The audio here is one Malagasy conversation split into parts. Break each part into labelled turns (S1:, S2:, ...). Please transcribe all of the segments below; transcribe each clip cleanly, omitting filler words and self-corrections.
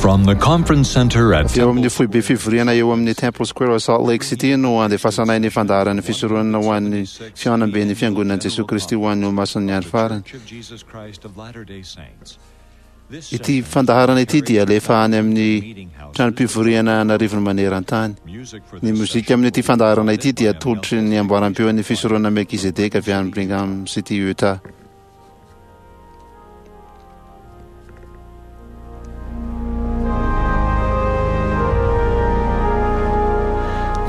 S1: From the conference center at
S2: Avy eo amin'ny foibe fivoriana eo amin'ny Temple Square ao Salt Lake City no andefasanay ny fandaharan'ny fisoronana ho an'ny Fihaonamben'ny Fiangonan'i Jesoa Kristy ho an'ny Olomasin'ny Andro Farany. Ity fandaharana ity dia alefa any amin'ny tranom-pivoriana an'arivony maneran-tany. Ny mozika amin'ity fandaharana ity dia atolotry ny amboaram-peon'ny Fisoronana Melkizedeka avy any Brigham City, Utah.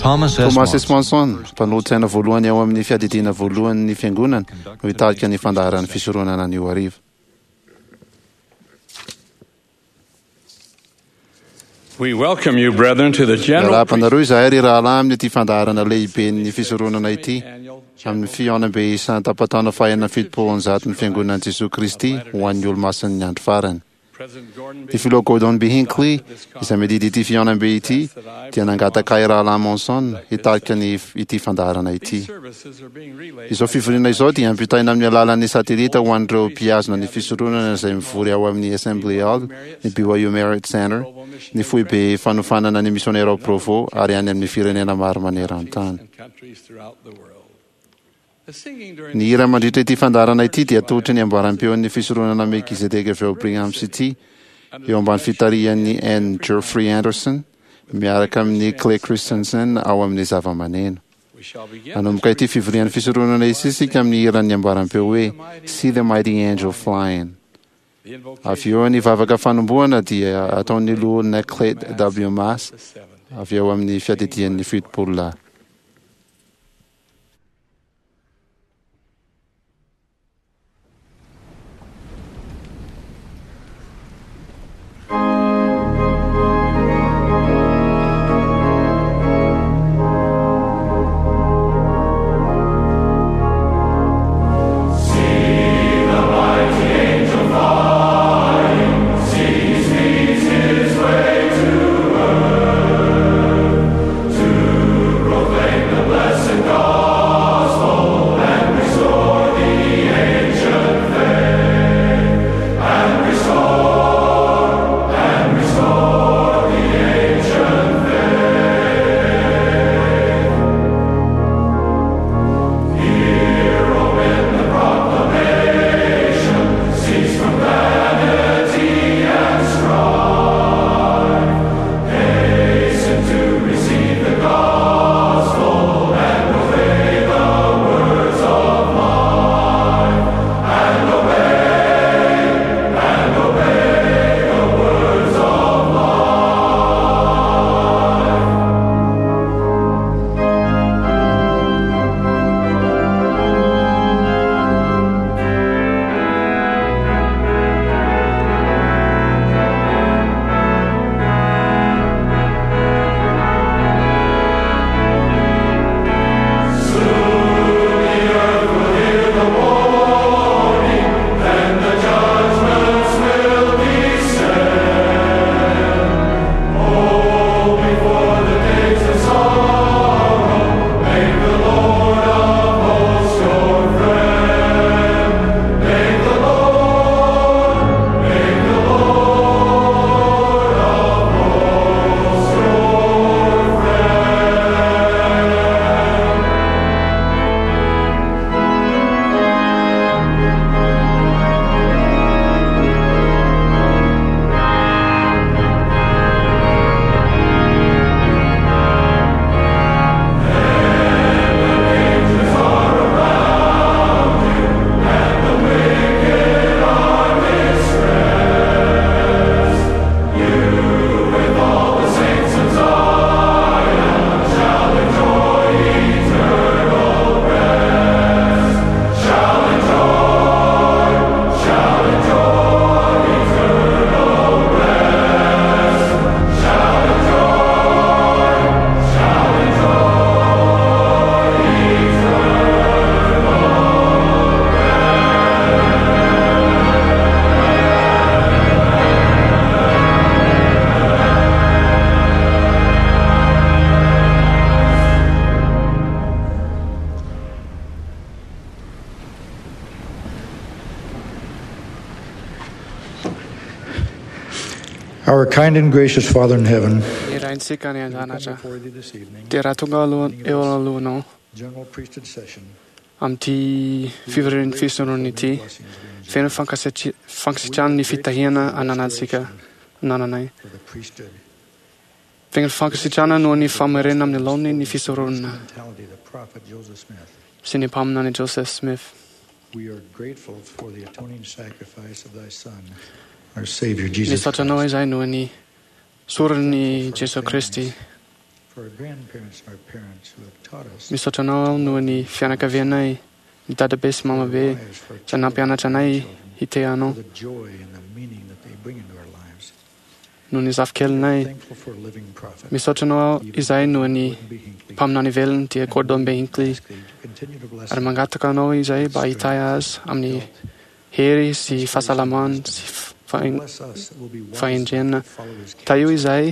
S1: Thomas S.
S2: Thomas S. Monson, mpanolotsaina voalohany ao amin'ny Fiadidiana Voalohany ny Fiangonana, no hitarika ny fandaharan'ny fisoronana anio hariva.
S3: We welcome you, brethren, to the general
S2: Miarahaba anareo izahay ry rahalahy amin'ity fandaharana lehiben'ny fisoronana ity, amin'ny fihaonambe isan-tapataona faha-176 ny Fiangonan'i Jesoa Kristy ho an'ny Olomasin'ny Andro Farany. Ny Filoha Gordon B. Hinckley, izay miadidy ity fihaonambe ity, dia nangataka ahy Rahalahy Monson hitarika ny ity fandaharana ity. Izao fivoriana izao dia ampitaina amin'ny alalan'ny satelita ho an'ireo mpihazona ny fisoronana izay mivory ao amin'ny Assembly Hall, ny BYU Marriott Center, ny foibe fanofanana ny misionera ao Provo ary any amin'ny firenena maro maneran-tany. Ny hira mandritra ity fandaharana ity dia atolotry ny amboaram-peon'ny fisoronana Melkizedeka avy ao Brigham City, eo ambany fitarihan'i N. Geoffrey Anderson, miaraka amin'i Clay Christensen ao amin'ny zavamaneno. Hanomboka ity fivorian'ny fisoronana ity isika amin'ny hiran'ny amboaram-peo hoe See the Mighty Angel Flying. Avy eo ny vavaka fanombohana dia ataon'ny Loholona Clayt W. Maas avy ao amin'ny Fiadidian'ny Fitopololahy.
S4: Our kind and gracious Father in heaven,
S5: Ny Raintsika any
S4: we come
S5: an-danitra
S4: before thee this evening,
S5: dia raha tonga aloha eo alohanao
S4: general priesthood session,
S5: amin'ity fivorian'ny fisoronana ity,
S4: blessings we enjoy
S5: feno fankasitrahana ny fitahiana ananantsika anananay.
S4: for the priesthood,
S5: Feno fankasitrahana noho ny famerenana amin'ny laoniny ny fisoronana
S4: mentality of the prophet Joseph Smith.
S5: sy ny mpaminany Joseph Smith.
S4: We are grateful for the atoning sacrifice of thy Son, our Savior Jesus
S5: Misaotra anao
S4: Christ,
S5: izahay noho ny soron'ny Jesoa Kristy.
S4: for our grandparents and our parents who have taught us
S5: Misaotra anao aho noho ny fianakavianay, ny dadabe sy mamabe
S4: lives for our
S5: izay nampianatra anay hitea anao,
S4: for the joy and the meaning that they bring into our lives.
S5: noho ny zafikelinay.
S4: Thankful for a living prophet,
S5: Misaotra anao aho izahay noho ny
S4: Gordon B. Hinckley,
S5: mpaminany velona dia Gordon B. Hinckley.
S4: ask thee to continue to bless
S5: Ary mangataka anao izahay mba hitahy azy amin'ny hery sy fahasalamana sy
S4: bless us that we'll be wise
S5: fahendrena.
S4: to follow his
S5: Tahio
S4: counsel.
S5: izahay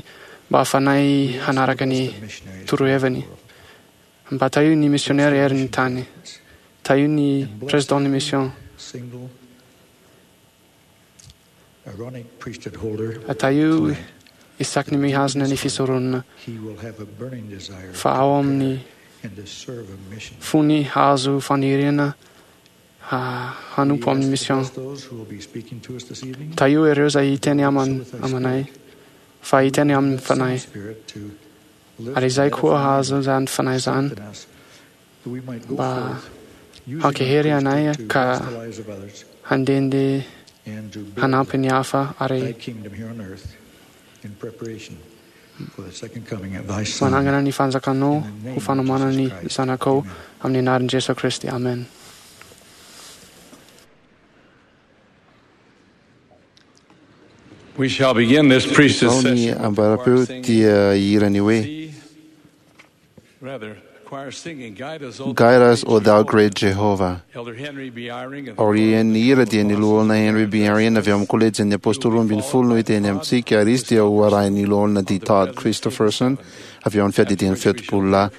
S5: mba hahafanay
S4: We ask
S5: hanaraka
S4: to
S5: ny
S4: bless the missionaries
S5: toroheviny.
S4: around the world.
S5: Mba tahio ny missionnaire eran'ny tany. Tahio ny président ny mission.
S4: Single Aaronic priesthood holder,
S5: Tahio
S4: tonight,
S5: isaky ny mihazona ny fisoronana
S4: he will have a burning desire
S5: fa ao amin'ny
S4: and to serve a mission.
S5: fony hahazo faniriana hanompo
S4: We
S5: amin'ny
S4: ask to
S5: mission.
S4: bless those who will be speaking to us this evening.
S5: Tahio ireo izay hiteny
S4: Also with thy
S5: amanay
S4: spirit.
S5: fa hiteny amin'ny
S4: Bless thy
S5: fanahy.
S4: spirit to lift
S5: Ary izay
S4: and
S5: koa
S4: edify
S5: hahazo izany fanahy izany
S4: and strengthen us, that we might go
S5: mba
S4: forth using our
S5: hankahery anay
S4: priesthood to
S5: ka
S4: bless the lives of others
S5: handehandeha
S4: and to build
S5: hanampy ny hafa
S4: thy
S5: ary
S4: kingdom here on earth in preparation for the second coming of thy Son.
S5: manangana ny fanjakanao
S4: In the name
S5: ho
S4: of
S5: fanomanana ny
S4: Jesus Christ.
S5: zanakao
S4: Amen.
S5: amin'ny anaran'i Jesoa Kristy. Amen.
S3: We shall begin this priesthood
S2: Izao ny
S3: session.
S2: ambarapeo dia hirany hoe
S3: See, rather, choir singing, Guide us, O
S2: Guide us, O thou
S3: Jehovah.
S2: great Jehovah.
S3: Elder Henry B. Eyring of the
S2: Aorian'ny hira dia ny loholona Henry B. Eyring avy amin'ny kolejin'ny Apôstôly 12 no hiteny amintsika ary izy dia ho arahin'ny loholona D. Todd Christopherson avy ao amin'ny fiadidian'ny fitopolo lahy.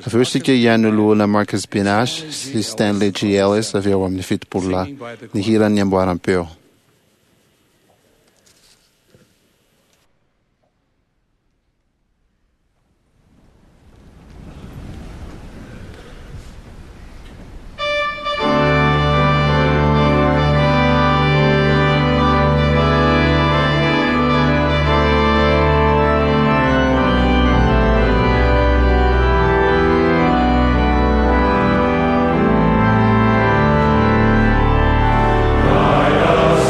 S2: Avy eo isika hihaino loholona Marcus B. Nash sy Stanley G. Ellis avy ao amin'ny 70 lahy. Ny hiran'ny amboaram-peo.
S3: Guide us,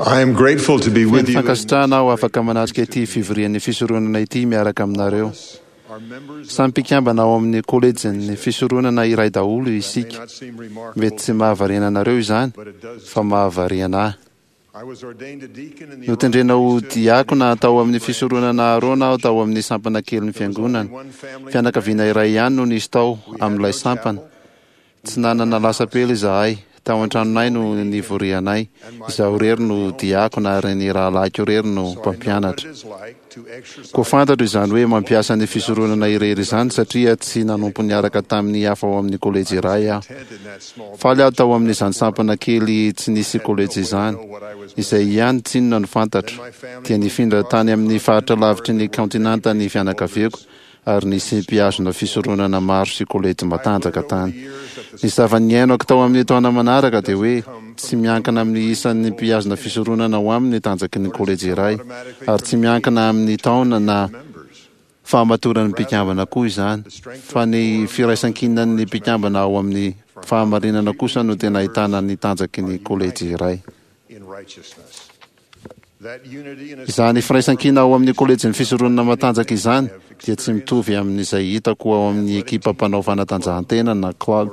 S6: I am grateful to be
S2: Feno
S6: with you.
S2: fankasitrahana aho afaka manatrika ity fivorian'ny fisoronana ity miaraka aminareo. Samy mpikambana ao amin'ny kolejin'ny fisoronana iray daholo isika. Mety tsy mahavariana anareo izany, fa mahavariana ahy.
S6: I was ordained a deacon in the
S2: Notendrena ho diakona tao amin'ny fisoronana Arona aho tao amin'ny sampana kelin'ny fiangonana. Fianakaviana iray ihany no nisy tao amin'ilay sampana. Tsy nanana lasapela izahay. Tao an-tranonay no nivorianay. Izaho irery no diakona ary ny rahalahiko irery no mpampianatra. Koa fantatro izany hoe mampiasa ny fisoronana irery izany satria tsy nanompo niaraka tamin'ny hafa ao amin'ny kolejy iray aho. Faly aho tao amin'izany sampana kely tsy nisy kolejy izany. Izay ihany tsinona no fantatro. Dia nifindra tany amin'ny faritra lavitry ny kaontinanta ny fianakaviako ary nisy mpihazona fisoronana maro sy kolejy matanjaka tany. Ny zava-niainako tao amin'ny taona manaraka dia hoe tsy miankina amin'ny isan'ny mpihazona fisoronana ao aminy ny tanjaky ny kolejy iray, ary tsy miankina amin'ny taona na fahamatoran'ny mpikambana koa izany, fa ny firaisankinan'ny mpikambana ao amin'ny fahamarinana kosa no tena ahitana ny tanjaky ny kolejy iray.
S6: in righteousness. That unity and
S2: Izany firaisankina ao amin'ny kolejin'ny fisoronana matanjaka izany dia tsy mitovy amin'izay hitako ao amin'ny ekipa mpanao fanatanjahantena na club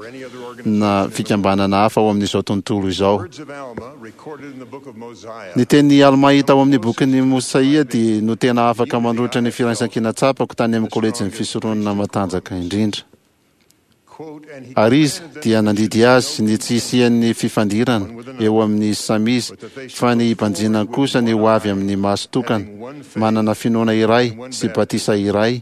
S2: na fikambanana hafa ao amin'izao tontolo izao.
S6: words of Alma recorded in the book of Mosiah
S2: Ny teny Alma hita ao amin'ny bokin'ny Mosaia dia no tena afaka manoritra ny firaisankina tsapako tany amin'ny kolejin'ny fisoronana matanjaka indrindra.
S6: quote and he
S2: Ary izy dia nandidy azy ny tsy hisian'ny fifandirana eo amin'ny samy izy, fa ny hibanjinany kosa ny ho avy amin'ny maso tokana, manana finoana iray sy batisa iray,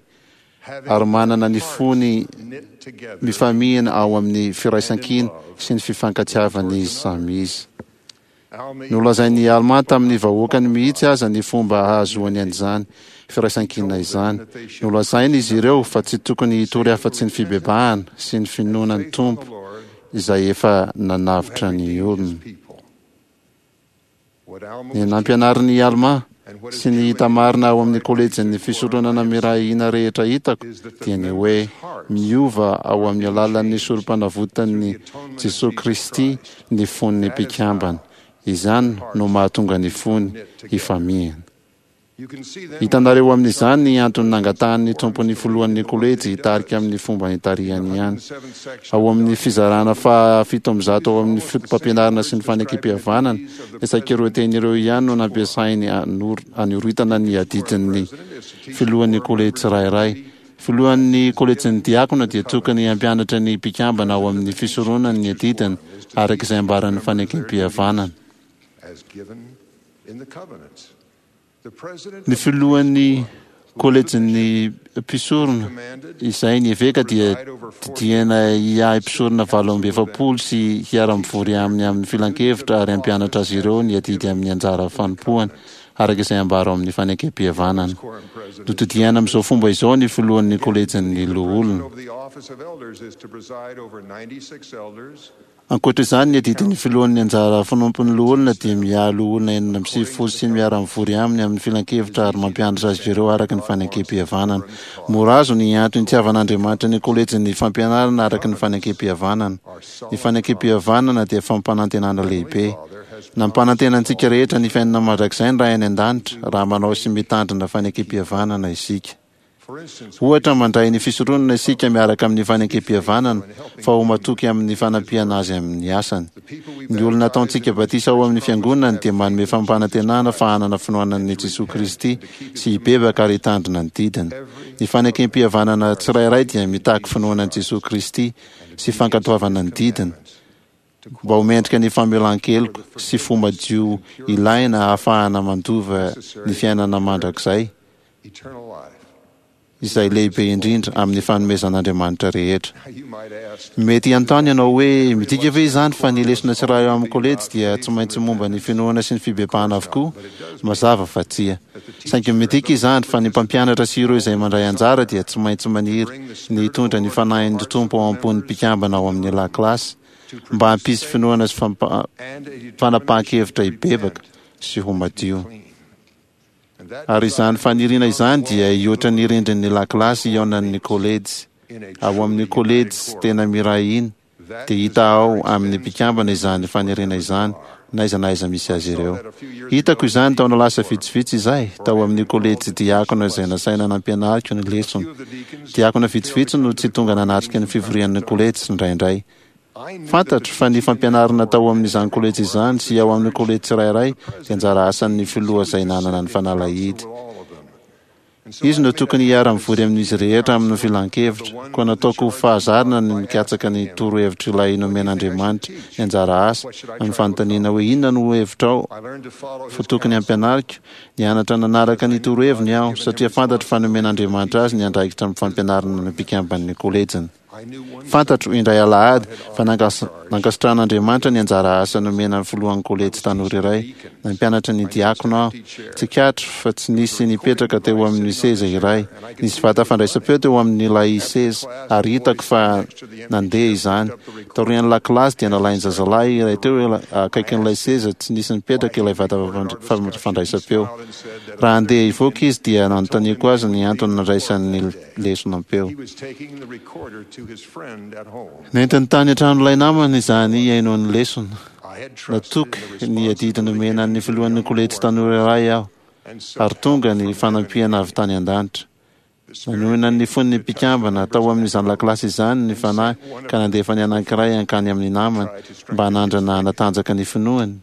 S2: ary manana ny fony
S6: knit together
S2: mifamihina ao amin'ny firaisankina sy ny fifankatiavan'izy samy izy.
S6: Alma
S2: Nolazain'i Alma tamin'ny vahoakany mihitsy aza ny fomba hahazoany an'izany firaisankina izany. Nolazainy izy ireo fa tsy tokony hitory afa-tsy ny fibebahana sy ny finoana ny Tompo izay efa nanavotra ny olona.
S6: people. What Alma
S2: Ny nampianarin'i Alma sy ny hita marina ao amin'ny kolejin'ny fisoronana miray hina rehetra hitako dia ny hoe miova ao amin'ny alalan'ny sorom-panavotan'i Jesoa Kristy ny fon'ny mpikambana. Izany no mahatonga ny fony hifamihina.
S6: you can see then
S2: Hitanareo amin'izany ny antony nangatahan'ny tompon'ny filohan'ny kolejy hitarika amin'ny fomba nitarihany ihany.
S6: seventh section
S2: Ao amin'ny fizarana faha 107 ao amin'ny fotopampianarana sy ny fanekempihavanana, ny saika ireo teny ireo ihany no nampiasainy anoritana ny adidin'ny filohan'ny kolejy tsirairay. Filohan'ny kolejin'ny diakona dia tokony hampianatra ny mpikambana ao amin'ny fisoronana ny adidiny araka izay ambaran'ny fanekempihavanana.
S6: as given in the covenants. The president
S2: Ny filohan'ny kolejin'ny mpisorona izay ny eveka dia didiana hiahy mpisorona 48 sy hiara-mivory aminy amin'ny filankevitra ary hampianatra azy ireo ny adidy amin'ny anjara fanompoany araka izay ambara ao amin'ny fanekempihavanana.
S6: quorum president
S2: Notodiana amin'izao fomba izao ny filohan'ny kolejin'ny loholona.
S6: over the office of elders is to preside over 96 elders
S2: Ankoatra izany, ny adidin'ny filohan'ny anjara fanompon'ny loholona dia miahy loholona 96 sy miara-mivory aminy amin'ny filankevitra ary mampianatra azy ireo araka ny fanekempihavanana. Mora azo ny antony itiavan'Andriamanitra ny kolejin'ny fampianarana araka ny fanekempihavanana. Ny fanekempihavanana dia fampanantenana lehibe. Nampanantena antsika rehetra ny fiainana mandrakizay ny Ray any an-danitra raha manao sy mitandrina fanekempihavanana isika.
S6: For instance,
S2: Ohatra mandray ny fisoronana isika miaraka amin'ny fanekempihavanana fa ho matoky amin'ny fanampiana azy amin'ny asany. Ny olona ataontsika batisa ao amin'ny fiangonany dia manome fampanantenana fa hanana finoana an'i Jesoa Kristy sy hibebaka ary hitandrina ny didiny. Ny fanekempihavanana tsirairay dia mitaky finoana an'i Jesoa Kristy sy fankatoavana ny didiny mba ho mendrika ny famelan-keloka sy fo madio ilaina ahafahana mandova ny fiainana mandrakizay
S6: eternal life.
S2: izay lehibe indrindra amin'ny fanomezan'Andriamanitra rehetra.
S6: Now you might ask,
S2: Mety hanontany ianao hoe midika ve izany fa ny lesona tsirairay ao amin'ny kolejy dia tsy maintsy momba ny finoana sy ny fibebahana avokoa? Mazava fa tsia. Saingy midika izany fa ny mpampianatra sy ireo izay mandray anjara dia tsy maintsy maniry ny hitondra ny fanahin'ny Tompo ao am-pon'ny mpikambana ao amin'ny lakilasy mba hampisy finoana sy
S6: and a
S2: fanapahan-kevitra hibebaka sy ho madio.
S6: clean. And that
S2: Ary izany faniriana izany dia hihoatra ny rindrin'ny lakilasy hihaonan'ny kolejy.
S6: in a
S2: Ao amin'ny
S6: truly
S2: kolejy
S6: united
S2: tena miray hina
S6: quorum,
S2: Dia hita ao amin'ny mpikambana izany faniriana izany, n'aiza n'aiza misy azy ireo. Hitako izany taona lasa vitsivitsy izay, tao amin'ny kolejy diakona izay nasaina nampianariko ny lesona. Diakona vitsivitsy no tsy tonga nanatrika ny fivorian'ny kolejy indraindray. Fantatro fa ny fampianarana tao amin'izany kolejy izany sy ao amin'ny kolejy tsirairay dia anjara asan'ny filoha izay nanana ny fanalahidy. Izy no tokony hiara-mivory amin'izy rehetra amin'ny filan-kevitra. Koa nataoko ho fahazarana ny mikatsaka ny torohevitr'ilay nomen'Andriamanitra ny anjara asa, amin'ny fanontaniana hoe Inona no hevitrao fa tokony hampianariko? Nianatra nanaraka ny toroheviny aho, satria fantatro fa nomen'Andriamanitra azy ny andraikitra amin'ny fampianarana ny mpikamban'ny kolejiny. Fantatro, indray alahady, fa nankasitrahan'Andriamanitra ny anjara asa nomena ny filohan'ny kolejy tanora iray. Nampianatra ny diakona aho. Tsikaritro fa tsy nisy nipetraka teo amin'ny seza iray. Nisy vata fandraisam-peo teo amin'ilay seza, ary hitako fa nandeha izany. Taorian'ny lakilasy dia nalain'ny zazalahy iray teo akaikin'ilay seza tsy nisy nipetraka ilay vata fandraisam-peo. Raha handeha hivoaka izy dia nanontaniako azy ny antony nandraisany ny lesona am-peo. Nentiny tany an-tranon'ilay namany izany hihaino ny lesona. Natoky ny adidy nomena an'ny filohan'ny kolejy tanora iray aho, ary tonga ny fanampiana avy tany an-danitra. Nanohina ny fon'ny mpikambana tao amin'izany lakilasy izany ny Fanahy ka nandefa ny anankiray hankany amin'ny namany mba hanandrana hanatanjaka ny finoany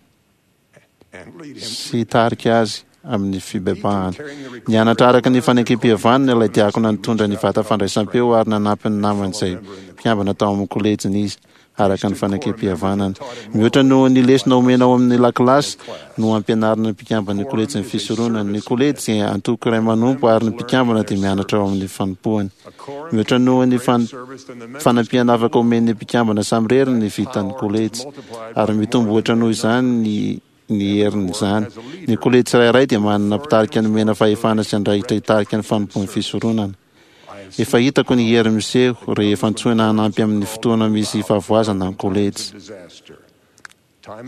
S2: sy hitarika azy amin'ny fibebahana. Nianatra araka ny fanekempihavanana ilay diakona nitondra ny vata fandraisam-peo ary nanampy ny namany izay mpikambana tao amin'ny kolejiny izy araka ny fanekempihavanana. Mihoatra noho ny lesona omena ao amin'ny lakilasy no ampianarina ny mpikamban'ny kolejin'ny fisoronana. Ny kolejy dia antoko iray manompo ary ny mpikambana dia mianatra ao amin'ny fanompoany. Mihoatra noho ny fanampiana afaka omen'ny mpikambana samirery ny vitan'ny kolejy, ary mitombo ohatra noho izany ny ny herin'izany. Ny kolejy tsirairay dia manana mpitarika nomena fahefana sy andraikitra hitarika ny fanompoan'ny fisoronana. Efa hitako ny hery miseho rehefa antsoina hanampy amin'ny fotoana misy fahavoazana ny kolejy.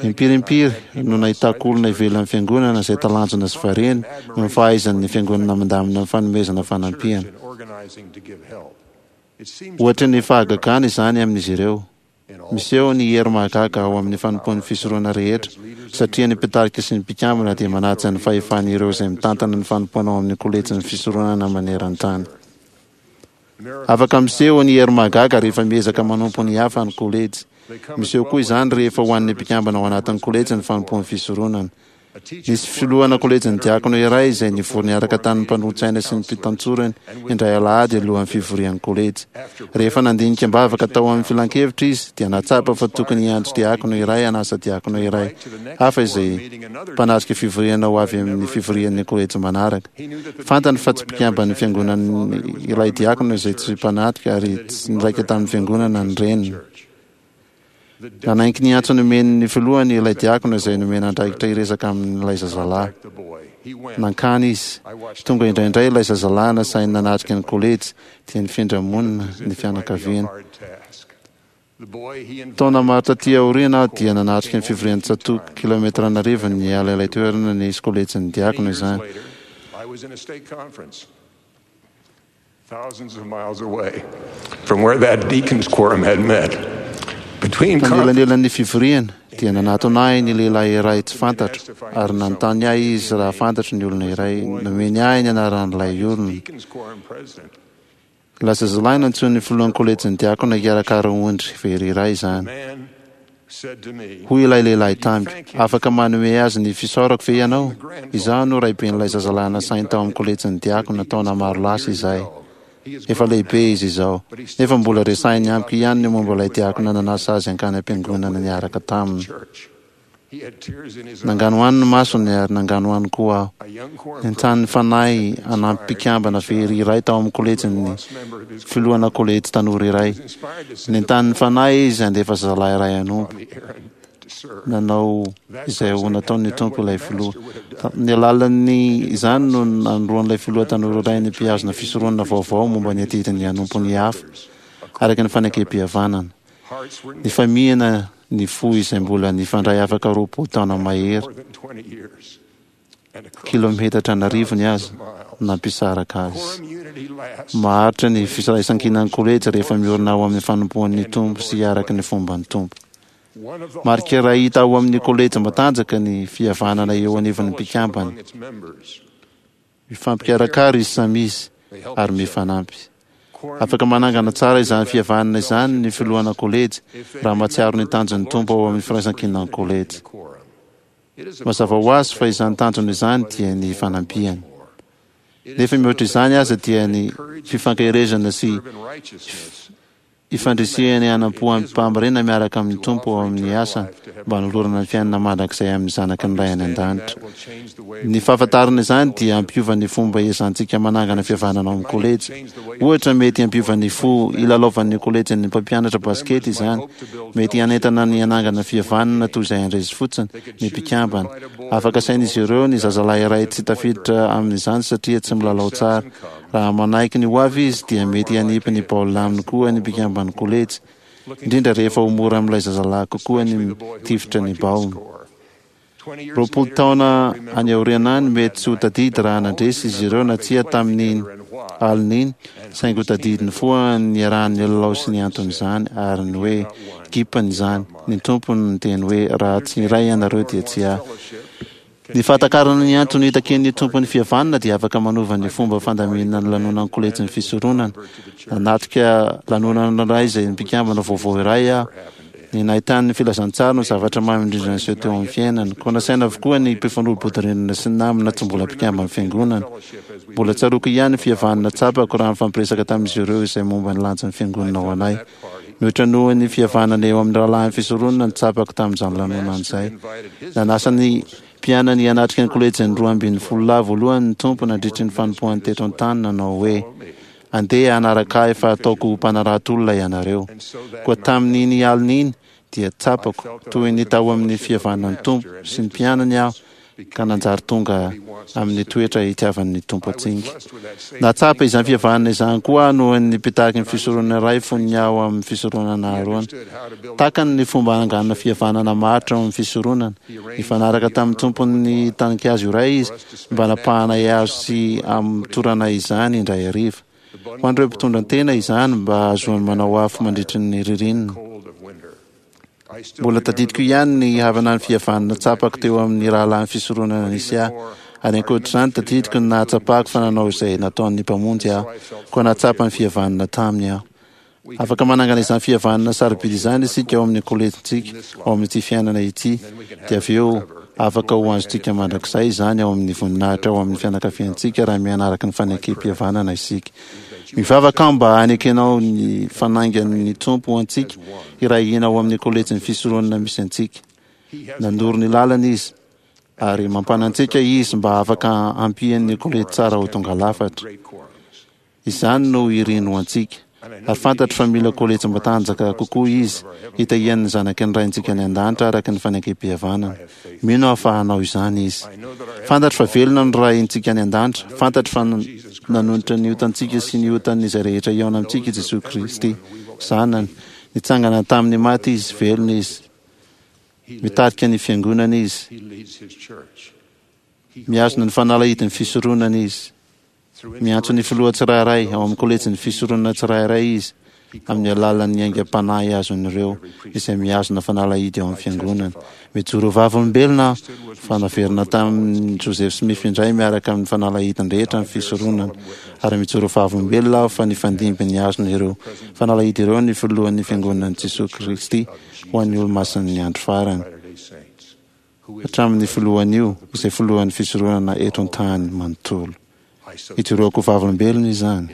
S2: Impiry impiry no nahitako olona ivelan'ny fiangonana izay talanjona sy variana noho ny fahaizan'ny fiangonana mandamina ny fanomezana fanampiana. Ohatry ny fahagagana izany amin'izy ireo. Miseho ny hery mahagaga ao amin'ny fanompoan'ny fisoronana rehetra, satria ny mpitarika sy ny mpikambana dia manaja ny fahefan'ireo izay mitantana ny fanompoana ao amin'ny kolejin'ny fisoronana maneran-tany. Afaka miseho ny hery mahagaga rehefa miezaka manompo ny hafa ny kolejy. Miseho koa izany rehefa ho an'ny mpikambana ao anatin'ny kolejy ny fanompoan'ny fisoronana. Nisy filohana kolejin'ny diakona iray izay nivory niaraka tamin'ny mpanolotsaina sy ny mpitantsorany indray alahady alohan'ny fivorian'ny kolejy. Rehefa nandinika am-bavaka tao amin'ny filankevitra izy dia nahatsapa fa tokony hiantso diakona iray hanasa diakona iray hafa izay mpanatrika fivoriana ho avy amin'ny fivorian'ny kolejy manaraka. Fantany fa tsy mpikamban'ny fiangonana ilay diakona izay tsy mpanatrika ary tsy niraika tamin'ny fiangonana ny reniny. Nanaiky ny antso nomen'ny filohany ilay diakona izay nomena andraikitra hiresaka amin'ilay zazalahy. Nankany izy. Tonga indraindray ilay zazalahy nasainy nanatrika ny kolejy, dia nifindra monina ny fianakaviany. Taona maro taty aoriana aho dia nanatrika ny fivorian'ny tsatòka, kilaometatra an'arivony niala ilay toerana nisy kolejin'ny diakona izany.
S6: Thousands of miles away from where that deacon's quorum had met. Between
S2: Tanelanelan'ny fivoriana, dia nanatona ahy ny lehilahy iray tsy fantatro, ary nanontany ahy izy raha fantatro ny olona iray. Nomeny ahy ny anaran'ilay olona. Ilay zazalahy nantsoin'ny filohan'ny kolejin'ny diakona hikarakara ondry very iray izany. Hoy ilay lehilahy tamiko, Afaka manome azy ny fisaorako ve ianao? Izaho no raiben'ilay zazalahy nasainy tao amin'ny kolejin'ny diakona taona maro lasa izay. Efa lehibe izy izao, nefa mbola resahiny amiko ihany ny momba ilay diakona nanasa azy hankany am-piangonana niaraka taminy. Nanganohano ny masony ary nanganohano koa aho. Nentanin'ny Fanahy hanampy mpikambana very iray tao amin'ny kolejin'ny filohana kolejy tanora iray. Nentanin'ny Fanahy izy handefa zazalahy iray hanompo. Nanao izay ho nataon'ny Tompo ilay filoha. Tamin'ny alalan'ny izany no nanoroan'ilay filoha tanora iray ny mpihazona fisoronana vaovao momba ny adidiny hanompo ny hafa araka ny fanekempihavanana. Nifamihina ny fo izay mbola nifandray afaka 20 taona mahery, kilometatra an'arivony aza. nampisaraka azy. Maharitra ny firaisankinan'ny kolejy rehefa miorina ao amin'ny fanompoan'ny Tompo sy araka ny fomban'ny Tompo. Marika iray hita ao amin'ny kolejy matanjaka ny fihavanana eo anivon'ny mpikambana. Mifampikarakara izy samy izy ary mifanampy. Afaka manangana tsara izany fihavanana izany ny filohana kolejy raha mahatsiaro ny tanjon'ny Tompo ao amin'ny firaisankinan'ny kolejy. Mazava ho azy fa izany tanjona izany dia ny fanampiana. Nefa mihoatra izany aza dia ny fifankaherezana sy Ifandrisihany hanam-po amim-pahamariana miaraka amin'ny Tompo ao amin'ny asany mba hanolorana ny fiainana mandrakizay amin'ny zanaky ny Ray any An-danitra. Ny fahafantarana izany dia hampiova ny fomba iezahantsika manangana fihavanana ao amin'ny kolejy. Ohatra, mety hampiova ny fo hilalaovan'ny kolejin'ny mpampianatra basikety izany. Mety hanentana ny hanangana fihavanana toy izay handresy fotsiny ny mpikambana. Afaka asain'izy ireo ny zazalahy iray tsy tafiditra amin'izany satria tsy milalao tsara. Raha manaiky ny ho avy izy dia mety hanipy ny baolina aminy koa ny mpikamban'ny kolejy, indrindra rehefa ho mora amin'ilay zazalahy kokoa ny mitifitra ny baolina. 20 taona any aoriana any, mety tsy ho tadidy raha nandresy izy ireo na tsia tamin'iny alina iny, saingy ho tadidiny foa ny niarahany nilalao sy ny anton'izany, ary ny hoe gipany izany. Ny Tompo no niteny hoe, Raha tsy iray ianareo dia tsy ahy. Ny fahatakarana ny antony itakian'ny Tompo ny fihavanana dia afaka manova ny fomba fandaminana ny lanonan'ny kolejin'ny fisoronana. Nanatrika lanonana iray izay mpikambana vaovao iray aho. Ny nahitany ny filazantsara no zavatra mamy indrindra niseho teo amin'ny fiainany. Koa nasaina avokoa ny mpifanolo-bodirindrina sy ny namana tsy mbola mpikamban'ny Fiangonana. Mbola tsaroako ihany ny fihavanana tsapako raha nifampiresaka tamin'izy ireo izay momba ny lanjan'ny Fiangonana ho anay. Mihoatra noho ny fihavanana eo amin'ny rahalahin'ny fisoronana no tsapako tamin'izany lanonana izay. Nanasa ny mpianany hanatrika ny kolejin'ny 12 lahy voalohany ny Tompo nandritry ny fanompoany teto an-tany nanao hoe, Andeha hanaraka Ahy fa hataoko ho mpanarato olona ianareo. Koa tamin'iny alina iny dia tsapako toy ny tao amin'ny fihavanan'ny Tompo sy ny mpianany aho ka nanjary tonga amin'ny toetra itiavan'ny Tompo antsika. Nahatsapa izany fihavanana izany koa aho noho ny mpitaky ny fisoronana iray fony aho amin'ny fisoronana Aharôna. Takany ny fomba hananganana fihavanana maharitra ao amin'ny fisoronana. Nifanaraka tamin'ny tompon'ny taninkazo iray izy mba hanapahanay hazo sy hamotoranay izany indray hariva. Ho an'ireo mpitondra tena izany mba hahazoany manao afo mandritry ny ririnina. Mbola tadidiko ihany ny havana ny fihavanana tsapako teo amin'ny rahalahin'ny fisoronana nisy ahy. Ary ankoatr'izany, tadidiko ny nahatsapako fa nanao izay nataon'ny Mpamonjy aho, koa nahatsapa ny fihavanana taminy aho. Afaka manangana izany fihavanana sarobidy izany isika ao amin'ny kolejintsika, ao amin'ity fiainana ity, dia avy eo afaka ho azontsika mandrakizay izany ao amin'ny voninahitra ao amin'ny fianakaviantsika raha miaina araka ny fanekem-pihavanana isika. Mivavaka aho mba hanekenao ny fanaingan'ny Tompo ho antsika hiray hina ao amin'ny kolejin'ny fisoronana misy antsika. Nanoro ny lalana Izy, ary mampanantsika Izy mba afaka hampian'ny kolejy tsara ho tonga lafatra. Izany no iriny ho antsika. Ary fantatro fa mila kolejy matanjaka kokoa Izy, hitahiany ny zanaky ny Raintsika any An-danitra araka ny fanekem-pihavanana. Mino aho fa hanao izany Izy. Fantatro fa velona ny Raintsika any An-danitra. Fantatro fa nanonitra ny otantsika sy ny otan'izay rehetra hihaona amintsika i Jesoa Kristy, Zanany. Nitsangana tamin'ny maty Izy, velona Izy. Mitarika ny Fiangonana Izy. Mihazona ny fanalahidin'ny fisoronana Izy. Miantso ny filoha tsirairay ao amin'ny kolejin'ny fisoronana tsirairay izy amin'ny alalan'ny aingam-panahy azon'ireo izay mihazona fanalahidy ao amin'ny fiangonana. Mijoro ho vavolombelona aho fa naverina tamin'i Joseph Smith indray miaraka amin'ny fanalahidiny rehetra ny fisoronana, ary mijoro ho vavolombelona aho fa nifandimby nihazona ireo fanalahidy ireo ny filohan'ny Fiangonan'i Jesoa Kristy ho an'ny Olomasin'ny Andro Farany. Hatramin'ny filohan'io, izay filohan'ny fisoronana eto an-tany manontolo. Ijoroako ho vavolombelona izany,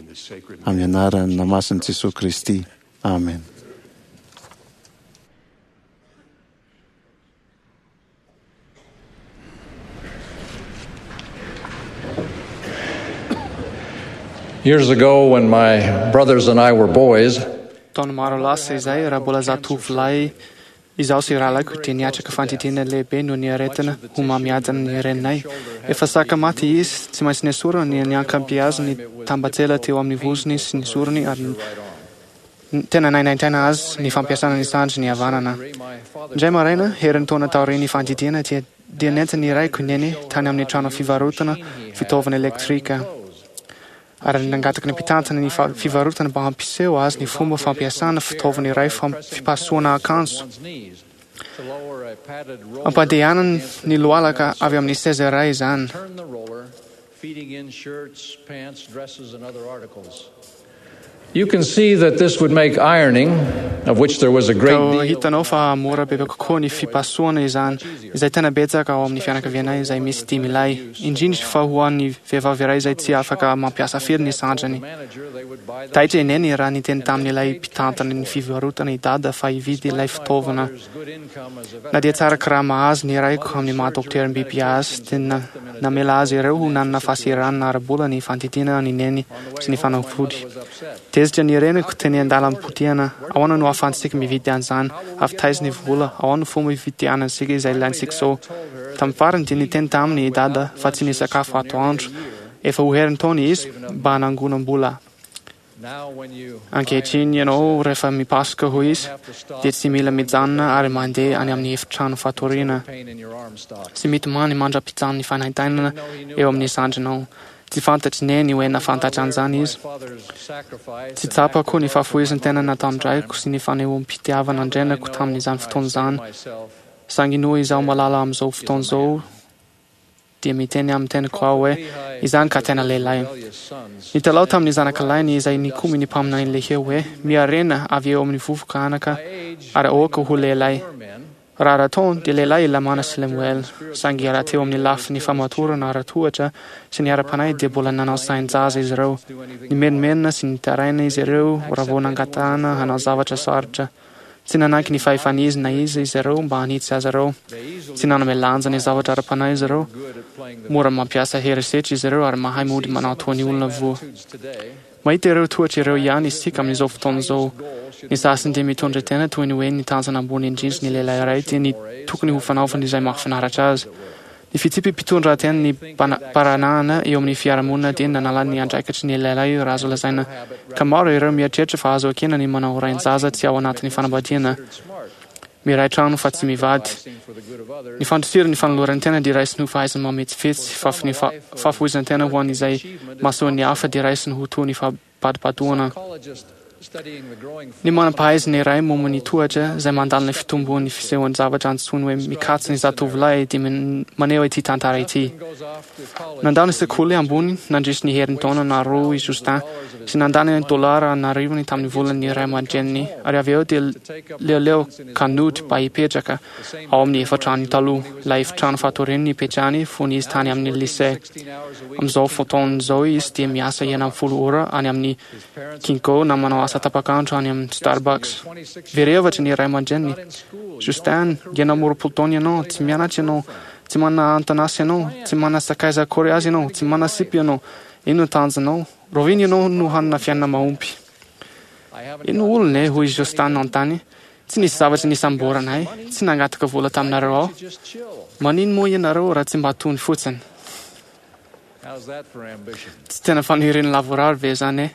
S2: amin'ny anarana masin'i Jesoa Kristy, amena.
S7: Years ago when my brothers and I were boys,
S5: Taona maro lasa izay, raha mbola zatovolahy Izaho sy rahalahiko dia niatrika fandidiana lehibe noho ny aretina homamiadan'ny reninay. Efa saka maty izy, tsy maintsy nesorina ny niankampiazy ny tambatsela teo amin'ny vozony sy ny zorony ary tena nainaintaina azy ny fampiasana ny sandriny havanana. Indray maraina, herintaona taorian'ny fandidiana dia dia nentin'ny raiko i Neny tany amin'ny trano fivarotana fitaovana elektrika. ary nangataka ny mpitantana ny fivarotana mba hampiseho azy ny fomba fampiasana fitaovana iray fipasohana akanjo. Ampandehanany ny lohalaka avy amin'ny seza iray izany.
S7: You can see that this would make ironing, of which there was a great
S5: Toa
S7: deal.
S5: hitanao fa mora bebe kokoa ny fipasohana izany, izay tena betsaka ao amin'ny fianakavianay izay misy dimy lahy, indrindra fa ho an'ny vehivavy iray izay tsy afaka mampiasa firy ny sandriny. Taitra i Neny raha niteny tamin'ilay mpitantana ny fivarotana i Dada fa hividy ilay fitaovana. Na dia tsara karama azy ny raiko amin'ny maha dokoteram-biby azy, dia namela azy ireo ho nanana fahasahiranana ara-bola ny fandidiana an'i Neny sy ny fanafody. Tezitra ny reniko teny an-dalam-potehana. Ahoana no ahafahantsika mividy an'izany? Avy taiza ny vola? Ahoana no fomba hividianantsika izay ilaintsika izao? Tamin'ny farany dia niteny taminy i Dada fa tsy nisakafo atoandro efa ho herintaona izy mba hanangonam-bola. Ankehitriny ianao rehefa mipasoka, hoy izy, dia tsy mila mijanona ary mandeha any amin'ny efitrano fatoriana sy mitomany mandra-pijanon'ny fanaintainana eo amin'ny sandrinao. Tsy fantatr'i Neny hoe nahafantatra an'izany izy. Tsy tsapako ny fahafoizan-tena nataon-draiko sy ny fanehoam-pitiavana an-dreniko tamin'izany fotoana izany. Saingy noho izaho malala amin'izao fotoana izao dia miteny amin'ny teniko aho hoe, Izany ka tena lehilahy. Nitalaho tamin'ny zanakalahiny izay nikomy ny mpaminany Lehia hoe, Miarena avy eo amin'ny vovoka anaka ary aoka ho lehilahy. Raha ara-taona, dia lehilahy i Lamana sy Lemoela, saingy raha teo amin'ny lafiny famatorana ara-tohatra sy ny ara-panahy dia mbola nanao sain-jaza izy ireo. Nimenomenona sy nitaraina izy ireo raha vao nangatahana hanao zavatra sarotra. Tsy nanaiky ny fahefan'izy na iza izy ireo mba hanitsy azy ireo. Tsy nanome lanja ny zavatra ara-panahy izy ireo. Mora mampiasa herisetra izy ireo ary mahay mody manao toa ny olona voa. Mahita ireo tohatra ireo ihany isika amin'izao fotoana izao. Ny sasany dia mitondra tena toy ny hoe ny tanjona ambony indrindra ny lehilahy iray dia ny tokony ho fanaovany izay mahafinaritra azy. Ny fitsipi-pitondran-tenan'ny mparanahana eo amin'ny fiarahamonina dia nanala ny andraikitry ny lehilahy raha azo lazaina ka maro ireo mieritreritra fa azo ekena ny manao rain-jaza tsy ao anatin'ny fanambadiana. Miray trano fa tsy mivady. Ny fandosirana ny fanoloran-tena dia raisiny ho fahaizana mametsifetsy, fa ny fahafoizan-tena ho an'izay mahasoa ny hafa dia raisiny ho toy ny fahabadobadoana. Ny manam-pahaizana iray momba ny tohatra izay mandalina ny fitomboan'ny fisehoan-javatra antsoiny hoe mikatso ny zatovolahy dia maneho ity tantara ity. Nandao ny sekoly ambony nandritry ny herintaona na roa i Justin sy nandany ny dolara an'arivony tamin'ny volan'ny ray aman-dreniny ary avy eo dia leoleo ka nody mba hipetraka ao amin'ny efitranony taloha, ilay efitrano fatoriany nipetrahany fony izy tany amin'ny lycée. Amin'izao fotoana izao izy dia miasa 16 ora any amin'ny Kinko na manao asa tapak'andro any amin'ny Starbucks. Very hevitra ny ray aman-dreniny. Justin, 26 taona ianao, tsy mianatra ianao, tsy manana anton'asa ianao, tsy manana sakaiza akory aza ianao, tsy manana sipa ianao. Inona no tanjonao? Rahoviana ianao no hanana fiainana mahomby? Ino olona e, hoy i Justin nanontany. Tsy nisy zavatra nisamborana ahy, tsy nangataka vola taminareo aho. Manino moa ianareo raha tsy mba tony fotsiny? Tsy tena faniriana lavorary ve izany e?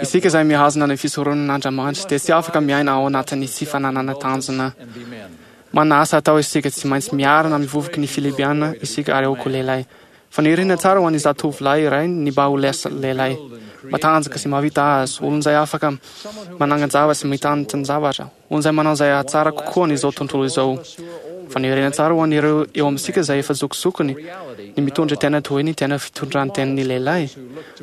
S5: Isika izay mihazona ny fisoronan'Andriamanitra dia tsy afaka miaina ao anatin'ny tsy fananana tanjona. Manana asa atao isika, tsy maintsy miarina amin'ny vovoky ny Filipiana isika ary aoka ho lehilahy. Faniriana tsara ho an'ny zatovolahy iray ny mba ho lasa lehilahy matanjaka sy mahavita azy, olona izay afaka manangan-javatra sy mitantan-javatra, olona izay manao izay hahatsara kokoa an'izao tontolo izao. Faniriana tsara ho an'ireo eo amintsika izay efa zokizokiny ny mitondra tena toy ny tena fitondran-tenin'ny lehilahy,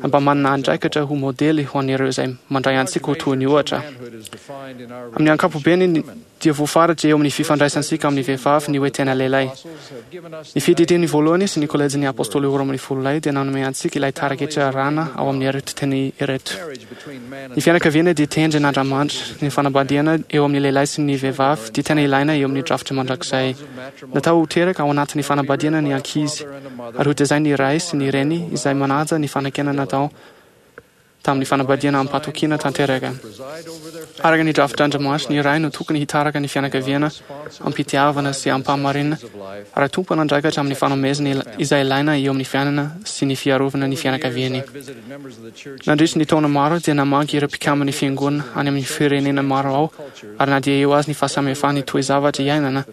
S5: mba manana andraikitra ho modely ho an'ireo izay mandray antsika ho toy ny ohatra. Amin'ny ankapobeny, dia voafaritra eo amin'ny fifandraisantsika amin'ny vehivavy ny hoe tena lehilahy. Ny Fiadidian'ny Voalohany sy ny Kolejin'ny Apôstôly 12 Lahy dia nanome antsika ilay taraketra rana ao amin'ireto teny ireto. Ny fianakaviana dia tendrin' Andriamanitra. Ny fanambadiana eo amin'ny lehilahy sy ny vehivavy dia tena ilaina eo amin'ny drafitra mandrakizay. Natao ho teraka ao anatin'ny fanambadiana ny ankizy, ary hotezain'ny ray sy ny reny izay manaja ny fanekena natao. Tamin'ny fanambadiana amim-pahatokiana tanteraka. Araka ny drafitr'Andriamanitra, ny ray no tokony hitaraka ny fianakaviana am-pitiavana sy am-pahamarinana ary tompon'andraikatra amin'ny fanomezana izay ilaina eo amin'ny fiainana sy ny fiarovana ny fianakaviany. Nandritry ny taona maro dia namangy ireo mpikamban'ny Fiangonana any amin'ny firenena maro aho ary na dia eo aza ny fahasamihafan'ny toe-javatra iainana,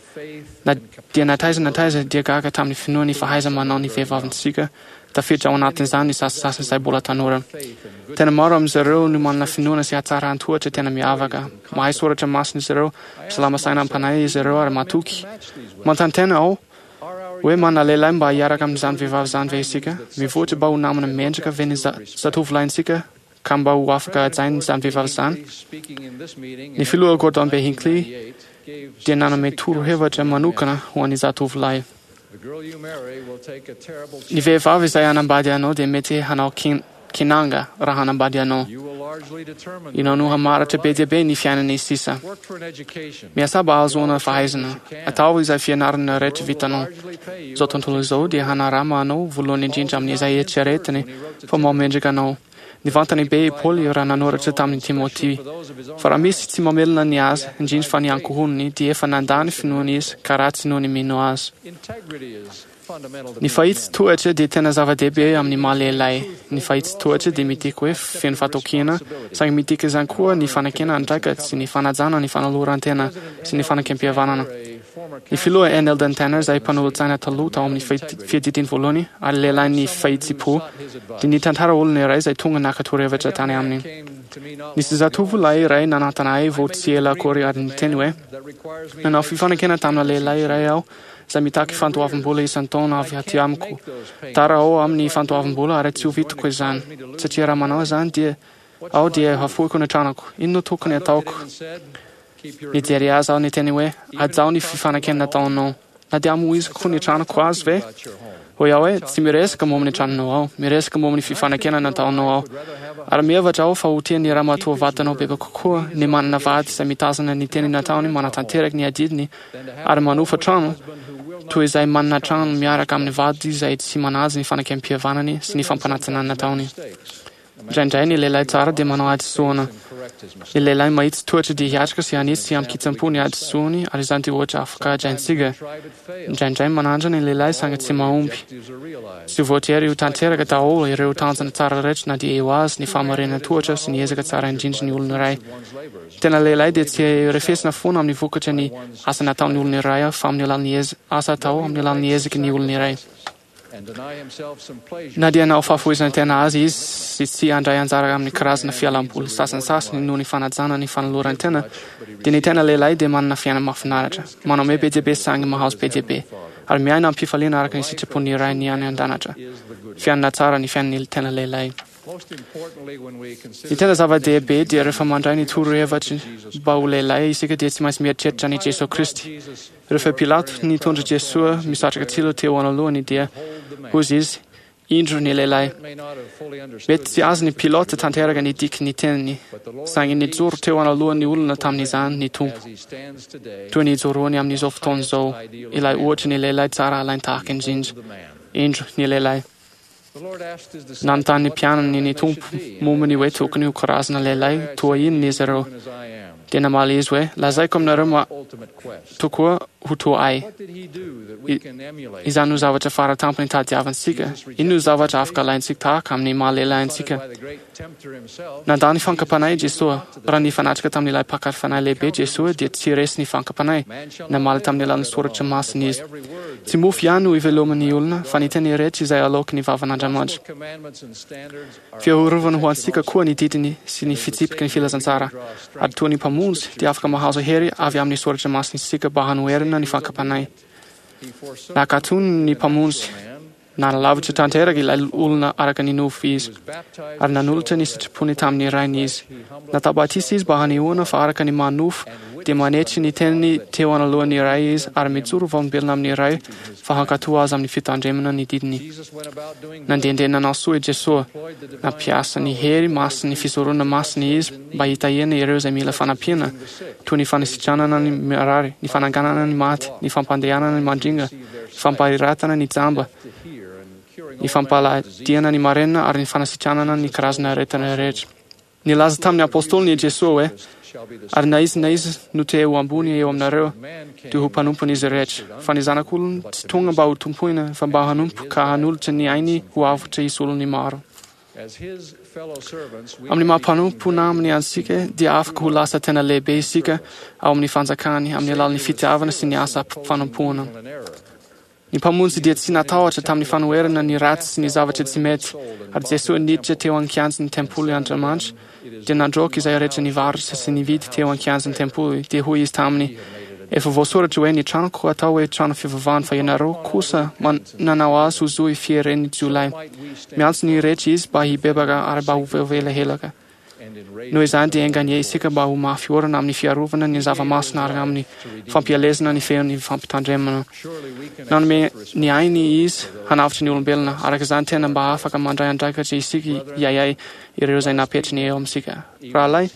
S5: na dia na taiza na taiza dia gaga tamin'ny finoan'ny fahaiza-manao ny vehivavintsika Tafiditra ao anatin'izany ny sasasasany izay mbola tanora. Tena maro amin'izy ireo no manana finoana sy hatsaran-toetra tena miavaka. Mahay soratra masina izy ireo, salama saina am-panahy izy ireo ary matoky. Manontany tena aho hoe manana lehilahy mba hiaraka amin'izany vehivavy izany ve isika? Mivoatra mba ho namana mendrika ve ny zatovolahintsika ka mba ho afaka hajaina izany vehivavy izany? Ny Filoha Gordon B. Hinckley dia nanome torohevitra manokana ho an'ny zatovolahy. Ny vehivavy izay hanambady anao dia mety hanao kinanga raha hanambady anao. Ianao no hamaritra be dia be ny fiainany sisa. Miasà mba hahazoana fahaizana. Ataovy izay fianarana rehetra vitanao. Izao tontolo izao dia hanarama anao voalohany indrindra amin'izay eritreretiny fa mahamendrika anao. Nivantana be i Paoly raha nanoratra tamin'i Timoty fa raha misy tsy mamelona ny azy, indrindra fa ny ankohonany, dia efa nandà ny finoany izy ka ratsy noho ny mino azy. Ny fahitsy-toetra dia tena zava-dehibe amin'ny maha lehilahy. Ny fahitsy-toetra dia midika hoe feno fahatokiana, saingy midika izany koa ny fanekena andraikitra sy ny fanajana ny fanoloran-tena sy ny fanekempihavanana. Ny filoha N. Eldon Tanner, izay mpanolotsaina taloha tao amin'ny fiadidiany voalohany ary lehilahin'ny fahitsim-po, dia nitantara olona iray izay tonga naka torohevitra tany aminy. Nisy zatovolahy iray nanantona ahy vao tsy ela akory ary niteny hoe, Nanao fifanekena tamina lehilahy iray aho izay mitaky fandoavam-bola isan-taona avy aty amiko. Tara aho amin'ny fandoavam-bola ary tsy ho vitako izany, satria raha manao izany dia aho dia hafoiko ny tranoko. Inona no tokony hataoko? Nijery azy aho niteny hoe, Hajao ny fifanekena nataonao. Na dia hamoiziko ny tranoko azy ve? Hoy aho hoe, Tsy miresaka momba ny tranonao aho. Miresaka momba ny fifanekena nataonao aho. Ary mihevitra aho fa ho tian'ny ramatoa vadinao bebe kokoa ny manana vady izay mitazona ny teny nataony manatanteraka ny adidiny ary manofa trano, toy izay manana trano miaraka amin'ny vady izay tsy manaja ny fanekem-pihavanany sy ny fampanantenana nataony. Indraindray ny lehilahy tsara dia manao hadisoana. Ny lehilahy mahitsy toetra dia hiatrika sy hanitsy amin-kitsim-po ny hadisoany, ary izany dia ohatra afaka hajaintsika. Indraindray manandrana ny lehilahy saingy tsy mahomby. Tsy voatery ho tanteraka daholo ireo tanjona tsara rehetra na dia eo aza ny fahamarinan-toetra sy ny ezaka tsara indrindra ny olona iray. Ny tena lehilahy dia tsy refesina foana amin'ny vokatry ny asa nataon'ny olona iray fa amin'ny alalan'ny asa atao amin'ny alalan'ny ezaky ny olona iray. Na dia hanao fahafoizan-tena azy izy sy tsy handray anjara amin'ny karazana fialam-boly sasantsasany noho ny fanajana ny fanoloran-tena, dia ny tena lehilahy dia manana fiainana mahafinaritra, manome be dia be saingy mahazo be dia be, ary miaina amim-pifaliana araka ny sitrapon'ny Rainy any an-danitra. Fiainana tsara ny fiainan'ny tena lehilahy. Ny tena zava-dehibe dia rehefa mandray ny torohevitry mba ho lehilahy isika dia tsy maintsy mieritreritra an'i Jesoa Kristy. Rehefa Pilato nitondra Jesoa misatroka tsilo teo anoloany dia hozy izy, Indro ny lehilahy. Mety tsy azon'i Pilote tanteraka ny diky ny teniny, saingy nijoro teo anoloan'ny olona tamin'izany ny Tompo, toy ny ijoroany amin'izao fotoana izao, ilay ohatry ny lehilahy tsara alain-tahaka indrindra. Indro ny lehilahy. Nanontany ny mpianany ny Tompo momba ny hoe tokony ho karazana lehilahy toa inona izy ireo. Dia namaly Izy hoe, Lazaiko aminareo ma tokoa ho toa Ahy. Izany no zavatra fara tampony tadiavintsika. Inona no zavatra afaka alaintsika tahaka amin'ny maha lehilahy antsika? Nandà ny fankam-panahy i Jesoa. Raha nifanatrika tamin'ilay mpaka fanahy lehibe Jesoa dia tsy resy ny fankam-panahy. Namaly tamin'ny alalan'ny soratra masina izy. Tsy mofo ihany no iveloman'ny olona fa ny teny rehetra izay aloaky ny vavan'Andriamanitra. Fiarovana ho antsika koa ny didiny sy ny fitsipiky ny filazantsara. Ary toa ny Mpamonjy dia afaka mahazo hery avy amin'ny soratra masina isika mba hanoherana ny fankam-panahy. Nakatony ny Mpamonjy. Nanalavitra tanteraka ilay olona araka ny nofo izy, ary nanolotra ny sitrapony tamin'ny Rainy izy. Natao batisa izy mba hanehoana fa araka ny maha nofo, dia manetry ny teniny teo anoloan'ny Ray izy ary mijoro vavolombelona amin'ny Ray fa hankatò azy amin'ny fitandremana ny didiny. Nandehandeha nanao soa i Jesoa. Nampiasa ny hery masin'ny fisoronana masina izy mba hitahiana ireo izay mila fanampiana, toy ny fanasitranana ny marary, ny fananganana ny maty, ny fampandehanana ny mandringa, fampahiratana ny jamba. ny fampaladiana ny marenina ary ny fanasitranana ny karazana aretina rehetra. Nilaza tamin'ny apôstôliny i Jesoa hoe, Ary na iza na iza no te ho ambony eo aminareo, dia ho mpanompon'izy rehetra. Fa ny Zanak'olona tsy tonga mba hotompoina, fa mba hanompo ka hanolotra ny ainy ho avotra hisolo ny maro. Amin'ny maha mpanompo namany antsika, dia afaka ho lasa tena lehibe isika ao amin'ny fanjakany amin'ny alalan'ny fitiavana sy ny asa fanompoana. Ny Mpamonjy dia tsy natahotra tamin'ny fanoherana ny ratsy sy ny zavatra tsy mety, ary Jesoa niditra teo an-kianjan'ny tempoly Andriamanitra, dia nandroaka izay rehetra nivarotra sy nividy teo an-kianjan'ny tempoly, dia hoy Izy taminy, Efa voasoratra hoe ny tranoko atao hoe trano fivavahana fa ianareo kosa nanao azy ho zohy fieren'ny jiolahy. Miantso ny rehetra Izy mba hibebaka ary mba ho voavela helaka. Noho izany dia enga anie isika mba ho mafy orina amin'ny fiarovana ny zava-masina ary amin'ny fampielezana ny feon'ny fampitandremana. Nanome ny ainy Izy hanavotra ny olombelona. Araka izany tena mba afaka mandray andraikitra isika hiahiahy ireo izay napetrany eo amintsika. Rahalahy,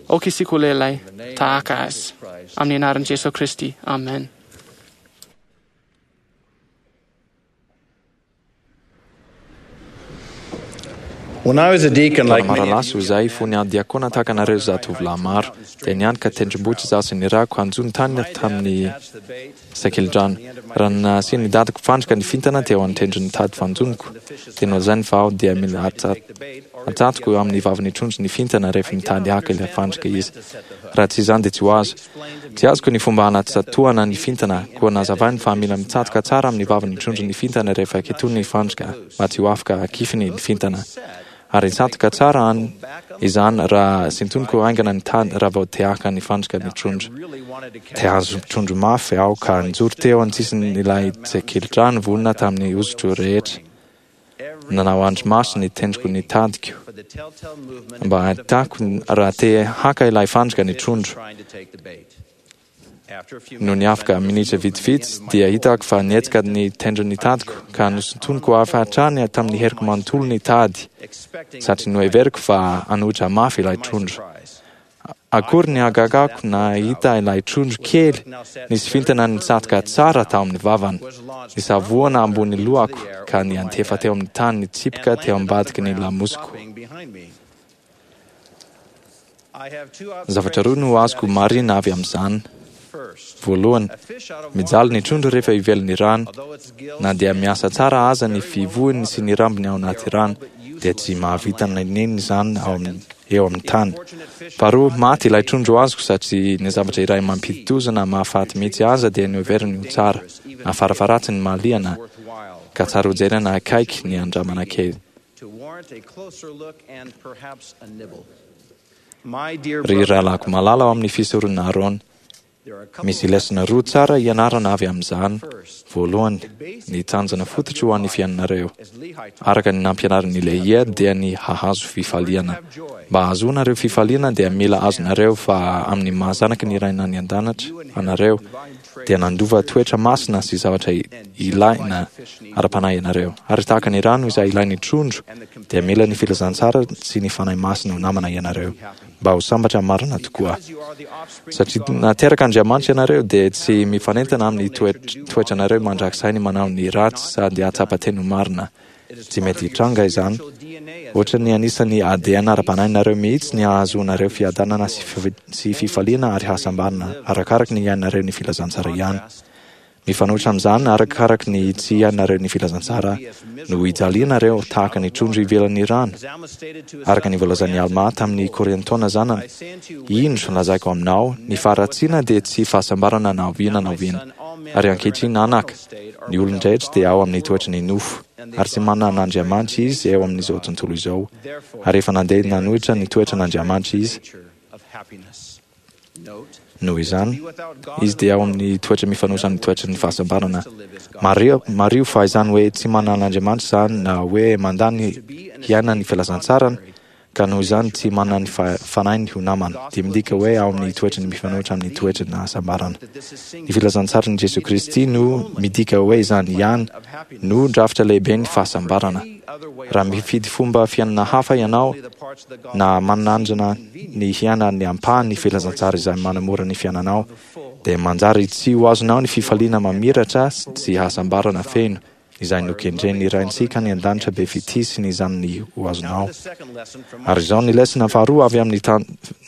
S5: aoka isika ho lehilahy tahaka Azy. Amin'ny anaran'i Jesoa Kristy, amen.
S8: Taona maro lasa izay, fony aho diakona tahaka anareo zatovolahy maro, dia nianoka tendrombohitra izaho sy ny rako hanjono tany tamin'ny sakelidrano. Raha nasian'ny dadako fandrika ny fintana teo an-tendron'ny tady fanjonoko, dia nolazainy fa aho dia mila atsatoko eo amin'ny vavan'ny trondro ny fintana rehefa mitady haka ilay fandrika izy. Raha tsy izany dia tsy ho azo. Tsy azoko ny fomba hanatsatohana ny fintana, koa nazavainy fa mila mitsatoka tsara amin'ny vavan'ny trondro ny fintana rehefa ketony ny fandrika mba tsy ho afaka akifiny ny fintana. Ary hitsatoka tsara an izany raha sintoniko haingana ny tady raha vao te haka ny fandrika ny trondro. Te hahazo trondro mafy aho ka nijoro teo an-tsisin'ilay tsekelidrano vonona tamin'ny hosotro rehetra. Nanao andrimaso ny tendroko ny tadiko mba hahitako raha te haka ilay fandrika ny trondro. Nony afaka minitra vitsivitsy dia hitako fa nihetsika ny tendron'ny tadiko ka nosintoniko avy hatrany tamin'ny heriko manontolo ny tady satria noheveriko fa hanohitra mafy ilay trondro. Akory ny hagagako nahita ilay trondro kely nisy vintana nitsatoka tsara tao amin'ny vavany. Nisavoana ambony lohako ka niantefa teo amin'ny tany nitsipika teo ambadiky ny lamosiko. Zavatra roa no azoko marihina avy amin'izany. Voalohany, mijaly ny trondro rehefa ivelan'ny rano. Na dia miasa tsara aza ny fivohiny sy ny rambony ao anaty rano, dia tsy mahavita n'inon'inona izany ao amin'ny eo amin'ny tany. Faharoa, maty ilay trondro azoko satria ny zavatra iray mampidi-doza na mahafaty mihitsy aza dia noheveriny ho tsara, na farafaharatsiny mahaliana, ka tsara hojerena akaiky ny andramana kely. Ry rahalahiko malala ao amin'ny fisoronana Arona, Misy lesona roa tsara ianarana avy amin'izany. Voalohany, ny tanjona fototry ho an'ny fiainanareo, araka ny nampianarin'i Lehia, dia ny hahazo fifaliana. Mba hahazoanareo fifaliana dia mila azonareo fa amin'ny maha zanaky ny Ray any An-danitra anareo, dia nandova toetra masina sy zavatra ilaina ara-panahy ianareo. Ary tahaka ny rano izay ilain'ny trondro, dia mila ny filazantsara sy ny Fanahy Masina ho namana ianareo. mba ho sambatra marina tokoa. Satria nateraka Andriamanitra ianareo, dia tsy mifanentana amin'ny toetranareo mandrakizay ny manao ny ratsy sady hahatsapa teny ho marina. Tsy mety hitranga izany. Ohatran'ny anisan'ny ADN ara-panahinareo mihitsy ny hahazoanareo fiadanana sy fifaliana ary hasambarana, arakaraky ny iainanareo ny filazantsara ihany. Mifanohitra amin'izany, arakaraky ny tsy hiainareo ny filazantsara no hijalianareo tahaka ny trondro ivelan'ny rano. Araka ny voalazan'i Almà tamin'i Kôriantôna zanany, Indro, lazaiko aminao, ny faharatsiana dia tsy fahasambarana na oviana na oviana. Ary ankehitriny, anaka, ny olon-drehetra dia ao amin'ny toetry ny nofo, ary tsy manana an'Andriamanitra izy eo amin'izao tontolo izao, ary efa nandeha nanohitra ny toetran'Andriamanitra izy, Noho izany, izy dia ao amin'ny toetra mifanohitra amin'ny toetry ny fahasambarana. Mariho, mariho fa izany hoe tsy manana an'Andriamanitra izany na hoe mandà ny hiaina ny filazantsarany, ka noho izany tsy manana ny Fanahiny ho namana, dia midika hoe ao amin'ny toetrany mifanohitra amin'ny toetry ny hasambarana. Ny filazantsaran'i Jesoa Kristy no midika hoe izany ihany no drafitra lehiben'ny fahasambarana. Raha mifidy fomba fiainana hafa ianao, na manandrana ny hiaina ny ampahan'ny filazantsara izay manamora ny fiainanao, dia manjary tsy ho azonao ny fifaliana mamiratra sy hasambarana feno. izay nokendren'ny Raintsika any An-danitra be fitia sy ny Zanany ho azonao. Ary izao ny lesona faharoa avy amin'ny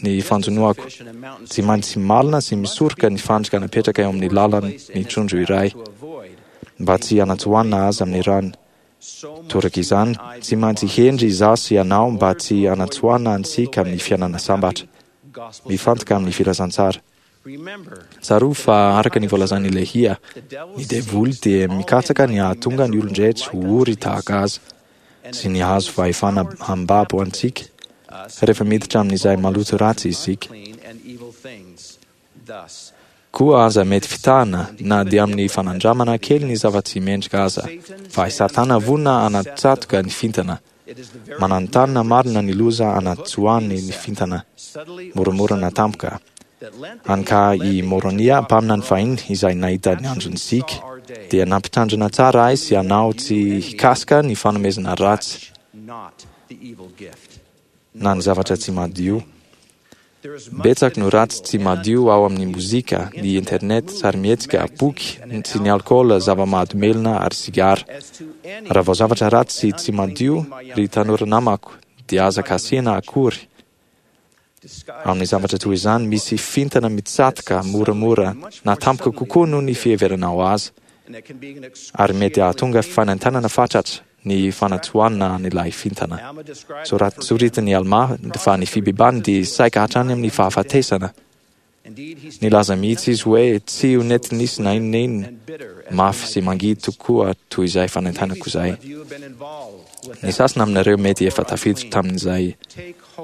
S8: ny fanjonoako, Tsy maintsy malina sy misoroka ny fandrika napetraka eo amin'ny lalan' ny trondro iray, mba tsy hanatsoahana azy amin'ny rano. Toraka izany, tsy maintsy hendry izaho sy ianao mba tsy hanatsoahana antsika amin'ny fiainana sambatra. Mifantoka amin'ny filazantsara. Tsarovy fa araka ny voalazan'i Lehia, ny devoly dia mikatsaka ny hahatonga ny olon-drehetra ho ory tahaka azy sy ny hahazo fahefana hambabo antsika rehefa miditra amin'izay maloto ratsy isika. Koa aza mety fitahana na dia amin'ny fanandramana kely ny zava-tsy mendrika aza, fa i Satana vonona hanatsatoka ny fintana. Mananontanona marina ny loza anatsoahany ny fintana moramora na tampoka. Hany ka i Môrônia, mpaminany fahiny izay nahita ny andron'i Zika, dia nampitandrina tsara ahy sy anao tsy hikasika ny fanomezana ratsy na ny zavatra tsy madio. Betsaka no ratsy tsy madio ao amin'ny mozika, ny internet, sarimihetsika, boky, sy ny alkaola, zava-mahadomelina ary sigara. Raha vao zavatra ratsy sy tsy madio, ry tanora namako, dia aza kasihina akory. Amin'ny zavatra toy izany, misy fintana mitsatoka moramora na tampoka kokoa noho ny fiheveranao azy, ary mety hahatonga fanaintainana fatratra ny fanatsoahana an'ilay fintana. Soritin'i Almà fa ny fibebahany dia saika hatrany amin'ny fahafatesana. Nilaza mihitsy izy hoe tsy ho nety nisy na inona inona mafy sy mangidy tokoa toy izay fanaintainako izay. Ny sasany aminareo mety efa tafiditra tamin'izay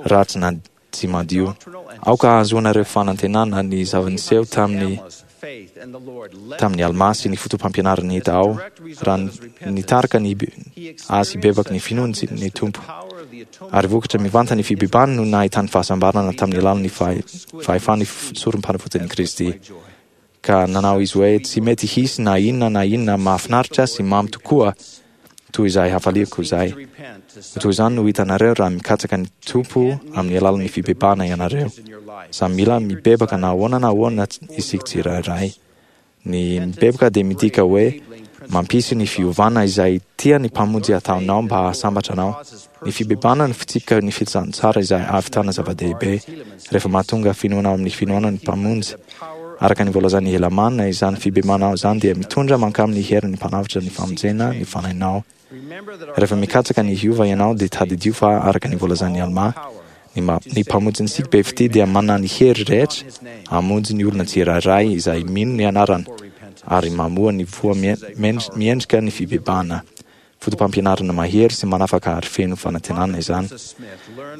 S8: ratsy na tsy madio. Aoka hahazoanareo fanantenana ny zava-niseho tamin'ny tamin'i Almà sy ny foto-pampianarany hita ao, raha nitarika ny azy hibebaka ny finoany ny Tompo. Ary vokatra mivantana ny fibebahany no nahitany fahasambarana tamin'ny alalan'ny fahefan'ny sorom-panavotan'i Kristy. Ka nanao izy hoe, Tsy mety hisy na inona na inona mahafinaritra sy mamy tokoa toy izay hafaliako izay. Ho toy izany no hitanareo raha mikatsaka ny Tompo amin'ny alalan'ny fibebahana ianareo. Samy mila mibebaka na ahoana na ahoana isika tsirairay. Ny mibebaka dia midika hoe mampisy ny fiovana izay tian'ny Mpamonjy hataonao mba hahasambatra anao. Ny fibebahana no fitsipika ny filazantsara izay ahavitana zava-dehibe rehefa mahatonga finoana ao amin'ny finoana ny Mpamonjy. Araka ny voalazan'i Helamàna, izany fibebahana izany dia mitondra mankamin'ny herin'ny Mpanavotra ny famonjena ny fanahinao. Rehefa mikatsaka ny hiova ianao dia tadidio fa araka ny voalazan'i Almà, ny ny Mpamonjintsika be fitia dia manana ny hery rehetra hamonjy ny olona tsirairay izay mino ny anarany ary mamoa ny voa miendrika ny fibebahana. Fotopampianarana mahery sy manafaka ary feno fanantenana izany.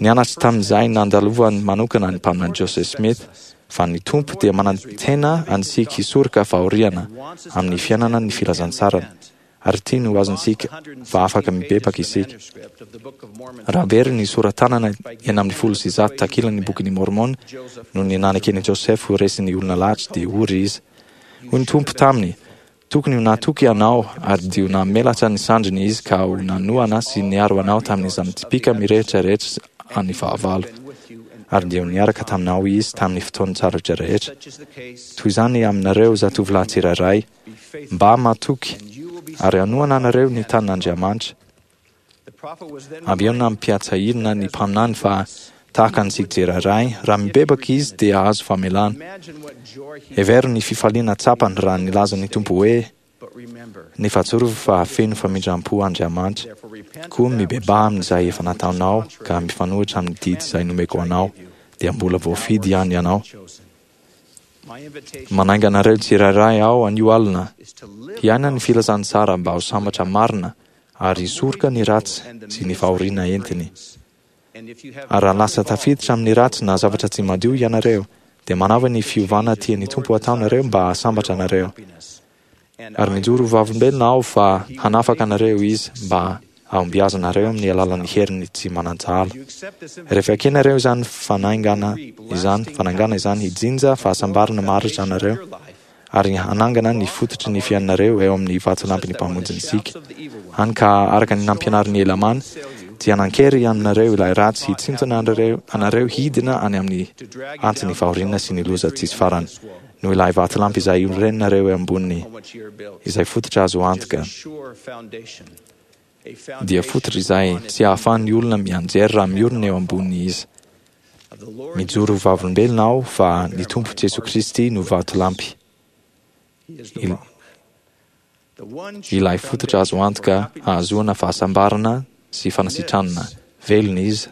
S8: Nianatra tamin'izay nandalovany manokana ny Mpaminany Joseph Smith fa ny Tompo dia manantena antsika hisoroka fahoriana amin'ny fiainana ny filazantsarany ary tiany ho azontsika fa afaka mibebaka isika. Raha very ny sora-tanana 116 takilan'ny Bokin'i Môrmôna noho ny naneken'i Joseph ho resin'ny olona lahatra dia ory izy. Hoy ny Tompo taminy, Tokony ho natoky ianao, ary dia ho namelatra ny sandriny izy ka ho nanohana sy niaro anao tamin'izany tsipìka mirehitra rehetra an'ny fahavalo. Ary dia ho niaraka taminao izy tamin'ny fotoan-tsarotra rehetra. Toy izany aminareo zatovolahy tsirairay, mba matoky, ary hanohana anareo ny tanin'Andriamanitra. Avy eo nampiatsahirina ny mpaminany fa tahaka an'i Tsikjeraray, raha mibebaka izy dia hahazo famelana. Hevero ny fifaliana tsapany raha nilaza ny Tompo hoe, Nefa tsarovy fa feno famindram-po Andriamanitra, koa mibebaha amin'izay efa nataonao ka mifanohitra amin'ny didy izay nomeko anao, dia mbola voafidy ihany ianao. Manainga anareo tsirairay aho anio alina hiaina ny filazantsara mba ho sambatra marina ary hisoroka ny ratsy sy ny fahoriana entiny. Ary raha lasa tafiditra amin'ny ratsy na zavatra tsy madio ianareo, dia manaova ny fiovana tian'ny Tompo hataonareo mba hahasambatra anareo. Ary mijoro ho vavolombelona aho fa hanafaka anareo Izy mba hahombiazanareo amin'ny alalan'ny heriny tsy manan-tsahala. Rehefa ekenareo izany fanaingana izany, fanaingana izany hijinja fahasambarana maharitra anareo, ary hanangana ny fototry ny fiainanareo eo amin'ny vatolampin'ny Mpamonjintsika. Hany ka, araka ny nampianarin'i Helamàna, dia hanan-kery aminareo ilay ratsy hitsintona anareo hidina any amin'ny antsin'ny fahoriana sy ny loza tsisy farany. no ilay vatolampy izay iorenanareo eo amboniny, izay fototra azo antoka, dia fototra izay tsy ahafahan'ny olona mianjera raha miorina eo amboniny izy. Mijoro ho vavolombelona aho fa ny Tompo Jesoa Kristy no vatolampy, ilay fototra azo antoka hahazoana fahasambarana sy fanasitranana. Velona Izy,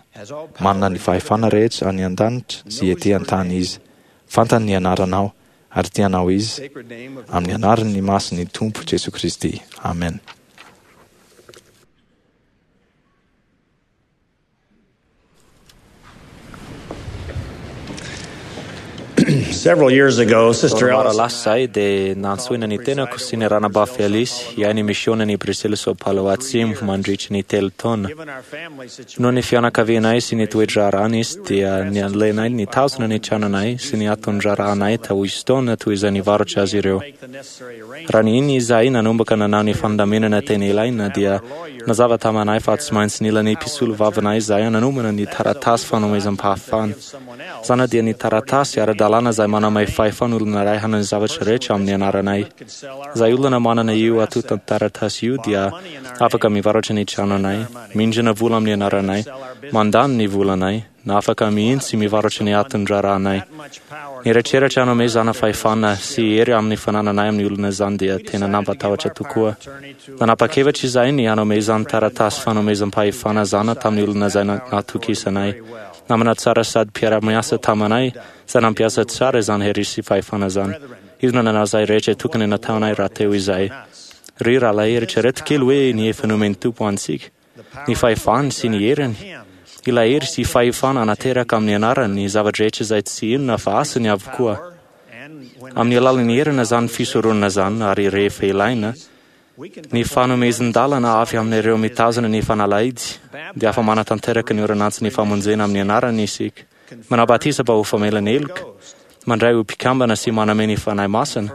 S8: manana ny fahefana rehetra any an-danitra sy ety an-tany Izy. Fantany ny anaranao, ary tia anao Izy. Amin'ny anaran'ny masin'ny Tompo Jesoa Kristy. Amen.
S9: Several years ago, Sister
S10: Taona maro
S9: Alice
S10: lasa izay dia nantsoina ny tenako sy ny ranabavy Alice hiahy ny misiônan'i Brusela Sao Paulo Atsimo mandritry ny 3 taona. Noho ny fianakavianay sy ny toe-draharahana izy dia nialenay nitazona ny tranonay sy ny aton-draharahanay tao Houston toy izay nivarotra azy ireo. Raha ny iny izahay nanomboka nanao ny fandaminana tena ilaina dia nazava taminay fa tsy maintsy nila ny mpisolovavanay izahay nanomana ny taratasy fanomezam-pahafahana. Izany dia ny taratasy ara-dalàna izay manome fahefana olona iray hanao ny zavatra rehetra amin'ny anaranay. Izay olona manana io antontan-taratasy io dia afaka mivarotra ny tranonay, mindrana vola amin'ny anaranay, mandany ny volanay, na afaka mihitsy mivarotra ny aton-draharahanay. Ny eritreritra hanomezana fahefana sy hery amin'ny fanananay amin'ny olona izany dia tena nampatahotra tokoa. Nanapa-kevitra izahay ny hanome izany taratasy fanomezam-pahefana izany tamin'ny olona izay natokisanay. Namana tsara sady mpiara-miasa taminay izay nampiasa tsara izany hery sy fahefana izany. Izy no nanao izay rehetra tokony nataonay rahateo izay. Ry rahalahy, eritrereto kely hoe ny efa nomen'ny Tompo antsika, ny fahefany sy ny heriny. Ilay hery sy fahefana hanateraka amin'ny anarany ny zava-drehetra izay tsy inona fa asany avokoa. Amin'ny alalan'ny heriny izany fisoronana izany ary rehefa ilaina, ny fanomezan-dalana avy amin'ireo mitazona ny fanalahidy dia afa-manatanteraka ny orinantsin'ny famonjena amin'ny anarany isika. Manao batisa mba ho famelana heloka, mandray ho mpikambana sy manome ny Fanahy Masina,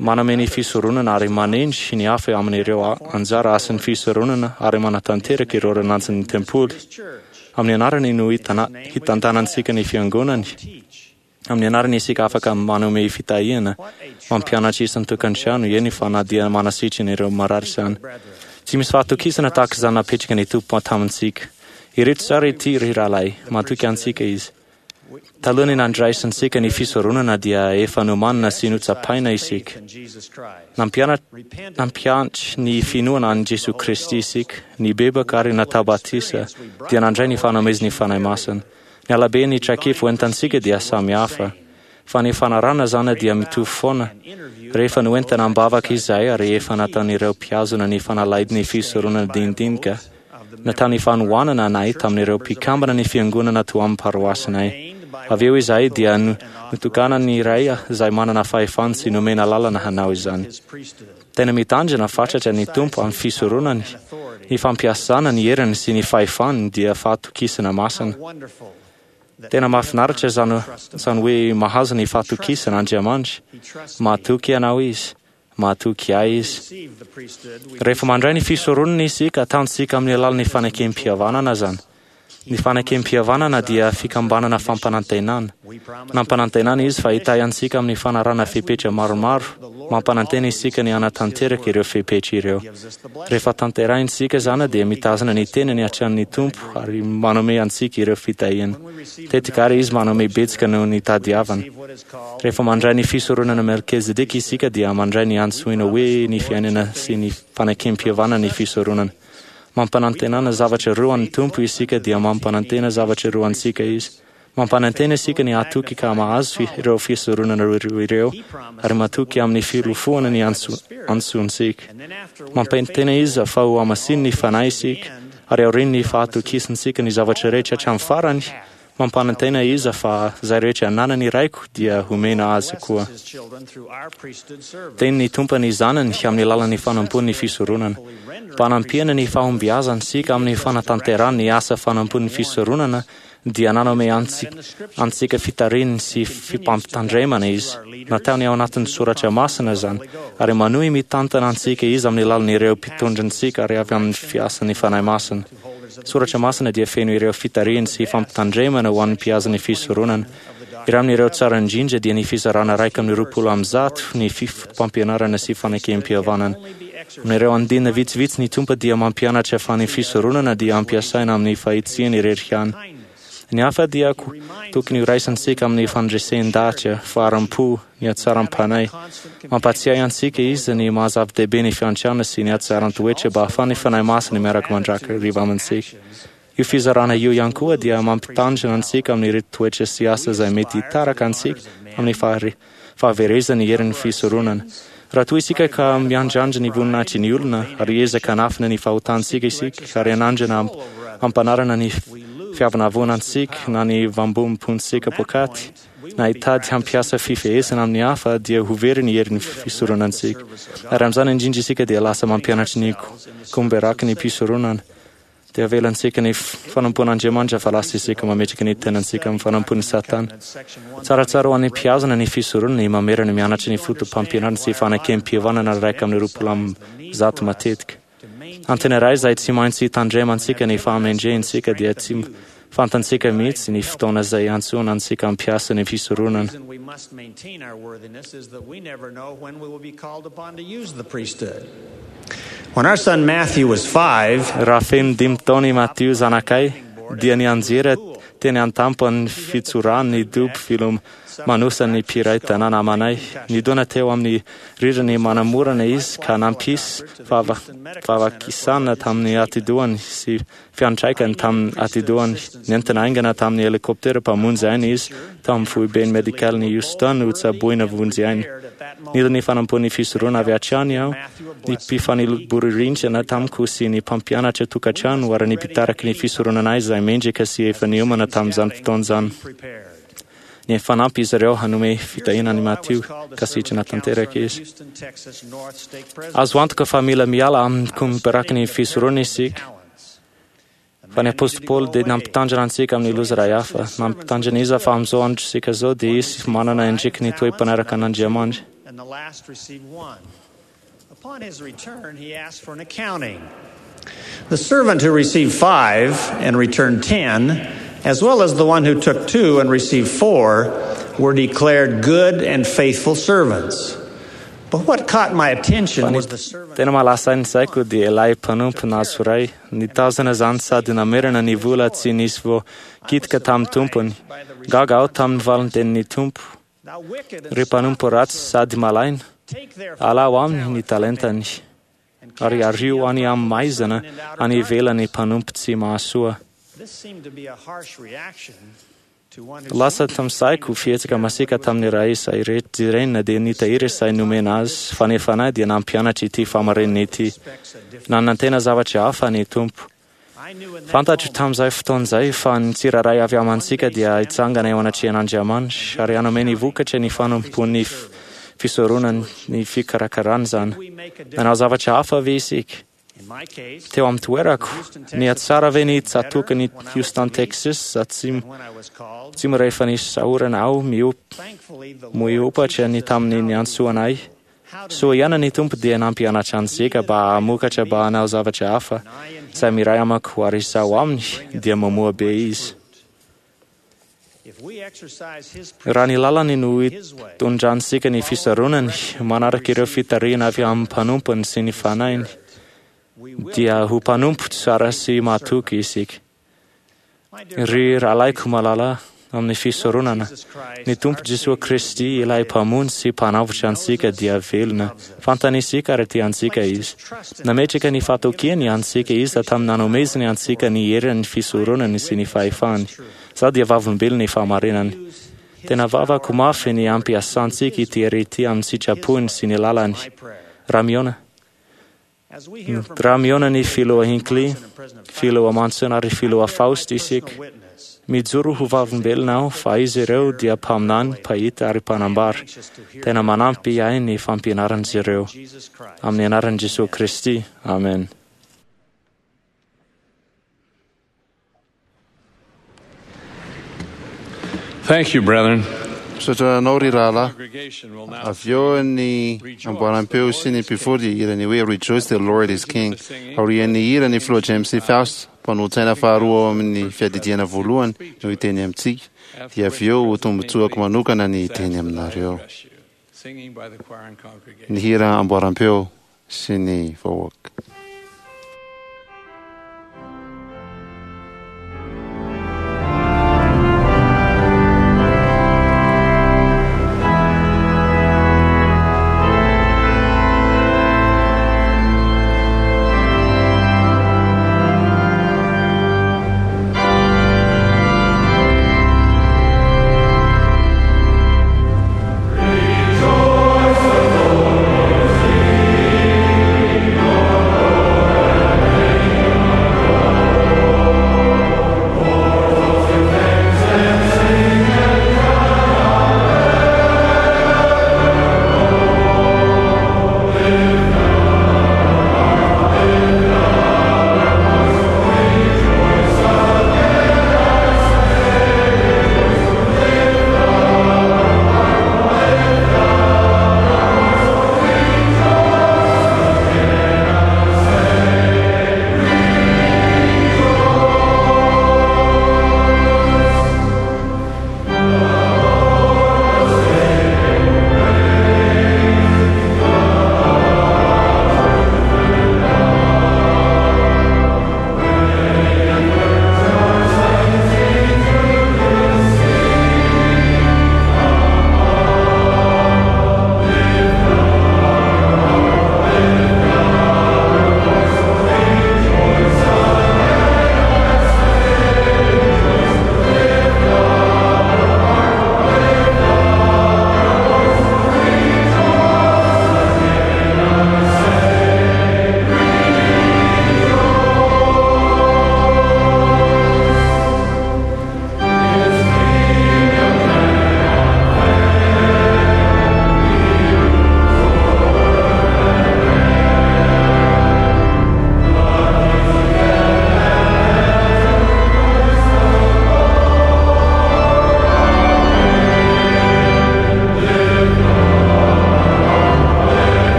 S10: manome ny fisoronana ary manendry ny hafa amin'ireo anjara asan'ny fisoronana ary manatanteraka ireo orinantsin'ny tempoly. Amin'ny anarany no hitantanantsika ny fiangonany. Amin'ny anarany isika afaka manome fitahiana, mampianatra isan-tokantrano, eny fa na dia manasitrana ireo marary izany. Tsy misy fahatokisana tahaka izany napetraka ny Tompo tamintsika. Ireto tsara ity, ry rahalahy, matoky antsika Izy. Talohan'ny nandraisantsika ny fisoronana dia efa nomanina sy notsapaina isika. Nampianatra ny finoana an'i Jesoa Kristy isika, nibebaka ary natao batisa, dia nandray ny fanomezan'ny Fanahy Masina. Ny halaben'ny traikefa hoentantsika dia samy hafa, fa ny fanarahana izany dia mitovy foana. Rehefa noentina am-bavaka izahay ary efa nataon'ireo mpihazona ny fanalahidin'ny fisoronana dinidinika, natao ny fanohanana anay tamin'ireo mpikambana ny fiangonana tao amin'ny paroasinay. Avy eo izahay dia notokanan'ny Ray izay manana fahefana sy nomena lalana hanao izany. Tena mitandrina fatratra ny Tompo amin'ny fisoronany, ny fampiasana ny heriny sy ny fahefany dia fahatokisana masina. Tena mahafinaritra izany izany hoe mahazo ny fahatokisana Andriamanitra. Mahatoky anao Izy. Mahatoky ahy Izy. Rehefa mandray ny fisoronana isika, ataontsika amin'ny alalan'ny fanekem-pihavanana izany. Ny fanekem-pihavanana dia fikambanana fampanantenana. Nampanantenana Izy fa hitahy antsika amin'ny fanarahana fepetra maromaro. Mampanantena isika ny hanatanteraka ireo fepetra ireo. Rehefa tanterahintsika izany dia mitazona ny tenany hatrany ny Tompo ary manome antsika ireo fitahiana. Tetika ary Izy manome betsaka noho ny tadiavana. Rehefa mandray ny fisoronana Melkizedeka isika dia mandray ny antsoina hoe ny fiainana sy ny fanekem-pihavanana ny fisoronana. Mampanantenana zavatra roa an'ny Tompo isika dia mampanantena zavatra roa antsika Izy. Mampanantena isika ny hatoky ka mahazo ireo fisoronana roa ireo ary matoky amin'ny filofoana ny antsontsika. Mampanantena Izy fa ho hamasininy Fanahy isika ary aorian'ny fahatokisantsika ny zavatra rehetra hatramin'ny farany, Mampanantena Izy fa izay rehetra ananany Raiko dia homena azy koa. Tenin'ny Tompo ny Zanany amin'ny alalan'ny fanompoan'ny fisoronana. Mba hanampiana ny fahombiazantsika amin'ny fanatanterahana ny asa fanompoan'ny fisoronana dia nanome antsika fitarihiny sy fimpampitandremana Izy. Nataony ao anatin'ny Soratra Masina izany, ary manohy mitantana antsika Izy amin'ny alalan'ireo mpitondrantsika ary avy amin'ny fiasan'ny Fanahy Masina. Soratra Masina dia feno ireo fitarihiny sy fampitandremana ho an'ny mpihaza ny fisoronana. Iray amin'ireo tsara indrindra dia ny fizarana 121 ny fotopampianarana sy fanekem-pihavanana. Amin'ireo andininy vitsivitsy ny Tompo dia mampianatra fa ny fisoronana dia ampiasaina amin'ny fahitsiana irery ihany. Ny hafa dia tokony horaisintsika amin'ny fandresen-dahatra, faharam-po, ny hatsaram-panahy. Mampatsiahy antsika Izy ny maha zava-dehibe ny fiantrana sy ny hatsaran-toetra mba hahafahan'ny Fanahy Masina miaraka mandrakariva amintsika. Io fizarana io ihany koa dia mampitandrina antsika amin'ireto toetra sy asa izay mety hitaraka antsika amin'ny fahaverezan'ny herin'ny fisoronana. Raha toa isika ka miandrandra ny voninahitry ny olona ary hiezaka hanafina ny fahotantsika isika ary hanandrana hampanarana ny fiavonavona antsika na ny vambom-pontsika poakaty na hitady hampiasa fifehezana amin'ny hafa dia ho very ny herin'ny fisoronantsika. Ary amin'izany indrindra isika dia lasa mampianatry ny komberaky ny mpisoronana. Dia avelantsika ny fanompoan'Andriamanitra fa lasa isika mametraka ny tenantsika amin'ny fanompoan'i Satana. Tsaratsara ho an'ny mpihazona ny fisoronana ny mamerina mianatra ny fotopampianarana sy fanekem-pihavanana 121 matetika. Antony iray izay tsy maintsy hitandremantsika ny fahamendrehantsika dia tsy fantantsika mihitsy ny fotoana izay iantsoana antsika hampiasa ny fisoronana. Raha feno dimy taona i Matio zanakay, dia nianjera teny an-tampon'ny fitsoran'ny dobo filomanosan'ny mpiray tanàna amanay. Nidona teo amin'ny rirany manamorana izy ka nampisy fahavakisana tamin'ny atidohany sy fiantraikany tamin'ny atidohany. Nentina haingana tamin'ny helikoptera mpamonjy aina izy tao amin'ny foiben'ny medikalin'i Houston hotsaboina vonjy aina. Nila ny fanampian'ny fisoronana avy hatrany aho, ny mpifanila-boririntrana tamiko sy ny mpampianatra tokantrano ary ny mpitariky ny fisoronana izay mendrika sy efa niomana tamin'izany fotoana izany. Nifanampy izy ireo hanome fitahiana an'i Matio ka sitrana tanteraka izy. Azo antoka fa mila miala amin'ny komberaky ny fisoronana isika. Fa ny apostoly Paoly dia nampitandrina antsika amin'ny loza iray hafa. Nampitandrina izy fa amin'izao androntsika izao dia hisy manana endriky ny toe-mpanaraka an'Andriamanitra.
S9: Upon his return, he asked for an accounting. The servant who received 5 and returned 10, as well as the one who took 2 and received 4, were declared good and faithful servants. But what caught my attention was the servant.
S10: Tena mahalasa ny saiko dia ilay mpanompo nahazo iray. Nitazona izany sady namerina ny vola tsy nisy voakitika tamin'ny tompony. Gaga aho tamin'ny valintenin'ny tompo. Ry mpanompo ratsy sady malaina, alao aminy ny talentany ary ario any amin'ny maizina any ivelany mpanompo tsy mahasoa. Lasa tamin'ny saiko fihetsika masiaka tamin'ny ray izay jerena dia nitahiry izay nomena azy fa ny fanahy dia nampianatra ity fahamarinana ity. Nanantena zavatra hafa ny Tompo. Fantatro tamin'izay fotoana izay fa ny tsirairay avy amintsika dia hitsangana eo anatrehan'Andriamanitra ary hanome ny vokatra ny fanompoan'ny fisoronany ny fikarakarana izany. Nanao zavatra hafa ve isika? Teo amin'ny toerako, nihatsara ve ny tsatòkan'i Houston, Texas atsimo atsimo rehefa nisy sahorana aho miopatra ny tamin'ny niantsoana ahy? Soa ihany ny Tompo dia nampianatra antsika mba hamokatra mba hanao zavatra hafa. Izay miray amako ary izaho aminy dia mamoa be izy. Raha ny lalany no itondrantsika ny fisaronany, manaraka ireo fitarihana avy amin'ny mpanompony sy ny fanahiny, dia ho mpanompo tsara sy mahatoky isika. Ry rahalahiko malala, amin'ny fisoronana, ny Tompo Jesoa Kristy, ilay Mpamonjy sy Mpanavotra antsika dia velona. Fantany isika ary tia antsika Izy. Nametraka ny fahatokiany antsika Izy tamin'ny nanomezany antsika ny herin'ny fisoronany sy ny fahefany. Izaho dia vavolombelon'ny fahamarinany. Tena vavako mafy ny hampiasantsika ity hery ity amin'ny sitrapony sy ny lalany. Raha mihaona Raha mihaona ny Filoha Hinckley, Filoha Monson ary Filoha Faust isika, mijoro ho vavolombelona aho fa izy ireo dia mpaminany, mpahita ary mpanambara. Tena manampy ahy ny fampianaran'izy ireo. Amin'ny anaran'i Jesoa Kristy, amen.
S3: Thank you, brethren.
S2: Misaotra anao ry rahalahy. Avy eo ny amboaram-peo sy ny mpivory dia hihira ny hoe Rejoice the Lord is King. Aorian'ny hira, ny Filoha James C. Faust, mpanolotsaina faharoa ao amin'ny Fiadidiana Voalohany, no hiteny amintsika. Dia avy eo ho tombontsoako manokana ny hiteny aminareo. Ny hira amboaram-peo sy ny vahoaka.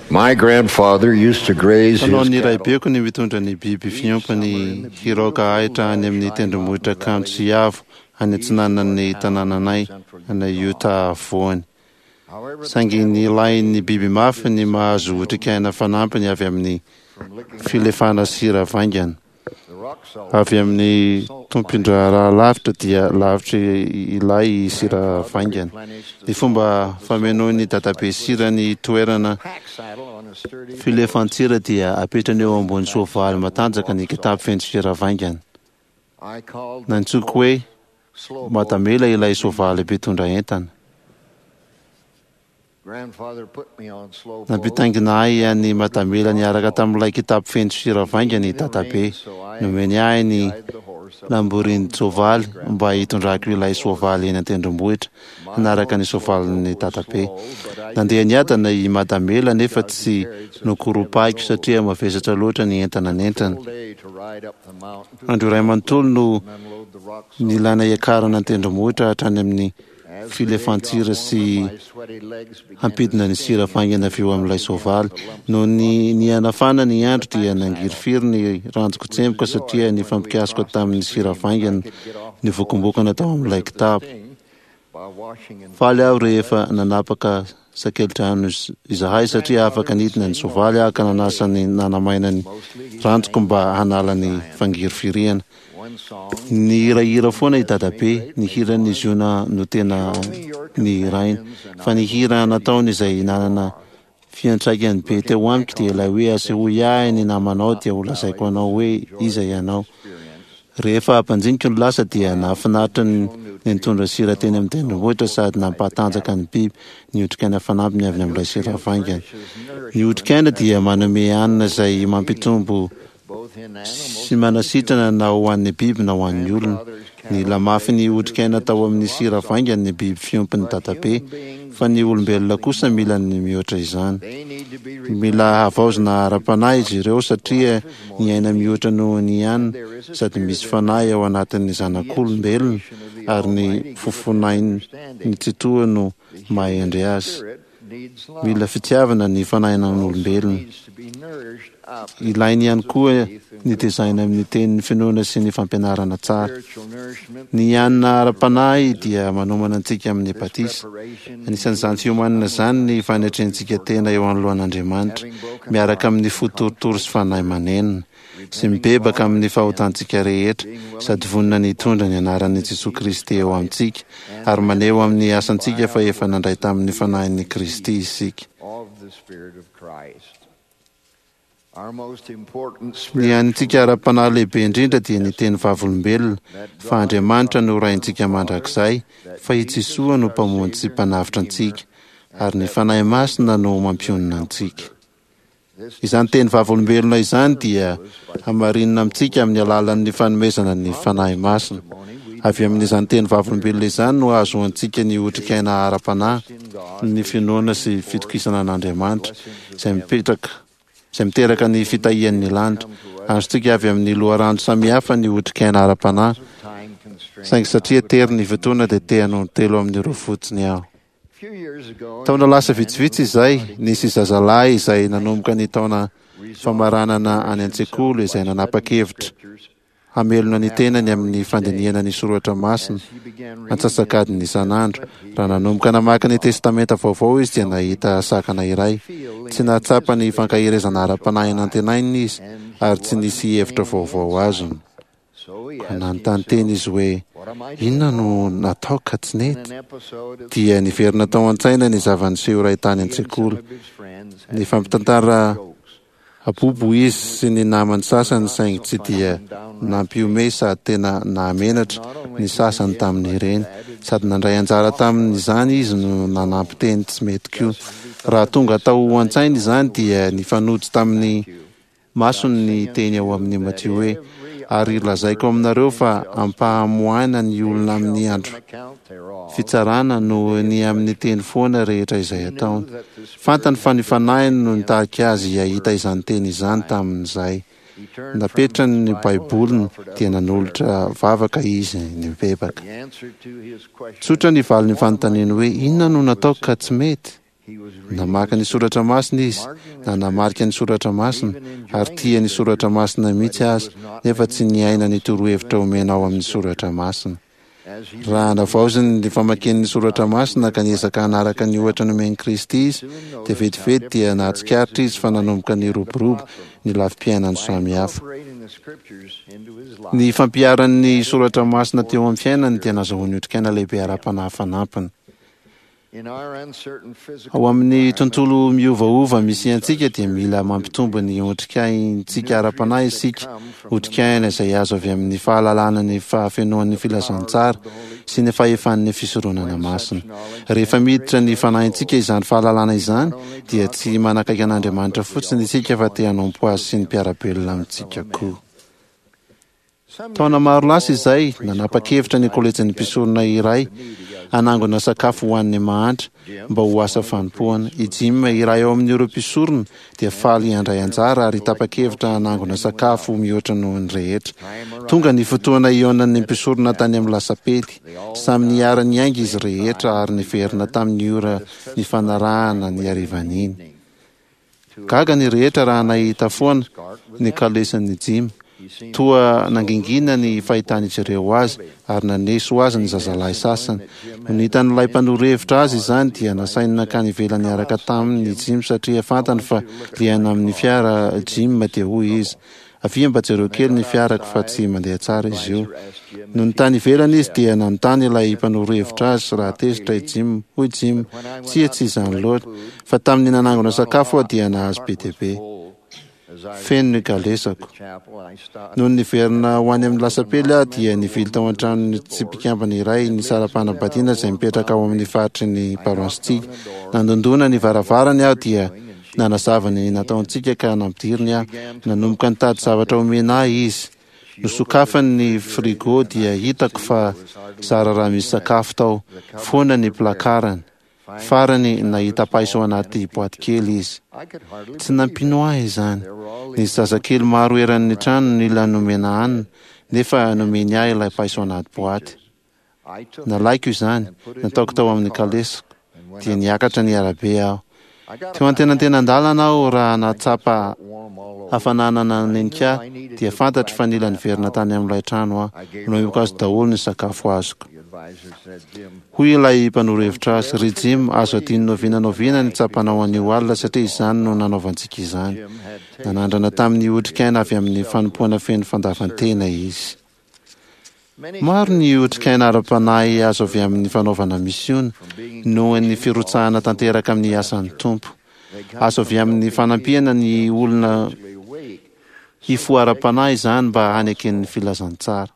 S11: My grandfather used to graze his
S2: Fanaon'ny
S11: cattle.
S2: raibeko ny mitondra ny biby fiompiny hiraoka ahitra any amin'ny tendrombohitra kanto sy avo any atsinanan'ny tanànanay any Utah afovoany. Saingy nilain'ny biby mafy ny mahazo otrikaina fanampiny avy amin'ny filefana sira vaingana. Avy amin'ny tompon-draharaha lavitra dia lavitra ilay sira vaingana. Ny fomba famenoin'ny dadabe sira ny toerana filefan-tsira dia apetrany eo ambony soavaly matanjaka ny kitapo feno sira vaingana. Nantsoiko hoe Madamela ilay soavaly mpitondra entana. Nampitaingina ahy an'i Madamela niaraka tamin'ilay kitapo feno sira vaingana i Dadabe. Nomeny ahy ny lamborin-tsoavaly mba hitondrako ilay soavaly eny an-tendrombohitra hanaraka ny soavalin'i Dadabe. Nandeha niadana i Madamela nefa tsy nokoropahiko satria mavesatra loatra ny entana nentiny. Andro iray manontolo no nilana hiakarana an-tendrombohitra hatrany amin'ny filefan-tsira sy hampidina ny sira faingana avy eo amin'ilay soavaly. Noho ny nihanafana ny andro dia nangirifiry ny ranjoko tsemboka satria nifampikasoka tamin'ny sira faingana nivokombokana tao amin'ilay kitapo. Faly aho rehefa nanapaka sakelidrano izahay satria afaka nidina ny soavaly aho ka nanasa ny nanamaina ny ranjoko mba hanala ny fangirifiriana. Nihirahira foana i Dadabe, ny hiran'i Ziona no tena nihirainy. Fa ny hira nataony izay nanana fiantraikany be teo amiko dia ilay hoe asehoy ahy ny namanao dia holazaiko anao hoe iza ianao. Rehefa ampanjinika ny lasa dia nahafinaritra ny nitondra sira teny amin'ny tendrombohitra sady nampahatanjaka ny biby ny otrikaina fanampiny avy amin'ilay sira vaingana. Ny otrikaina dia manome hanina izay mampitombo sy manasitrana na ho an'ny biby na ho an'ny olona. Nila mafy ny otrikaina tao amin'ny sira vaingany ny biby fiompin'i dadabe, fa ny olombelona kosa mila ny mihoatra izany. Mila havaozina ara-panahy izy ireo satria ny aina mihoatra noho ny ihany sady misy fanahy ao anatin'ny zanak'olombelona ary ny fofonain'ny Tsitoha no maha-hendry azy. Mila fitiavana ny fanahinan'olombelona. Ilainy ihany koa ny tezaina amin'ny tenin'ny finoana sy ny fampianarana tsara. Ny hanina ara-panahy dia manomana antsika amin'ny batisa. Anisan'izany fiomanana izany ny fanetrentsika tena eo anoloan'Andriamanitra, miaraka amin'ny fo torotoro sy fanahy manenina, sy mibebaka amin'ny fahotantsika rehetra, sady vonona ny hitondra ny anaran'i Jesoa Kristy eo amintsika, ary maneho amin'ny asantsika fa efa nandray tamin'ny Fanahin'i Kristy isika. Ny hanintsika ara-panahy lehibe indrindra dia ny teny vavolombelona fa Andriamanitra no Raintsika mandrakizay, fa i Jesoa no Mpamonjy sy Mpanavotra antsika, ary ny Fanahy Masina no mampionona antsika. Izany teny vavolombelona izany dia hamarinina amintsika amin'ny alalan'ny fanomezana ny Fanahy Masina. Avy amin'izany teny vavolombelona izany no ahazoantsika ny otrikaina ara-panahy, ny finoana sy fitokisana an'Andriamanitra, izay mipetraka, izay miteraka ny fitahian'ny lanitra. Azontsika avy amin'ny loharano samihafa ny otrikaina ara-panahy, saingy satria tery ny fotoana dia te hanondro telo amin'ireo fotsiny aho. Taona lasa vitsivitsy izay, nisy zazalahy izay nanomboka ny taona famaranana any an-tsekoly izay nanapa-kevitra hamelona ny tenany amin'ny fandinihana ny soratra masina antsasak'adiny isan'andro. Raha nanomboka namaky ny Testamenta Vaovao izy dia nahita sakana iray. Tsy nahatsapa ny fankaherezana ara-panahy nantenainy izy ary tsy nisy hevitra vaovao azony. Koa nanontany tena izy hoe, Inona no nataoko ka tsy nety? Dia niverina tao an-tsaina ny zava-niseho iray tany an-tsekoly. Nifampitantara Abobo izy sy ny namany sasany saingy tsy dia nampihomehy sady tena nahamenatra ny sasany tamin'ireny. Sady nandray anjara tamin'izany izy no nanampy teny tsy mety koa. Raha tonga tao an-tsainy izany dia nifanojo tamin'ny masony ny teny ao amin'ny Matio hoe, Ary lazaiko aminareo fa ampahamoahina ny olona amin'ny andro fitsarana noho ny amin'ny teny foana rehetra izay ataony. Fantany fa ny Fanahiny no nitarika azy hahita izany teny izany tamin'izay. Napetrany ny Baiboliny dia nanolotra vavaka izy nibebaka. Tsotra ny valin'ny fanontaniany hoe inona no nataoko ka tsy mety? Namaky ny Soratra Masina izy, nanamarika ny Soratra Masina, ary tia ny Soratra Masina mihitsy aza, nefa tsy niaina ny torohevitra omena ao amin'ny Soratra Masina. Raha navaoziny ny famakiany ny Soratra Masina ka niezaka hanaraka ny ohatra nomen'i Kristy izy, dia vetivety dia nahatsikaritra izy fa nanomboka niroborobo ny lafim-piainany samihafa. Ny fampiharany ny Soratra Masina teo amin'ny fiainany dia nazahoany otrikaina lehibe ara-panahy fanampiny. Ao amin'ny tontolo miovaova misy antsika dia mila mampitombo ny otrikaintsika ara-panahy isika, otrikaina izay azo avy amin'ny fahalalana ny fahafenoan'ny filazantsara sy ny fahefan'ny fisoronana masina. Rehefa miditra ny fanahintsika izany fahalalana izany dia tsy manakaiky an'Andriamanitra fotsiny isika fa te hanompo Azy sy ny mpiara-belona amintsika koa. Taona maro lasa izay, nanapa-kevitra ny kolejin'ny mpisorona iray hanangona sakafo ho an'ny mahantra mba ho asa fanompoana. I Jim, iray ao amin'ireo mpisorona, dia faly handray anjara ary tapa-kevitra hanangona sakafo mihoatra noho ny rehetra. Tonga ny fotoana hihaonan'ny mpisorona tany amin'ny lasapely. Samy niara-niainga izy rehetra ary niverina tamin'ny ora nifanarahana ny harivan'iny. Gaga ny rehetra raha nahita foana ny kalesin'i Jim. Toa nangingina ny fahitan'izy ireo azy, ary naneso azy ny zazalahy sasany. Nony hitan'ilay mpanoro hevitra azy izany, dia nasainy nankany ivelany niaraka taminy i Jim satria fantany fa liana amin'ny fiara Jim, dia hoy izy, Avia mba jereo kely ny fiarako fa tsy mandeha tsara izy io. Nony tany ivelany izy dia nanontany ilay mpanoro hevitra azy raha tezitra i Jim. Hoy Jim, Tsia, tsy izany loatra. Fa tamin'ny nanangona sakafo aho dia nahazo be dia be. Feno ny kalesako. Nony niverina ho any amin'ny lasapely aho dia nivily tao an-tranon'ny tsy mpikambana iray nisara-panambadiana izay mipetraka ao amin'ny faritry ny paroasintsika. Nandondona ny varavarany aho dia nanazava ny nataontsika ka nampidiriny aho. Nanomboka nitady zavatra omena ahy izy. Nosokafany ny frigo dia hitako fa zara raha misy sakafo tao. Foana ny placarany. Farany, nahita paiso anaty boaty kely izy. Tsy nampino ahy izany. Nisy zazakely maro eran'ny trano nila nomena hanina, nefa nomeny ahy ilay paiso anaty boaty. Nalaiko izany, nataoko tao amin'ny kalesiko, dia niakatra ny arabe aho. Teo antenantenan-dalana aho raha nahatsapa hafanana nanenika ahy, dia fantatro fa nila niverina tany amin'ilay trano aho. Nomeko azy daholo ny sakafo azoko. Hoy ilay mpanoro hevitra azy, Ry Jim, azo adino n'oviana n'oviana ny tsapanao anio alina satria izany no nanaovantsika izany. Nanandrana tamin'ny otrikaina avy amin'ny fanompoana feno fandavan-tena izy. Maro ny otrikaina ara-panahy azo avy amin'ny fanaovana misiona, noho ny firotsahana tanteraka amin'ny asan'ny Tompo. Azo avy amin'ny fanampiana ny olona hifoha ara-panahy izany mba hanekeny ny filazantsara.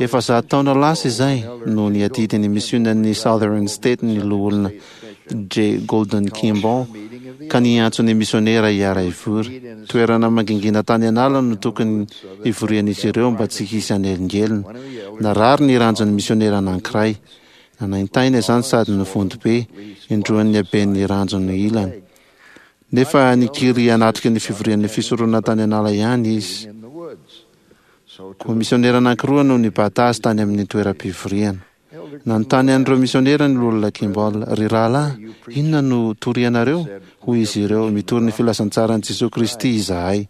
S2: Efa zato taona lasa izay no niadidy ny misionan'ny Southern State ny Loholona J. Golden Kimball ka niantso ny misionera hiara-hivory. Toerana mangingina tany an'ala no tokony hivorian'izy ireo mba tsy hisy hanelingelina. Narary ny ranjon'ny misionera anankiray. Nanaintaina izany sady nivonto be, indroan'ny haben'ny ranjony ilany. Nefa nikiry hanatrika ny fivorian'ny fisoronana tany an'ala ihany izy. Koa misionera anankiroa no nibata azy tany amin'ny toeram-pivoriana. Nanontany an'ireo misionera ny Loholona Kimball, Ry rahalahy, inona no torianareo? Hoy izy ireo, Mitory ny filazantsaran'i Jesoa Kristy izahay.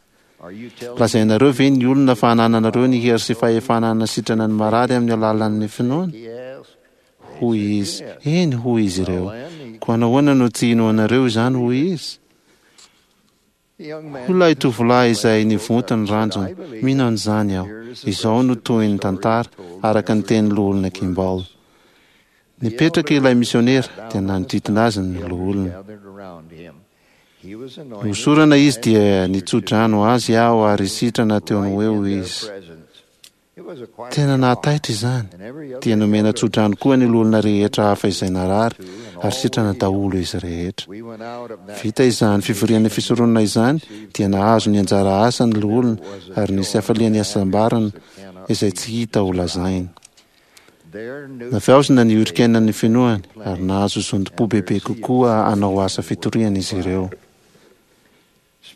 S2: Lazainareo ve ny olona fa anananareo ny hery sy fahefana hanasitrana ny marary amin'ny alalan'ny finoana? Hoy izy, Eny, hoy izy ireo. Koa nahoana no tsy inoanareo izany? hoy izy. Hoy ilay tovolahy izay nivonto ny ranjony, Mino an'izany aho. Izao no tohin'ny tantara, araka ny tenin'ny Loholona Kimball. Nipetraka ilay misionera, dia nanodidina azy ny loholona. Nohosorana izy dia nitso-drano azy aho ary sitrana teo no eo izy. Tena nahataitra izany. Dia nomena tsodrano koa ny loholona rehetra hafa izay narary, ary sitrana daholo izy rehetra. Vita izany fivorian'ny fisoronana izany, dia nahazo ny anjara asa ny loholona, ary nisy hafalian'ny hasambarana izay tsy hita ho lazaina. Navaozina ny otrikainan'ny finoany, ary nahazo zotom-po bebe kokoa hanao asa fitoriana izy ireo.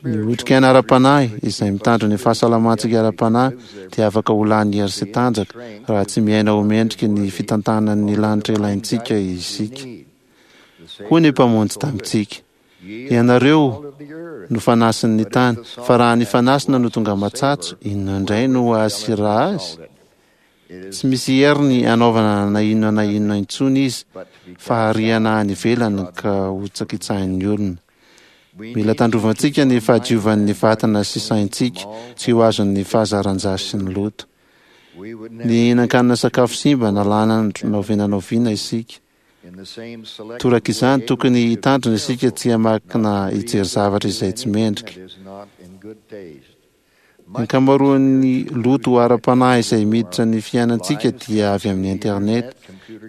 S2: Ny otrikaina ara-panahy, izay mitandro ny fahasalamantsika ara-panahy, dia afaka ho lany hery sy tanjaka raha tsy miaina ho mendriky ny fitantanan'ny lanitra ilaintsika isika. Hoy ny Mpamonjy tamintsika, Ianareo no fanasin'ny tany, fa raha ny fanasina no tonga matsatso, inona indray no hahasira azy? Tsy misy heriny hanaovana na inona na inona intsony izy fa hariana any ivelany ka hotsakitsahin'ny olona. Mila tandrovantsika ny fahadiovan'ny vatana sy saintsika tsy ho azon'ny fahazaran-jasy sy ny loto. Nihinan-kanina sakafo simba na lany andro na oviana na oviana isika. Toraka izany, tokony hitandrina isika tsy hamaky na hijery zavatra izay tsy mendrika. Ny ankamaroan'ny loto ara-panahy izay miditra ny fiainantsika dia avy amin'ny internet,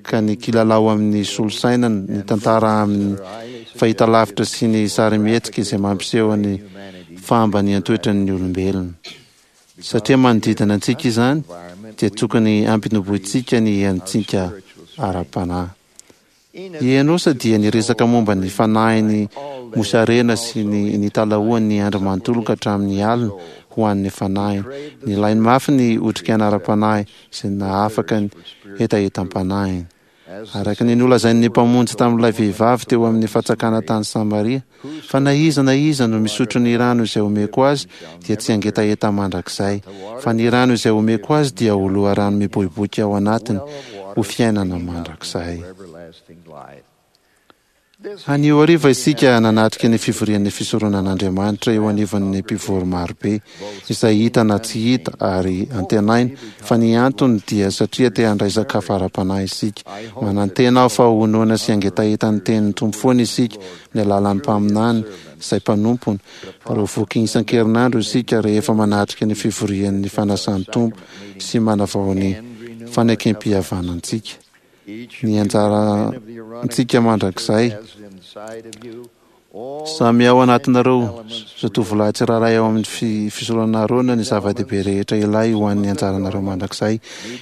S2: ka ny kilalao amin'ny solosaina, ny tantara amin'ny fahitalavitra sy ny sarimihetsika izay mampiseho ny fahambanian-toetran'ny olombelona. Satria manodidina antsika izany, dia tokony hampinobointsika ny herintsika ara-panahy. I Enosa dia niresaka momba ny fanahiny mosarena sy ny nitalahoany ny andro manontolo ka hatramin'ny alina ho an'ny fanahiny. Nilainy mafy ny otrikaina ara-panahy izay nahafaka ny hetahetam-panahiny. Araka ny nolazain'ny Mpamonjy tamin'ilay vehivavy teo amin'ny fatsakana tany Samaria, Fa na iza na iza no misotro ny rano izay omeko azy dia tsy hangetaheta mandrakizay, fa ny rano izay omeko azy dia ho loharano miboiboika ao anatiny ho fiainana mandrakizay. Anio hariva isika nanatrika ny fivorian'ny fisoronan'Andriamanitra eo anivon'ny mpivory marobe, izay hita na tsy hita ary antenaina fa ny antony dia satria te handray sakafo ara-panahy isika. Manantena aho fa ho noana sy hangetaheta ny tenin'ny Tompo foana isika amin'ny alalan'ny mpaminany izay mpanompony, ary ho voky isan-kerinandro isika rehefa manatrika ny fivorian'ny fanasan'ny Tompo sy manavao ny fanekem-pihavanantsika. Ny anjarantsika mandrakizay. Samy ao anatinareo zatovolahy tsirairay ao amin'ny fisoronana Arona ny zava-dehibe rehetra ilay ho an'ny anjaranareo mandrakizay.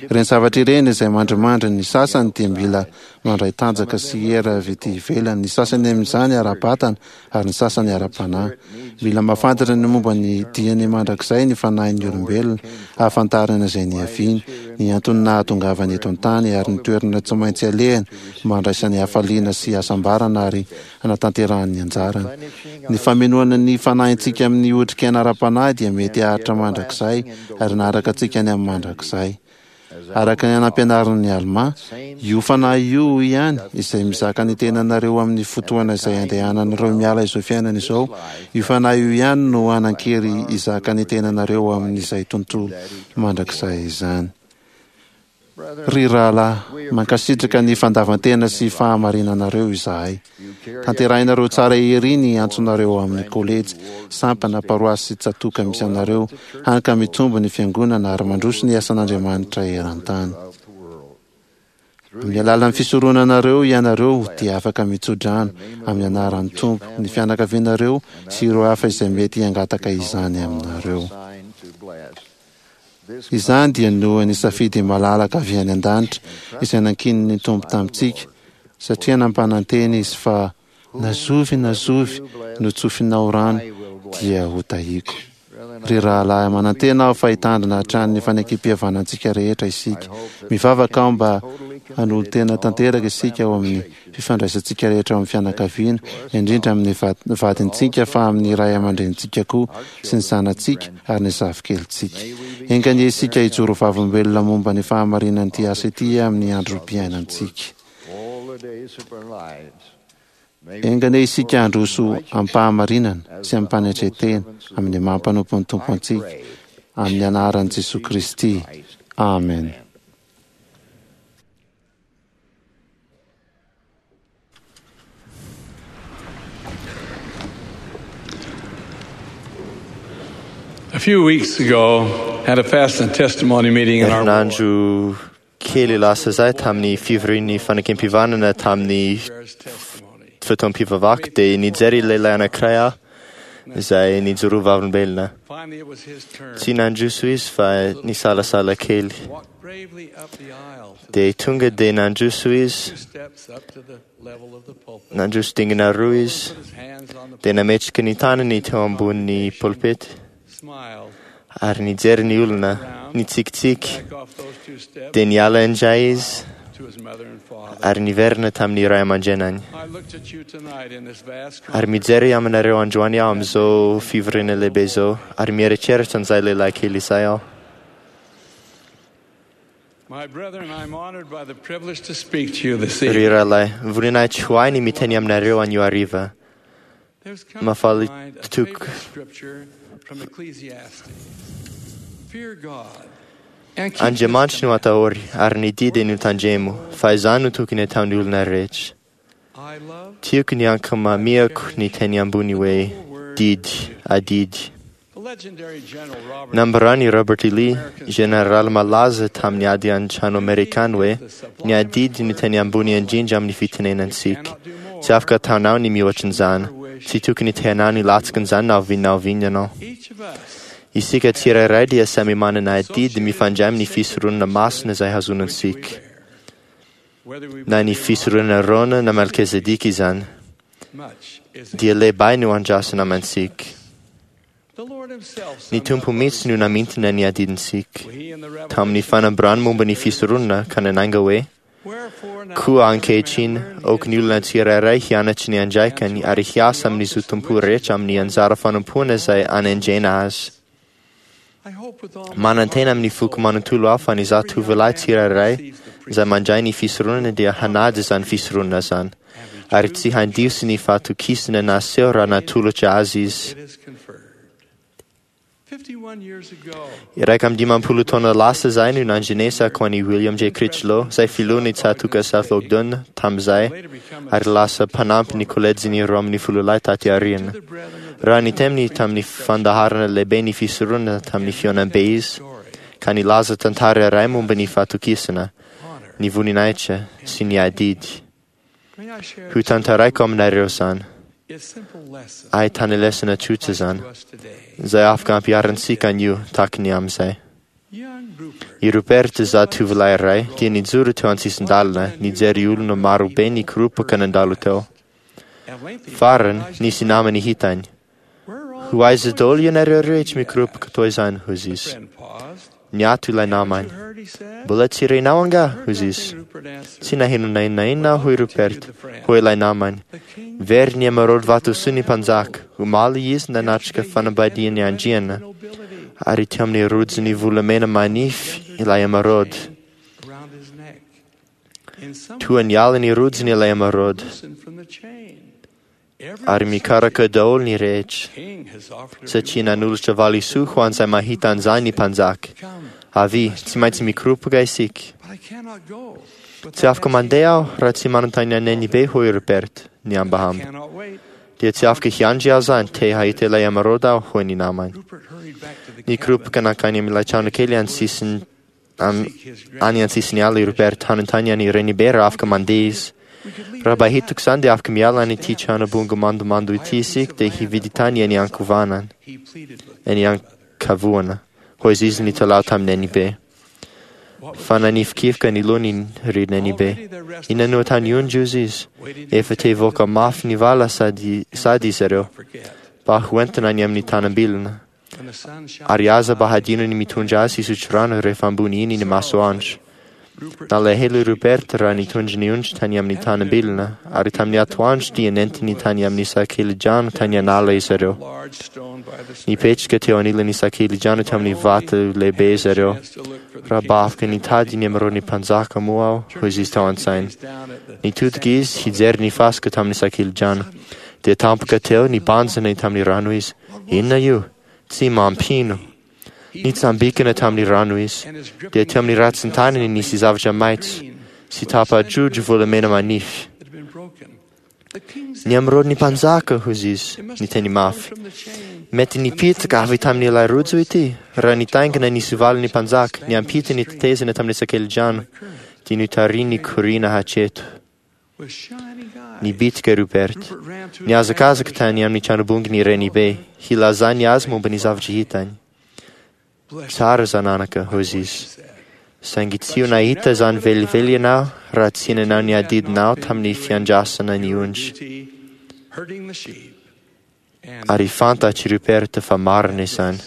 S2: Ireny zavatra ireny izay mandrimandry ny sasany dia mila mandray tanjaka sy hery avy ety ivelany, ny sasany amin'izany ara-batana ary ny sasany ara-panahy. Mila mahafantatra ny momba ny diany mandrakizay ny fanahin'ny olombelona, hahafantarana izay niaviany, ny antony nahatongavany eto an-tany, ary ny toerana tsy maintsy alehany mba handraisany hafaliana sy hasambarana ary hanatanterahany ny anjarany. Ny famenoana ny fanahintsika amin'ny otrikaina ara-panahy dia mety haharitra mandrakizay ary hanaraka antsika any amin'ny mandrakizay. Araka ny nampianarin'i Almà, io Fanahy io ihany, izay mizaka ny tenanareo amin'ny fotoana izay andehananareo miala izao fiainana izao, io Fanahy io ihany no hanan-kery hizaka ny tenanareo amin'izay tontolo mandrakizay izany. Ry rahalahy, mankasitraka ny fandavan-tena sy fahamarinanareo izahay. Tanterahinareo tsara ery ny antsonareo ao amin'ny kolejy, sampana, paroasy sy tsatòka misy anareo, hany ka mitombo ny Fiangonana ary mandroso ny asan'Andriamanitra eran-tany. Amin'ny alalan'ny fisoronanareo ianareo dia afaka mitso-drano, amin'ny anaran'ny Tompo, ny fianakavianareo sy ireo hafa izay mety hangataka izany aminareo. Izany dia noho ny safidy malalaka avy any an-danitra izay nankinin'ny Tompo tamintsika, satria nampanantena Izy fa, Na zovy na zovy no tsofinao rano dia hotahiako. Ry rahalahy, manantena aho fa hitandrina hatrany ny fanekem-pihavanantsika rehetra isika. Mivavaka aho mba hanolo-tena tanteraka isika ao amin'ny fifandraisantsika rehetra ao amin'ny fianakaviana, indrindra amin'ny vadintsika fa amin'ny ray aman-drenintsika koa sy ny zanatsika ary ny zafikelintsika. Enga anie isika hijoro vavolombelona momba ny fahamarinan'ity asa ity amin'ny androm-piainantsika. Enga anie isika handroso amim-pahamarinana sy amim-panetren-tena amin'ny maha mpanompon'ny Tompo antsika, amin'ny anaran'i Jesoa Kristy. Amen.
S3: A few weeks ago, had a fast and testimony meeting in our
S12: Herinandro kely lasa izay tamin'ny fivorian'ny fanekem-pihavanana tamin'ny fotoam-pivavaka dia nijery lehilahy anankiray aho izay nijoro vavolombelona. Tsy nandroso izy fa nisalasala kely. Dia tonga dia nandroso izy, nandroso dingana roa izy, dia nametraka ny tanany teo ambonin'ny polpety ary nijery ny olona, nitsikitsiky. Dia niala indray izy ary niverina tamin'ny ray aman-drenany. Ary mijery aminareo androany aho amin'izao fivoriana lehibe izao ary mieritreritra an'izay lehilahy kely izay aho.
S3: My brethren, I'm honored by the privilege to speak to you this
S12: Ry
S3: evening.
S12: rahalahy, voninahitra ho ahy ny miteny aminareo anio hariva.
S3: There's come to
S12: Mahafaly
S3: mind a
S12: toko
S3: favorite scripture from Ecclesiastes. Fear God and keep his
S12: Andriamanitra no atahory ary ny didy no tandremo, fa izany no tokony ataon'ny olona rehetra.
S3: I love
S12: Tiako ny ankamamiako ny teny ambony hoe didy, adidy.
S3: the legendary General Robert
S12: Nambarany Robert E. Lee, jeneraly malaza tamin'ny ady an-trano amerikana hoe ny adidy no teny ambony indrindra amin'ny fitenenantsika. Tsy afaka ataonao ny mihoatra an'izany. Tsy tokony teanao ny latsaka an'izany na oviana na oviana ianao.
S3: Each of us
S12: Isika tsirairay dia samy manana adidy mifandray amin'ny fisoronana masina izay hazonantsika.
S3: whether we
S12: Na ny fisoronana Arona na Melchizedek izany,
S3: much is
S12: dia lehibe no andrasana amintsika.
S3: the Lord himself
S12: Ny
S3: summed
S12: Tompo
S3: up
S12: mihitsy no namintina ny adidintsika.
S3: he in the
S12: Tamin'ny
S3: Revelation
S12: fanambarany momba ny fisoronana ka nananga hoe
S3: Wherefore now
S12: Koa
S3: every man
S12: ankehitriny,
S3: learn
S12: aoka ny olona tsirairay hianatry ny andraikany ary hiasa amin'ny zotom-po rehetra amin'ny anjara fanompoana izay anendrena azy.
S3: I hope with all my
S12: Manantena
S3: heart
S12: amin'ny foko manontolo aho fa ny zatovolahy tsirairay izay mandray ny fisoronana dia hanaja izany fisoronana izany. ary tsy handiso ny fahatokisana naseho raha natolotra azy izy. 51 taona lasa izay no nandrenesako an'i William J. Critchlow, izay filohan'ny tsatòka South Ogden tamin'izay, ary lasa mpanampy ny kolejin'ny 12 taty aoriana. Raha niteny tamin'ny fandaharana lehibe ny fisoronana tamin'ny fihaonambe izy, ka nilaza tantara iray momba ny fahatokisana, ny voninahitra sy ny adidy. Ho tantaraiko aminareo izany. Ahitana lesona tsotra izany, izay afaka ampiharintsika anio tahaka ny amin'izay. I Rupert zatovolahy iray dia nijoro teo an-tsisin-dalana nijery olona marobe nikoropaka nandalo teo. Farany, nisy namany hitany. Ho aiza daholo ianareo rehetra mikoropaka toy izany, hoy izy. Niato ilay namany. Mbola tsy renao angaha, hoy izy. Tsy naheno na inona na inona aho, hoy Rupert. Hoy ilay namany. Very ny emeraude vatosoa ny mpanjaka. Omaly izy nanatrika fanambadian'ny andriana, ary teo amin'ny rojony volamena manify ilay emeraude. Toa niala ny rojony ilay emeraude, ary mikaraka daholo ny rehetra, satria nanolotra valisoa ho an'izay mahita an'izany ny mpanjaka. Avia, tsy maintsy mikoropaka isika. Tsy afaka mandeha aho raha tsy manontany an'i Nenibe, hoy Rupert, nihambahamba. Dia tsy afaka hiandry aho izany, te hahita ilay emeraude aho, hoy ny namany. Nikoropaka nankany amin'ilay trano kely any an-tsisin'ny ala i Rupert hanontany an'i Renibe raha afaka mandeha izy. Raha mba hitako izany dia afaka miala any ity trano bongo mandomando ity isika dia hividy tany eny ankovanana, eny ankavoana, hoy izy nitalaho tamin'i Nenibe. Fa nanifikifoka ny lohany ry Nenibe. Inona no ataon'ny ondry, hoy izy. Efa te hivoaka mafy ny vala sady izy ireo, mba hoentina any amin'ny tanam-bilona. Ary aza mba hadino ny mitondra azy hisotro rano rehefa ambony iny ny masoandro. Nalahelo i Rupert raha nitondra ny ondry tany amin'ny tanam-bilona, ary tamin'ny atoandro dia nentiny tany amin'ny sakelidrano tany an'ala izy ireo. Nipetraka teo anilan'ny sakelidrano tamin'ny vato lehibe izy ireo. Raha mba afaka nitady ny emeraude ny mpanjaka moa aho, hoy izy tao an-tsainy. Nitodika izy hijery ny fasika tamin'ny sakelidrano. Dia tampoka teo nibanjina tamin'ny rano izy. Inona io? Tsy mampino. Nitsambikina tamin'ny rano izy. Dia teo amin'ny ratsin-tanany nisy zavatra maitso sy tapa-jojo volamena manify. Ny emeraude ny mpanjaka, hoy izy, niteny mafy. Mety nipitaka avy tamin'ilay rojo ity, raha nitaingina ny soavalin'ny mpanjaka, niampita ny tetezana tamin'ny sakelidrano, dia notarihiny nikoriana hatreto. Nibitika Rupert. Nihazakazaka tany amin'ny tranobongony Renibe, hilazany azy momba ny zavatra hitany. Tsara zananaka, hoy izy. Saingy tsy ho nahita izany velively ianao raha tsy nanao ny adidinao tamin'ny fiandrasana ny ondry. Ary fantatr'i Rupert fa marina izany.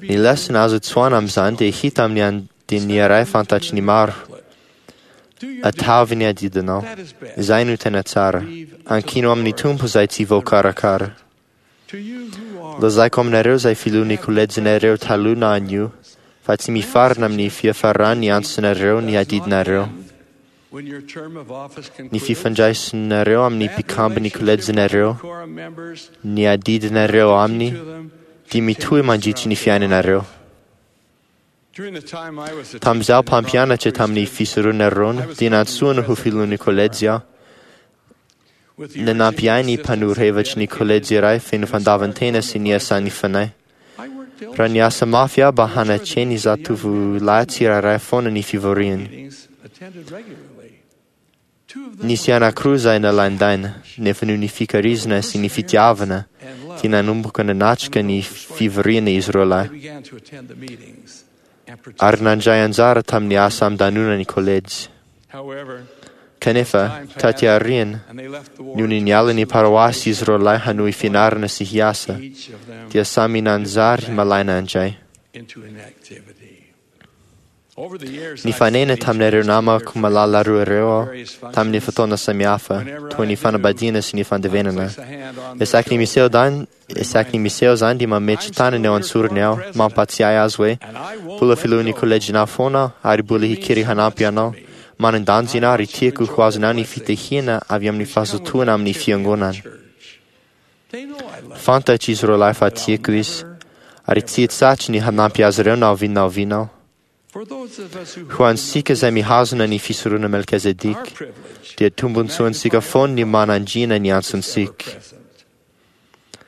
S12: Ny lesona azo tsoahina amin'izany dia hita amin'ny andininy iray fantatry ny maro. Ataovy ny adidinao. Izay no tena tsara. Ankino amin'ny Tompo izay tsy voakarakara. Lazaiko aminareo izay filohan'ny kolejinareo taloha na anio, fa tsy mifarana amin'ny fiafaran'ny antsonareo ny adidinareo. Ny fifandraisanareo amin'ny mpikambon'ny kolejinareo, ny adidinareo aminy, dia mitohy mandritry ny fiainanareo. Tamin'izaho mpampianatra tamin'ny fisoronana Aarôna, dia nantsoina ho filohan'ny kolejy aho. Nanampy ahy ny mpanoro hevitry ny kolejy iray feno fandavan-tena sy niasan'ny fanahy. Raha niasa mafy aho mba hanatreny zatovolahy tsirairay foana ny fivoriany. Nisy anankiroa izay nalaindaina, nefa noho ny fikarizana sy ny fitiavana dia nanomboka nanatrika ny fivoriana izy roa lahy, ary nandray anjara tamin'ny asa amin-danonana ny kolejy. Kanefa, taty aoriana, nony niala ny paroasy izy roa lahy hanohy fianarana sy hiasa, dia samy nanjary malaina indray. Nifanena tamin'ireo namako malala roa ireo aho tamin'ny fotoana samihafa, toy ny fanambadiana sy ny fandevenana. Isaky ny miseho dan, isaky ny miseho izany dia mametry tanana eo an-tsorony aho, mampatsiahy azy hoe mbola filohan'ny kolejinao foana aho ary mbola hikiry hanampy anao. Manan-danja ianao ary tiako ho azonao ny fitahiana avy amin'ny fahazotoana amin'ny fiangonana. Fantatr'izy ireo lahy fa tiako izy, ary tsy hitsahatra ny hanampy azy ireo na oviana na oviana aho. Ho antsika izay mihazona ny fisoronana Melkizedeka, dia tombontsoantsika foana ny manandriana ny antsontsika.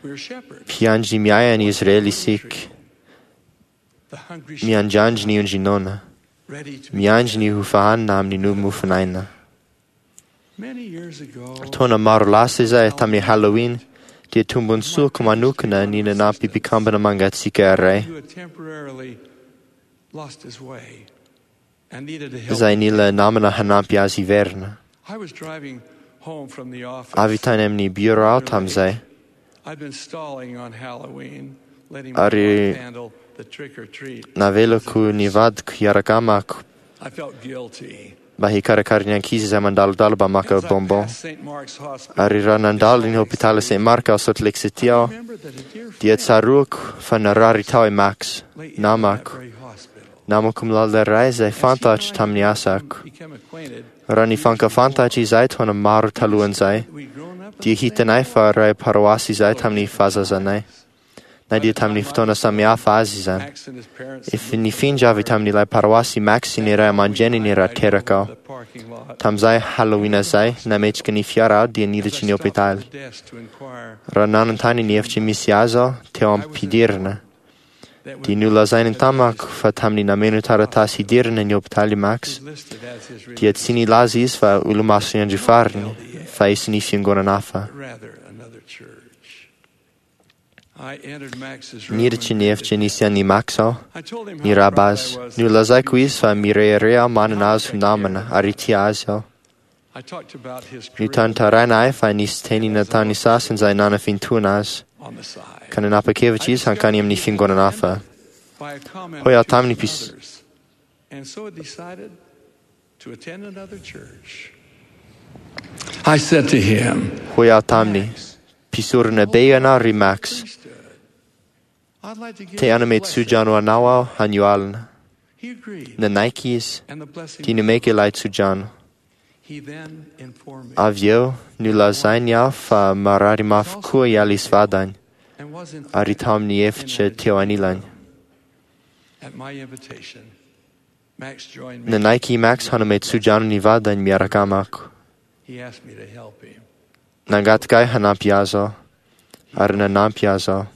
S12: Mpiandry miahy an'i Israely isika, miandrandry ny ondry noana, miandry ny hofahanina amin'ny mofon'aina. Taona maro lasa izay tamin'ny Halloween, dia tombontsoako manokana ny nanampy mpikambana mangatsiaka iray izay nila namana hanampy azy hiverina. Avy tany amin'ny bureau aho tamin'izay, ary navelako ny vadiko hiaraka amako mba hikarakara ny ankizy izay mandalodalo mba maka bonbon. Ary raha nandalo ny hôpitaly Saint Mark ao Salt Lake City aho, dia tsaroako fa narary tao i Max, namako. Namako malala iray izay fantatro tamin'ny asako. Raha nifankafantatra izahay taona maro talohan'izay, dia hitanay fa ray paroasy izahay tamin'ny fahazazanay, na dia tamin'ny fotoana samihafa azy izany. Efa nifindra avy tamin'ilay paroasy Max sy ny ray aman-dreniny raha teraka aho. Tamin'izay Halloween izay, nametraka ny fiara aho dia niditra ny hôpitaly. Raha nanontany ny efitra misy azy aho teo am-pidirana, dia nolazainy tamako fa tamin'ny nameno taratasy hidirana ny hôpitaly Max, dia tsy nilaza izy fa olomasin'ny andro farany, fa isan'ny fiangonana hafa. Niditra ny efitra nisy an'i Max aho, niraba azy. Nolazaiko izy fa mirehareha aho manana azy ho namana ary tia azy aho. Notantaraina ahy fa nisy teny nataon'ny sasany izay nanafintohina azy, ka nanapa-kevitra izy hankany amin'ny fiangonana hafa. Hoy aho taminy Hoy aho taminy, mpisorona be ianao ry Max. Te hanome tsodrano anao aho anio alina. Nanaiky izy, dia nomeko ilay tsodrano. Avy eo, nolazainy aho fa marary mafy koa i Alice vadiny, ary tao amin'ny efitra teo anilany. Nanaiky i Max hanome tsodrano ny vadiny miaraka amako. Nangataka ahy hanampy azy aho, ary nanampy azy aho.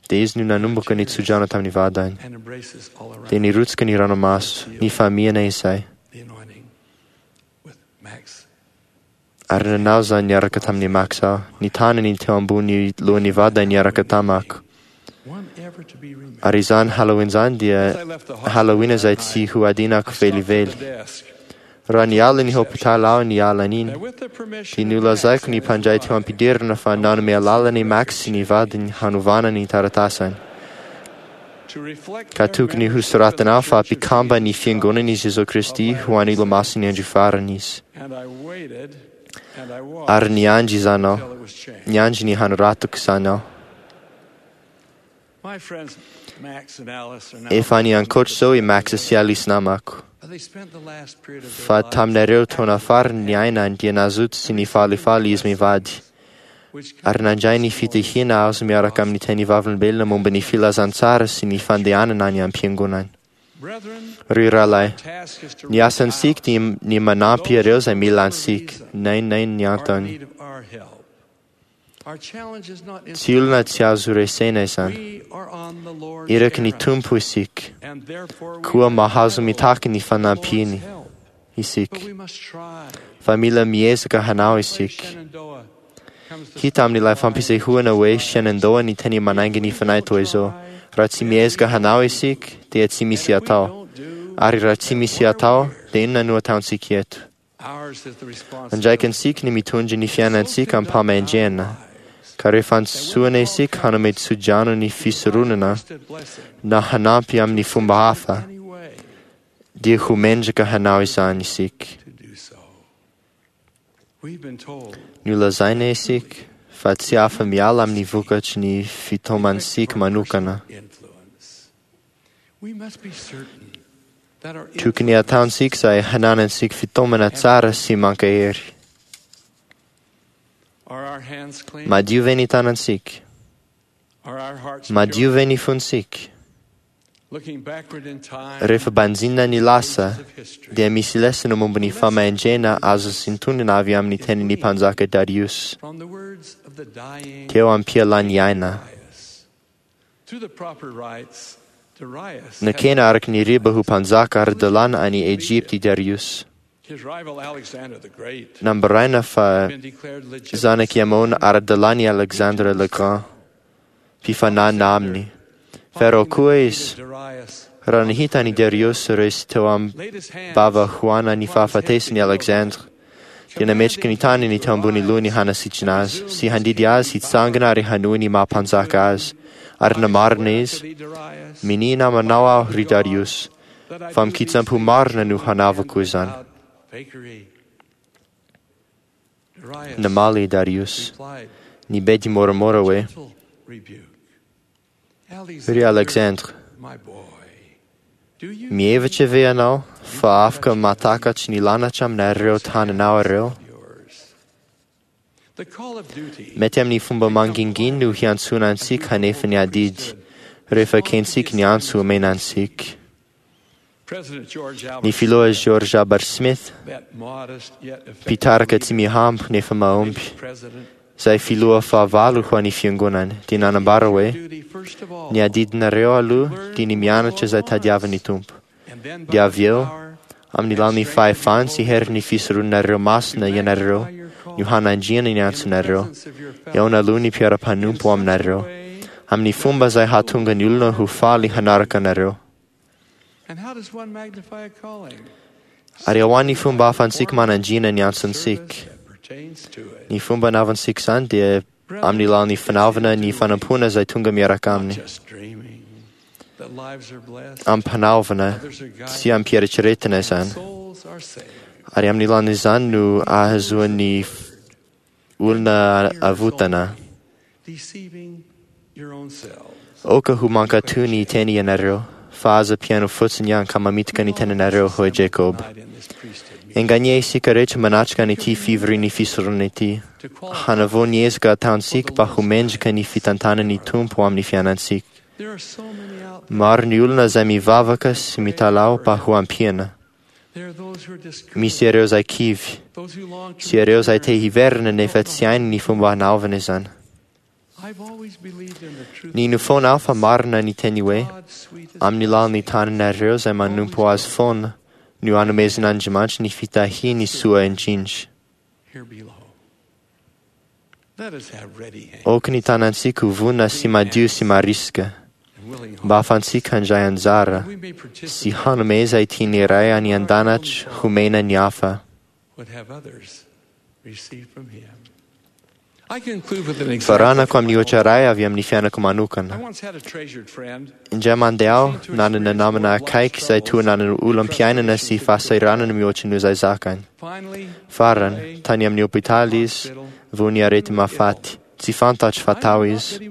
S12: Dia izy no nanomboka ny tsodrano tamin'ny vadiny. Dia nirotsaka ny ranomaso, nifamihana izay. Ary nanao izany niaraka tamin'i Max aho, ny tanany teo ambony lohan'ny vadiny niaraka tamako. Ary izany Halloween izany dia Halloween izay tsy ho adinako velively. Raha niala ny hôpitaly aho ny alina iny, dia nolazaiko ny mpandray teo am-pidirana fa nanome alalana i Max sy ny vadiny hanovana ny taratasany. Ka tokony hosoratana aho fa mpikamba ny fiangonan'i Jesoa Kristy ho an'ny olomasin'ny andro farany izy. Ary niandry izany aho, niandry ny hanoratako izany aho. Efa any ankoatra izao i Max sy Alice namako. Fa tamin'ireo taona farany niainany dia nazoto sy nifalifaly izy mivady, ary nandray ny fitahiana azo miaraka amin'ny teny vavolombelona momba ny filazantsara sy ny fandehanana any am-piangonana. Ry rahalahy, ny asantsika dia ny manampy ireo izay mila antsika, na inona na inona ny antony. Tsy olona tsy azo resena izany. Iraky ny Tompo isika, koa mahazo mitaky ny fanampiany isika. Fa mila miezaka hanao isika. Hita amin'ilay fampisehoana hoe Shenandoah ny teny manainga ny fanahy toy izao. Raha tsy miezaka hanao isika, dia tsy misy atao. Ary raha tsy misy atao, dia inona no ataontsika eto? Andraikintsika ny mitondra ny fiainantsika am-pahamendrehana, ka rehefa antsoina isika hanome tsodrano ny fisoronana na hanampy amin'ny fomba hafa, dia ho mendrika hanao izany isika. Nolazaina isika fa tsy afa-miala amin'ny vokatry ny fitaomantsika manokana. Tokony ataontsika izay hananantsika fitaomana tsara sy mankahery. Madio ve ny tanantsika? Madio ve ny fontsika? Rehefa banjina ny lasa, dia misy lesona momba ny fahendrena azo sintonina avy amin'ny tenin'ny mpanjaka Darius teo am-pialany aina. Nakena araka ny riba ho mpanjaka ara-dalàna any Egypta i Darius. Nambaraina fa zanak'i Amona ara-dalàna i Alexandre le Grand, mpifanana aminy. Farao koa izy. Raha nahita an'i Darius resy teo am-bava hoana ny fahafatesany Alexandre, dia nametraka ny tanany teo ambony lohany hanasitrana azy sy handidy azy hitsangana ary hanohy ny maha mpanjaka azy. Ary namarina izy, minia namanao aho ry Darius, fa mikitsampo marina no hanavako izany. Namaly i Darius, nibedy moramora hoe, Ry Alexandre, mihevitra ve ianao fa afaka mahatakatry ny lanitra aminareo tananao ireo? Mety amin'ny fomba mangingina no hiantsoana antsika hanefa ny adidy rehefa ekentsika ny antso omena antsika. Ny filoha George Albert Smith, mpitarika tsy mihambo nefa mahomby, izay filoha fahavalo ho an'ny fiangonana, dia nanambara hoe ny adidinareo aloha dia ny mianatra izay tadiavin'ny Tompo. Dia avy eo, amin'ny lalan'ny fahefany sy herin'ny fisoronanareo masina ianareo no hanandriana ny antsonareo, eo analoha ny mpiara-mpanompo aminareo, amin'ny fomba izay hahatonga ny olona ho faly hanaraka anareo. Ary ahoana ny fomba ahafahantsika manandriana ny antsontsika? Ny fomba anaovantsika izany dia amin'ny lalan'ny fanaovana ny fanompoana izay tonga miaraka aminy. Ampanaovana sy ampieritreretina izany. Ary amin'ny lalan'izany no ahazoan'ny olona avotana. Aoka ho mankatò ny teny ianareo, fa aza mpihaino fotsiny ihany ka mamitaka ny tenanareo, hoy Jacob. Enganie isika rehetra manatrika an'ity fivorian'ny fisoronana ity. Hanavao ny ezaka ataontsika mba ho mendrika ny fitantanan'ny Tompo amin'ny fiainantsika. Maro ny olona izay mivavaka sy mitalaho mba ho ampiana. Misy ireo izay kivy, sy ireo izay te hiverina nefa tsy hainy ny fomba hanaovana izany. Nino foana aho fa marina ny teny hoe amin'ny lalan'ny tananareo izay manompo azy foana no anomezan'Andriamanitra ny fitahiany soa indrindra. Aoka ny tanantsika ho vonona sy madio sy marisika, mba ahafahantsika handray anjara sy hanome izay tian'ny Ray any an-danitra homena ny hafa. Faranako amin'ny ohatra iray avy amin'ny fiainako manokana. Indray mandeha aho nanana namana akaiky izay toa nanana olam-piainana sy fahasahiranana mihoatra noho izay zakany. Farany, tany amin'ny hôpitaly izy, vao ny areti-mahafaty. Tsy fantatro fa tao izy.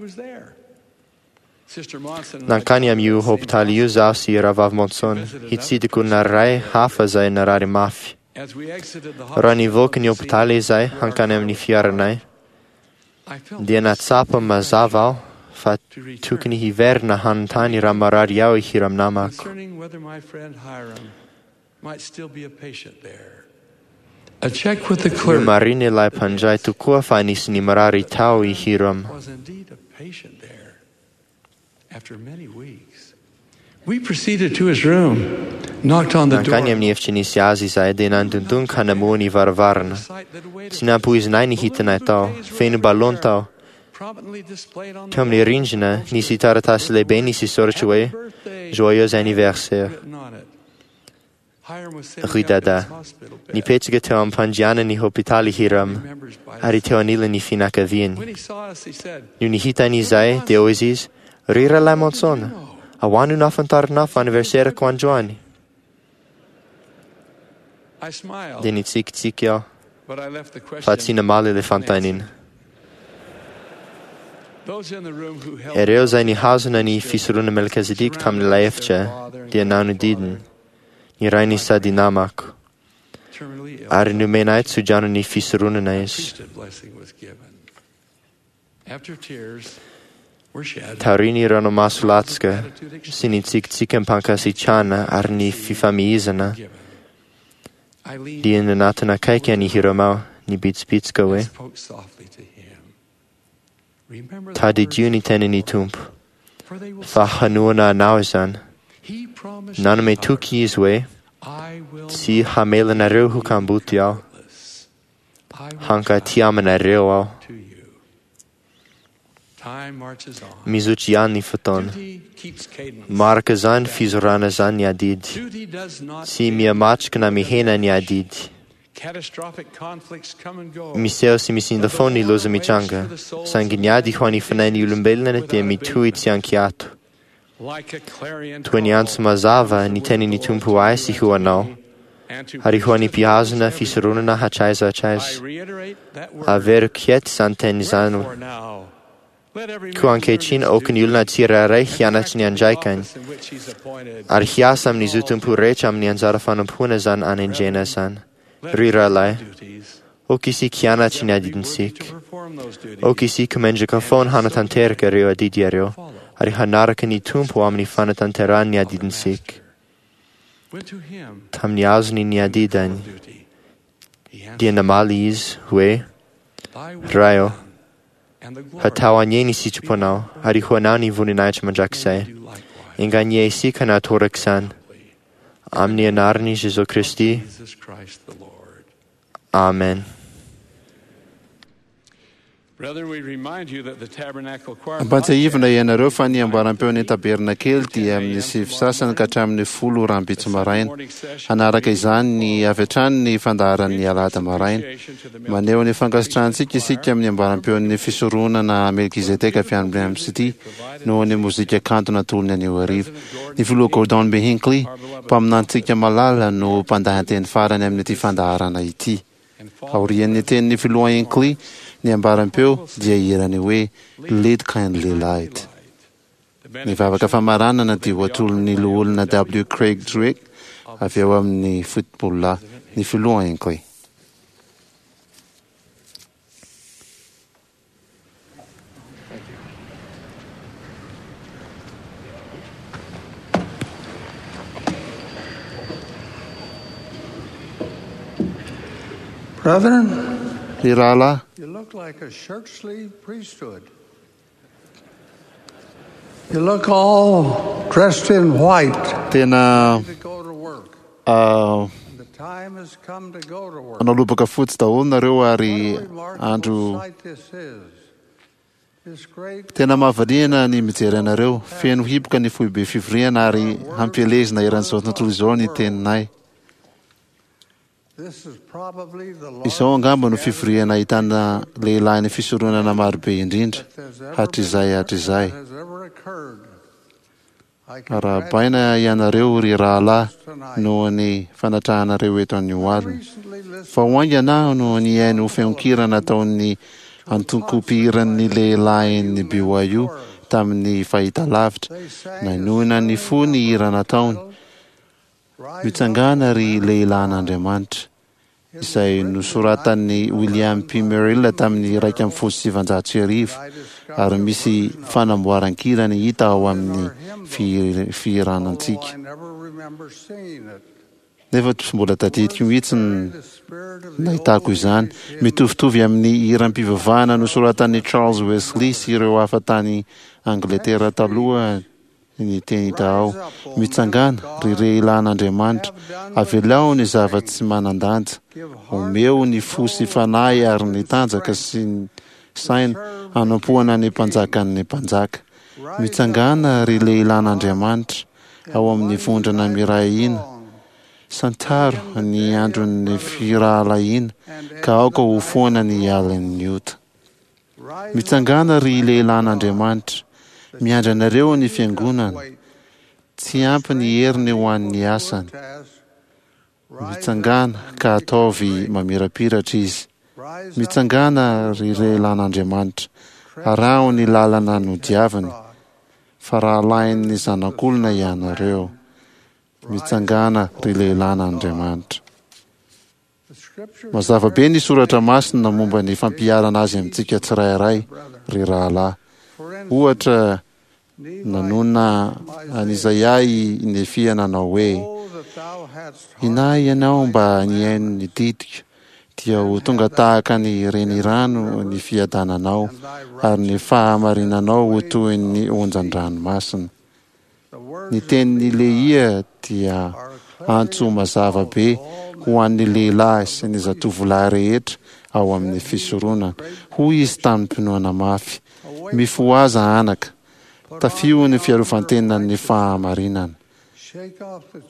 S12: Nankany amin'io hôpitaly io zaho sy Rahavavy Monson, hitsidika olona iray hafa izay narary mafy. Raha nivoaka ny hôpitaly izahay hankany amin'ny fiaranay, dia nahatsapa mazava aho fa tokony hiverina hanontany raha marary aho i Hiram namako. Nomarina ilay mpandray tokoa fa anisan'ny marary tao i Hiram. Nankany amin'ny efitra nisy azy izahay dia nandondona ka namoha ny varavarana. Tsy nampoizinay ny hitanay tao, feno ballon tao. Teo amin'ny rindrina nisy taratasy lehibe nisy soratra hoe Joyeux anniversaire. Ry Dada, nipetraka teo am-pandrianan'ny hôpitaly Hiram ary teo anilan'ny fianakaviany. Nony hitany izahay dia hoy izy, Ry Rahalahy Monson, ahoana no nahafantaranao fa anniversaire-ko androany? Dia nitsikitsiky aho, fa tsy namaly ilay fanontaniana. Ireo izay nihazona ny fisoronana Melkizedeka tamin'ilay efitra dia nanodidina. ny rainy sady namako, ary nomena ahy tsodrano ny fisoronana izy. Taorian'ny ranomaso latsaka sy ny tsikitsiky am-pankasitrahana ary ny fifamihizana, dia nanatona akaiky an'i Hyrum aho nibitsibitsika hoe, Tadidio ny tenin'ny Tompo, fa hanohana anao izany. Nanome toky izy hoe, Tsy hamela anareo ho kamboty aho. Hankaty aminareo aho. Mizotra ihany ny fotoana. Maraka izany fizorana izany ny adidy. Tsy mihamatroka na mihena ny adidy. Miseho sy misinda foana ny loza mitranga, saingy ny ady ho an'ny fanahin'ny olombelona dia mitohy tsy an-kiato. Toy ny antso mazava ny tenin'ny Tompo ho ahy sy ho anao, ary ho an'ny mpihazona fisoronana hatraiza hatraiza. Averiko eto izany teny izany. Koa ankehitriny aoka ny olona tsirairay hianatry ny andraikany, ary hiasa amin'ny zotom-po rehetra amin'ny anjara fanompoana izany anendrena izany. Ry rahalahy, aoka isika hianatry ny adidintsika. Aoka isika mendrika foana hanatanteraka ireo adidy ireo, ary hanaraka ny Tompo amin'ny fanatanterahany ny adidintsika. Tamin'ny azony ny adidiny, dia namaly izy hoe, Ray ô, hatao anie ny sitraponao, ary ho anao ny voninahitra mandrakizay. Enga anie isika natoraka izany. Amin'ny anaran'i Jesoa Kristy. Amen.
S2: Ampahatsiahivina ianareo fa ny ambaram-peon'ny tabernakely dia amin'ny 9:30 ka hatramin'ny 10 rahampitso maraina. Hanaraka izany ny avy hatrany ny fandaharan'ny alahady maraina. Maneho ny fankasitrahantsika isika amin'ny ambaram-peon'ny fisoronana Melkizedeka avy any Brigham City noho ny mozika kanto natolony anio hariva. Ny filoha Gordon B. Hinckley, mpaminantsika malala, no mpandahateny farany amin'ity fandaharana ity. Aorian'ny tenin'ny filoha Hinckley, ny ambaram-peo dia hihira ny hoe Lead Kindly Light. Ny vavaka famaranana dia ho atolon'ny Loholona W. Craig Drake avy ao amin'ny Football ny filoha Hinckley.
S4: Brethren,
S2: Ry rahalahy,
S4: you look like a shirt sleeve priesthood. You look all dressed in white.
S2: Tena
S4: To go to work. The time has come to go to work.
S2: manao lobaka fotsy daholo nareo ary andro
S4: Sight this is. This great
S2: tena mahavariana ny mijery anareo. Feno hiboka ny foibe fivoriana ary hampielezina eran'izao tontolo izao ny teninay.
S4: This is probably the
S2: Izao angamba no fivoriana ahitana lehilahy ny fisoronana marobe indrindra hatrizay hatrizay.
S4: has ever occurred.
S2: Arahabaina ianareo ry rahalahy noho ny fanatrahanareo eto anio alina. Vao haingana aho no nihaino feon-kira nataon'ny antoko-mpihiran'ny lehilahin'ny BYU tamin'ny fahitalavitra. Nanohina ny fo ny hira nataony. Mitsangàna ry lehilahin'Andriamanitra, izay nosoratan'i William P. Merrill tamin'ny 1911, ary misy fanamboaran-kirany hita ao amin'ny fihiranantsika.
S4: I never remember seeing it.
S2: Nefa tsy mbola tadidiko mihitsy ny nahitako izany. Mitovitovy amin'ny hiram-pivavahana nosoratan'i Charles Wesley sy ireo hafa tany Angletera taloha ny teny hita ao. Mitsangàna, ry lehilahin'Andriamanitra, avelao ny zava-tsy manan-danja. Omeo ny fo sy fanahy ary ny tanjaka sy ny saina hanompoana ny mpanjakan'ny mpanjaka. Mitsangàna, ry lehilahin'Andriamanitra, ao amin'ny vondrona miray hina. Santaro ny andron'ny firahalahiana, ka aoka ho foana ny alin'ny ota. Mitsangàna, ry lehilahin'Andriamanitra, miandry anareo ny fiangonana. Tsy ampy ny heriny ho an'ny asany. Mitsangàna, ka ataovy mamirapiratra izy. Mitsangàna, ry lehilahin'Andriamanitra, araho ny lalana nodiaviny, fa rahalahin'ny Zanak'olona ianareo. Mitsangàna, ry lehilahin'Andriamanitra. Mazava be ny soratra masina momba ny fampiharana azy amintsika tsirairay, ry rahalahy. Ohatra, nanonona an'Izaia i Nefia nanao hoe, Inahy ianao mba nihaino ny didiko, dia ho tonga tahaka ny renirano ny fiadananao, ary ny fahamarinanao ho toy ny onjan-dranomasina. Ny tenin'i Lehia dia antso mazava be ho an'ny lehilahy sy ny zatovolahy rehetra ao amin'ny fisoronana. Hoy izy tamim-pinoana mafy, Mifohaza anaka, tafio ny fiarovan-tenan'ny fahamarinana.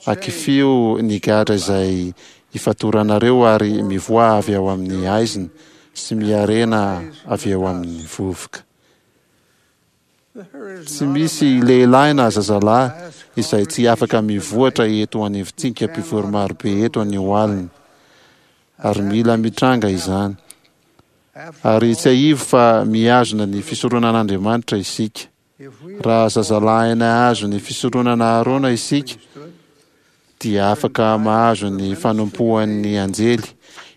S2: Akifio ny gadra izay ifatoranareo ary mivoaha avy ao amin'ny haizina sy miharena avy eo amin'ny vovoka. Tsy misy lehilahy na zazalahy izay tsy afaka mivoatra eto anivontsika mpivory marobe eto anio alina. Ary mila mitranga izany. Ary tsiahivo fa mihazona ny fisoronan'Andriamanitra isika. Raha zazalahy nahazo ny fisoronana Arona isika, dia afaka mahazo ny fanompoan'ny anjely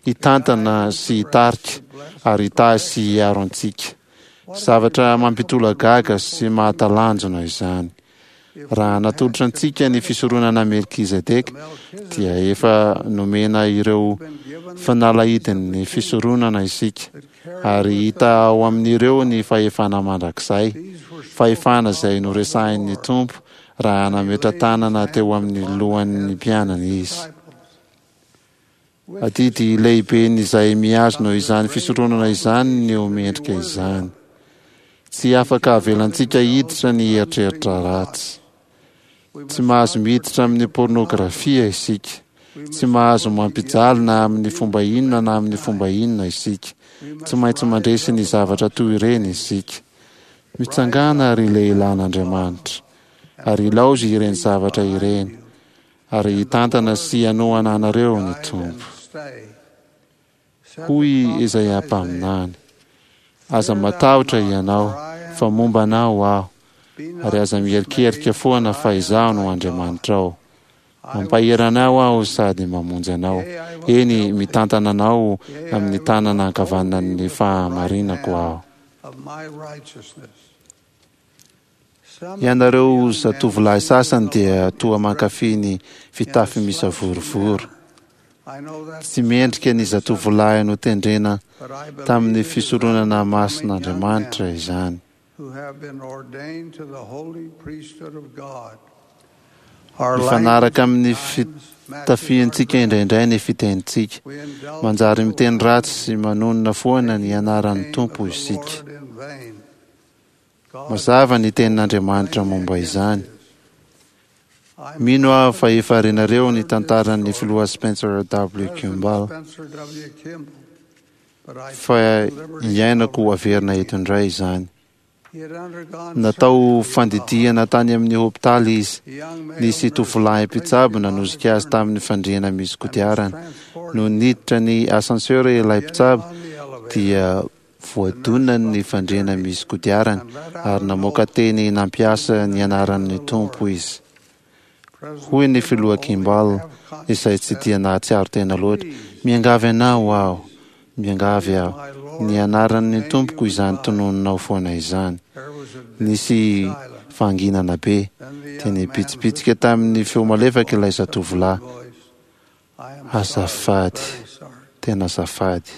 S2: hitantana sy hitarika ary hitahy sy hiaro antsika. Zavatra mampitolagaga sy mahatalanjona izany. Raha natolotra antsika ny fisoronana Melkizedeka, dia efa nomena ireo fanalahidin'ny fisoronana isika, ary hita ao amin'ireo ny fahefana mandrakizay, fahefana izay noresahin'ny Tompo raha nametra-tanana teo amin'ny lohan'ny mpianany Izy. Adidy lehiben'izay mihazona izany fisoronana izany ny ho mendrika izany. Tsy afaka avelantsika hiditra ny eritreritra ratsy. Tsy mahazo miditra amin'ny pornografia isika. Tsy mahazo mampijaly na amin'ny fomba inona na amin'ny fomba inona isika. Tsy maintsy mandresy ny zavatra toy ireny isika. Mitsangàna, ry lehilahin'Andriamanitra, ary ilaozy ireny zavatra ireny, ary hitantana sy hanohana anareo ny Tompo. Hoy Izaia mpaminany, Aza matahotra ianao, fa momba anao Aho, ary aza miherikerika foana fa Izaho no Andriamanitrao. Mampahery anao Aho sady mamonjy anao, eny, mitantana anao amin'ny tanana ankavanan'ny fahamarinako Aho. Ianareo zatovolahy sasany dia toa mankafy ny fitafy misavorovoro. Tsy mendrika ny zatovolahy notendrena tamin'ny fisoronana masin'Andriamanitra izany. Mifanaraka amin'ny fitafiantsika indraindray ny fitenintsika. Manjary miteny ratsy sy manonona foana ny anaran'ny Tompo isika. Mazava ny tenin'Andriamanitra momba izany. Mino aho fa efa renareo ny tantaran'ny Filoha Spencer W. Kimball, fa iainako averina eto indray izany. Natao fandidiana tany amin'ny hopitaly izy. Nisy tovolahy mpitsabo nanosika azy tamin'ny fandriana misy kodiarana. Nony niditra ny ascenseur ilay mpitsabo dia voadonany ny fandriana misy kodiarana ary namoaka teny nampiasa ny anaran'ny Tompo izy. Hoy ny Filoha Kimball, izay tsy dia nahatsiaro tena loatra, Miangavy anao aho, miangavy aho, ny anaran'ny Tompoko izany tononinao foana izany. Nisy fahanginana be, dia nibitsibitsika tamin'ny feo malefaka ilay zatovolahy, Azafady, tena azafady.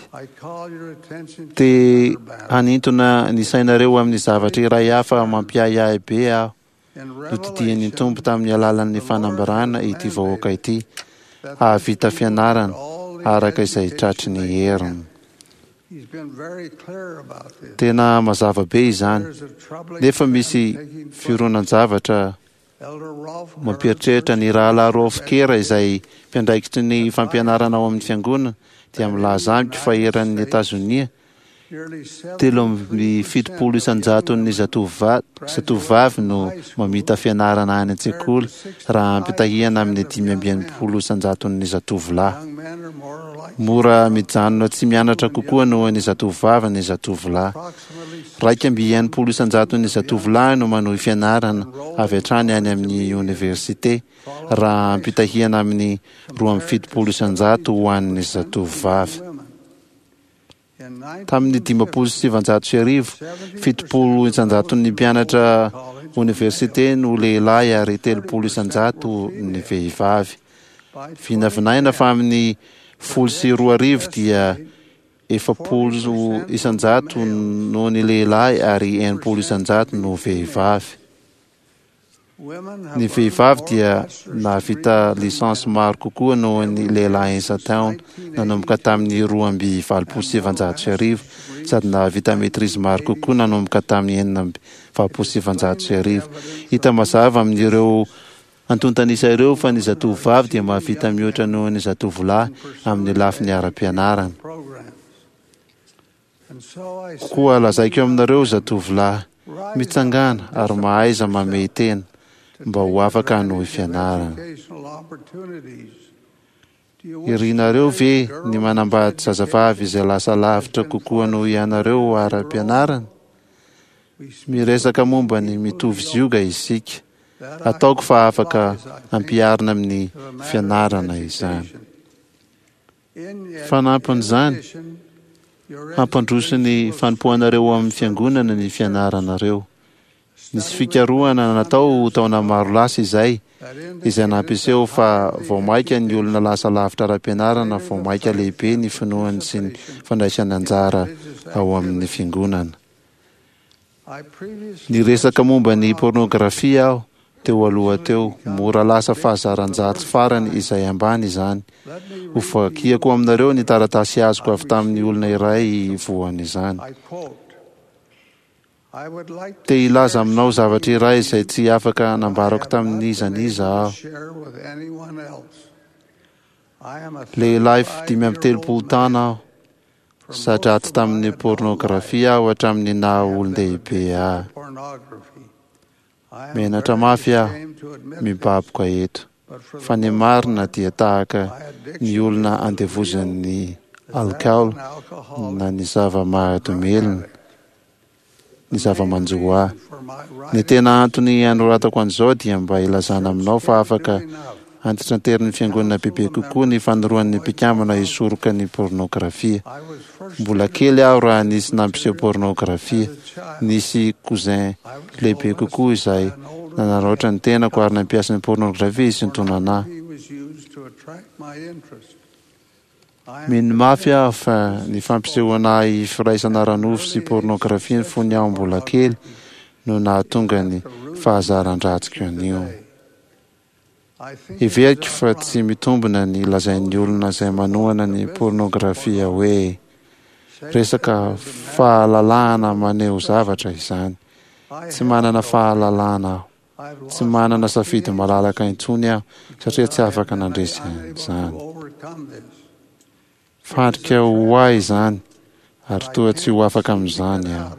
S2: Te hanintona ny sainareo amin'ny zavatra iray hafa mampiahiahy be aho. Nodidian'ny Tompo tamin'ny alalan'ny fanambarana ity vahoaka ity hahavita fianarana araka izay tratry ny heriny. Tena mazava be izany, nefa misy fironan-javatra mampieritreritra. Ny Rahalahy Rolf Kerr izay mpiandraikitry ny fampianarana ao amin'ny fiangonana dia milaza amiko fa eran'ny Etazonia, 73 isan-jaton'ny zatovovavy no mamita fianarana any an-tsekoly raha ampitahiana amin'ny 65 isan-jaton'ny zatovolahy. Mora mijanona tsy mianatra kokoa noho ny zatovovavy ny zatovolahy. 61 isan-jaton'ny zatovolahy no manohy fianarana avy hatrany any amin'ny oniversite, raha ampitahiana amin'ny 72 isan-jato ho an'ny zatovovavy. Tamin'ny 1950, 70 isan-jaton'ny mpianatra oniversite no lehilahy ary 30 isan-jato ny vehivavy. Vinavinaina fa amin'ny 2010 dia 40 isan-jato no ny lehilahy ary 60 isan-jato no vehivavy. Ny vehivavy dia nahavita licence maro kokoa noho ny lehilahy isan-taona nanomboka tamin'ny 1982 sady nahavita maîtrise maro kokoa nanomboka tamin'ny 1986. Hita mazava amin'ireo antontan'isa ireo fa ny zatovovavy dia mahavita mihoatra noho ny zatovolahy amin'ny lafiny ara-pianarana. Koa lazaiko aminareo zatovolahy, mitsangàna ary mahaiza mamehy tena mba ho afaka hanohy fianarana. Irinareo ve ny manambady zazavavy izay lasa lavitra kokoa noho ianareo ara-pianarana? Miresaka momba ny mitovy zioga isika. Ataoko fa afaka ampiharina amin'ny fianarana izany. Fanampin'izany, hampandroso ny fanompoanareo ao amin'ny Fiangonana ny fianaranareo. Nisy fikarohana natao taona maro lasa izay, izay nampiseho fa vao mainka ny olona lasa lavitra ara-pianarana vao mainka lehibe ny finoany sy ny fandraisany anjara ao amin'ny Fiangonana. Niresaka momba ny pôrnôgrafia aho teo aloha teo. Mora lasa fahazaran-dratsy farany izay ambany izany. Hovakiako aminareo ny taratasy azoko avy tamin'ny olona iray voan'izany. Te hilaza aminao zavatra iray izay tsy afaka nambarako tamin'iza n'iza aho. Lehilahy 35 taona aho. Za-dratsy tamin'ny pôrnôgrafia aho hatramin'ny naha olon-dehibe ahy. Menatra mafy aho mibaboka eto, fa ny marina dia tahaka ny olona andevozan'ny alikaola na ny zava-mahadomelina ny zava-manjo ahy. Ny tena antony anoratako an'izao dia mba hilazana aminao fa afaka antitranterin'ny Fiangonana bebe kokoa ny fanoroan'ny mpikambana hisoroka ny pôrnôgrafia. Mbola kely aho raha nisy nampiseho pôrnôgrafia. Nisy cousin lehibe kokoa izay nanaraotra ny tenako ary nampiasa ny pôrnôgrafia hisintonana ahy. Mino mafy aho fa ny fampisehoana ahy firaisana ara-nofo sy pôrnôgrafia fony aho mbola kely no nahatonga ny fahazaran-dratsiko anio. Heveriko fa tsy mitombina ny lazain'ny olona izay manohana ny pôrnôgrafia hoe resaka fahalalahana maneho zavatra izany. Tsy manana fahalalahana aho. Tsy manana safidy malalaka intsony aho satria tsy afaka nandresy an'izany. Fandrika ho ahy izany ary toa tsy ho afaka amin'izany aho.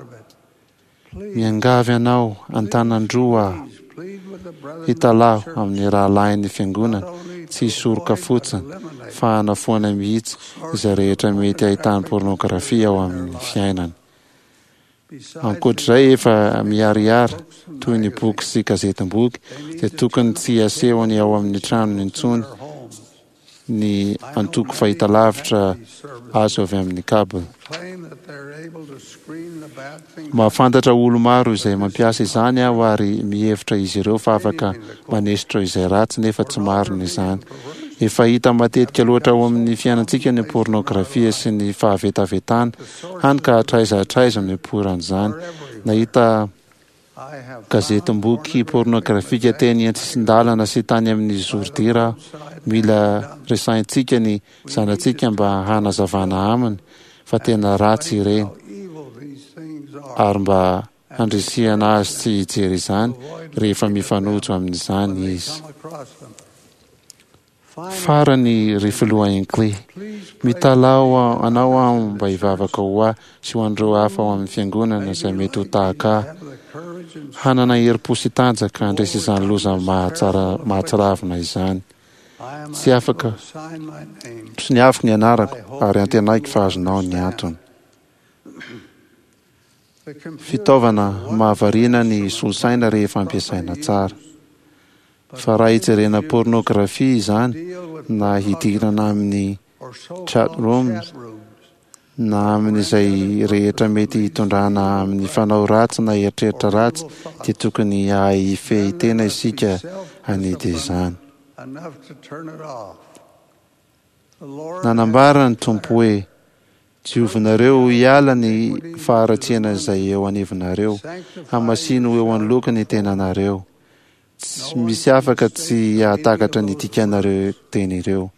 S2: Miangavy anao an-tanan-droa aho hitalaho amin'ny rahalahin'ny Fiangonana tsy hisoroka fotsiny fa hanafoana mihitsy izay rehetra mety ahitany pôrnôgrafia ao amin'ny fiainany. Ankoatr'izay efa miharihary toy ny boky sy gazetim-boky dia tokony tsy hasehony ao amin'ny tranony intsony ny antoko fahitalavitra azo avy amin'ny cable. Mahafantatra olo-maro izay mampiasa izany aho ary mihevitra izy ireo fa afaka manesotra izay ratsy nefa tsy marina izany. Efa hita matetika loatra ao amin'ny fiainantsika ny pornografia sy ny fahavetavetana, hany ka hatraiza hatraiza no ipoiran'izany. Nahita Gazetim-boky pôrnôgrafika teny an-tsisin-dalana sy tany amin'ny zoridira aho. Mila resahintsika ny zanatsika mba hanazavana aminy fa tena ratsy ireny, ary mba handrisihana azy tsy hijery izany rehefa mifanojo amin'izany izy. Farany, ry Filoha Hinckley, mitalaho anao aho mba hivavaka ho ahy sy ho an'ireo hafa ao amin'ny Fiangonana izay mety ho tahaka ahy, hanana herim-po sy tanjaka handresy izany loza mahatsiravina izany. Tsy afaka soniaviko ny anarako ary antenaiko fa azonao ny antony. Fitaovana mahavariana ny solosaina rehefa ampiasaina tsara. Fa raha hijerena pornographie izany na hidirana amin'ny chat rooms na amin'izay rehetra mety hitondrana amin'ny fanao ratsy na eritreritra ratsy dia tokony hahay hifehy tena isika hanidy izany. Nanambara ny Tompo hoe, Diovinareo hiala ny faharatsiana izay eo anivonareo, hamasino ho eo anoloako ny tenanareo. Tsy misy afaka tsy hahatakatra ny dikan'ireo teny ireo.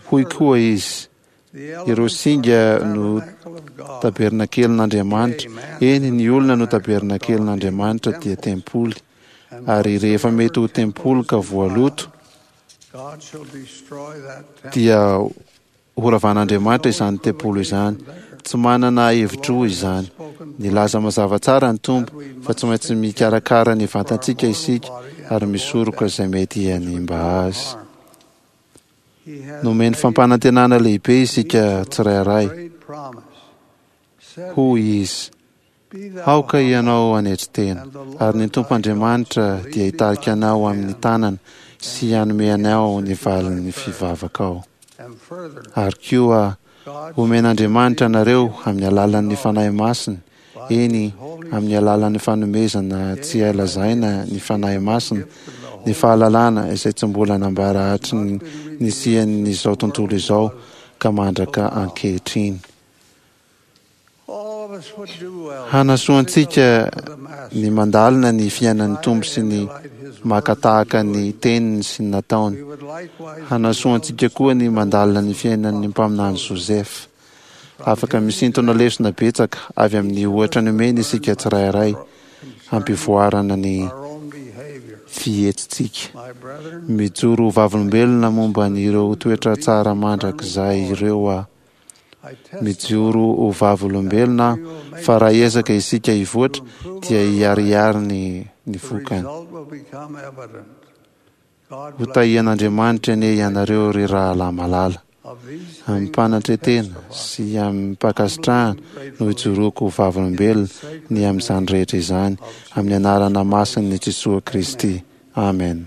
S2: Hoy koa izy, Ireo singa no tabernakelin'Andriamanitra, eny, ny olona no tabernakelin'Andriamanitra dia tempoly, ary rehefa mety ho tempoly ka voaloto, dia Horavan'Andriamanitra izany tempoly izany. Tsy manana hevi-droa izany. Nilaza mazava tsara ny Tompo fa tsy maintsy mikarakara ny vatantsika isika ary misoroka izay mety hanimba azy. Nomeny fampanantenana lehibe isika tsirairay. Hoy Izy, Aoka ianao hanetry tena, ary ny Tompo Andriamanitra dia hitarika anao amin'ny tanany sy hanome anao ny valin'ny fivavakao. Ary koa, homen'Andriamanitra anareo amin'ny alalan'ny Fanahy Masiny, eny, amin'ny alalan'ny fanomezana tsy hay lazaina ny Fanahy Masina, ny fahalalana izay tsy mbola nambara hatry ny nisian'izao tontolo izao ka mandraka ankehitriny. Hanasoa antsika ny mandalina ny fiainan'ny Tompo sy ny maka tahaka ny teniny sy ny nataony. Hanasoa antsika koa ny mandalina ny fiainan'ny mpaminany Joseph. Afaka misintona lesona betsaka avy amin'ny ohatra nomeny isika tsirairay hampivoarana ny fihetsitsika. Mijoro ho vavolombelona momba an'ireo toetra tsara mandrakizay ireo aho. Mijoro ho vavolombelona aho fa raha hiezaka isika hivoatra dia hiharihary ny ny vokany. Ho tahian'Andriamanitra anie ianareo ry rahalahy malala. Amim-panatretena sy amim-pankasitrahana no ijoroako ho vavolombelona ny amin'izany rehetra izany amin'ny anarana masin'i Jesoa Kristy. Amen.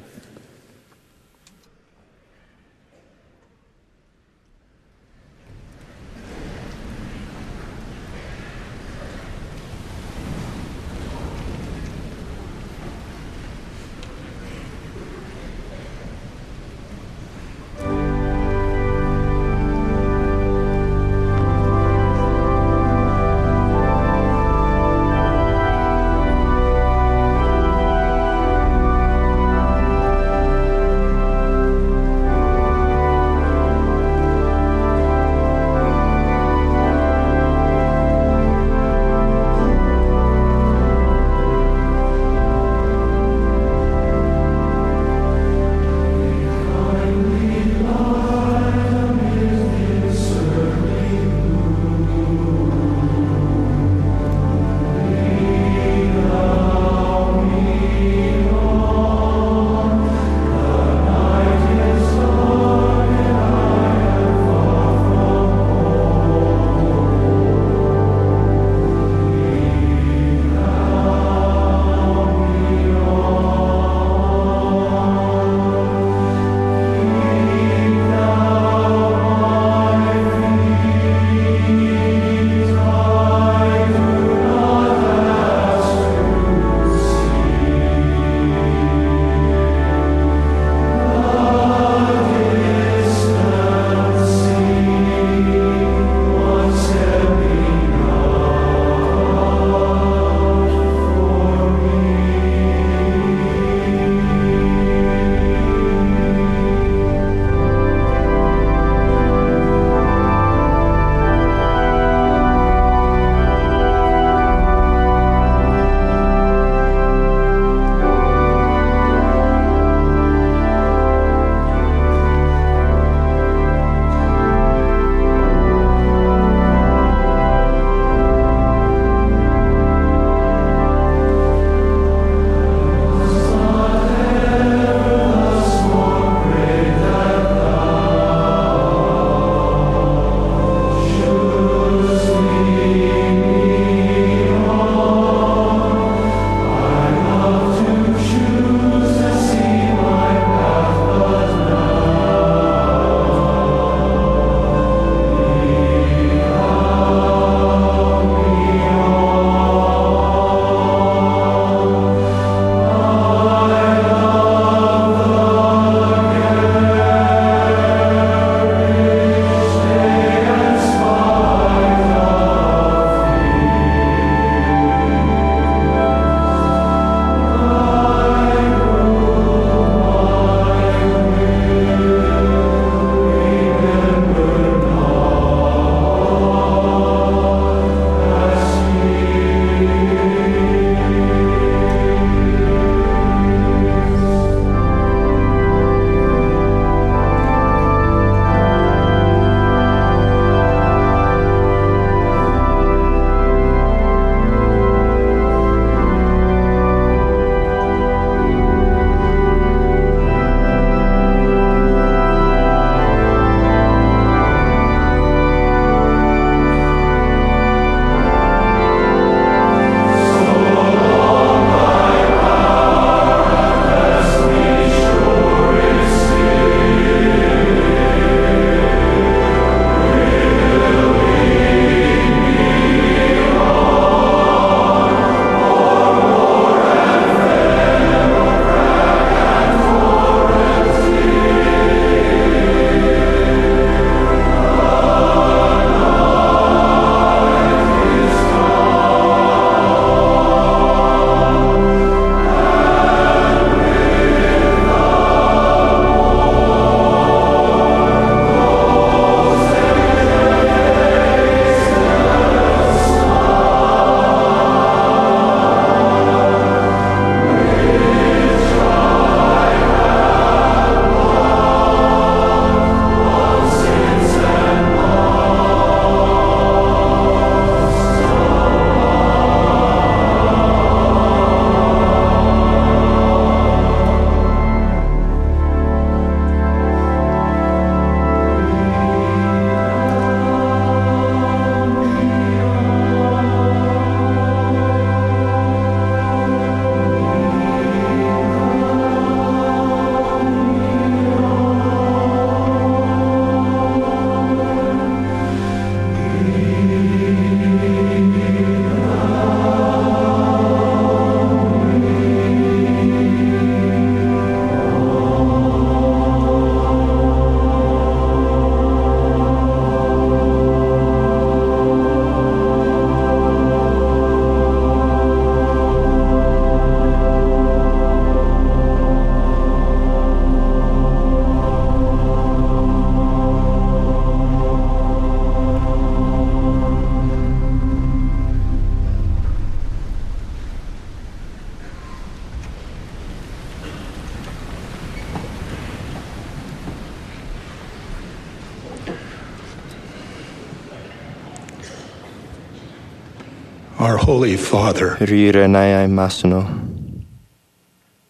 S4: Our Holy Father,
S12: Ry Rainay masina,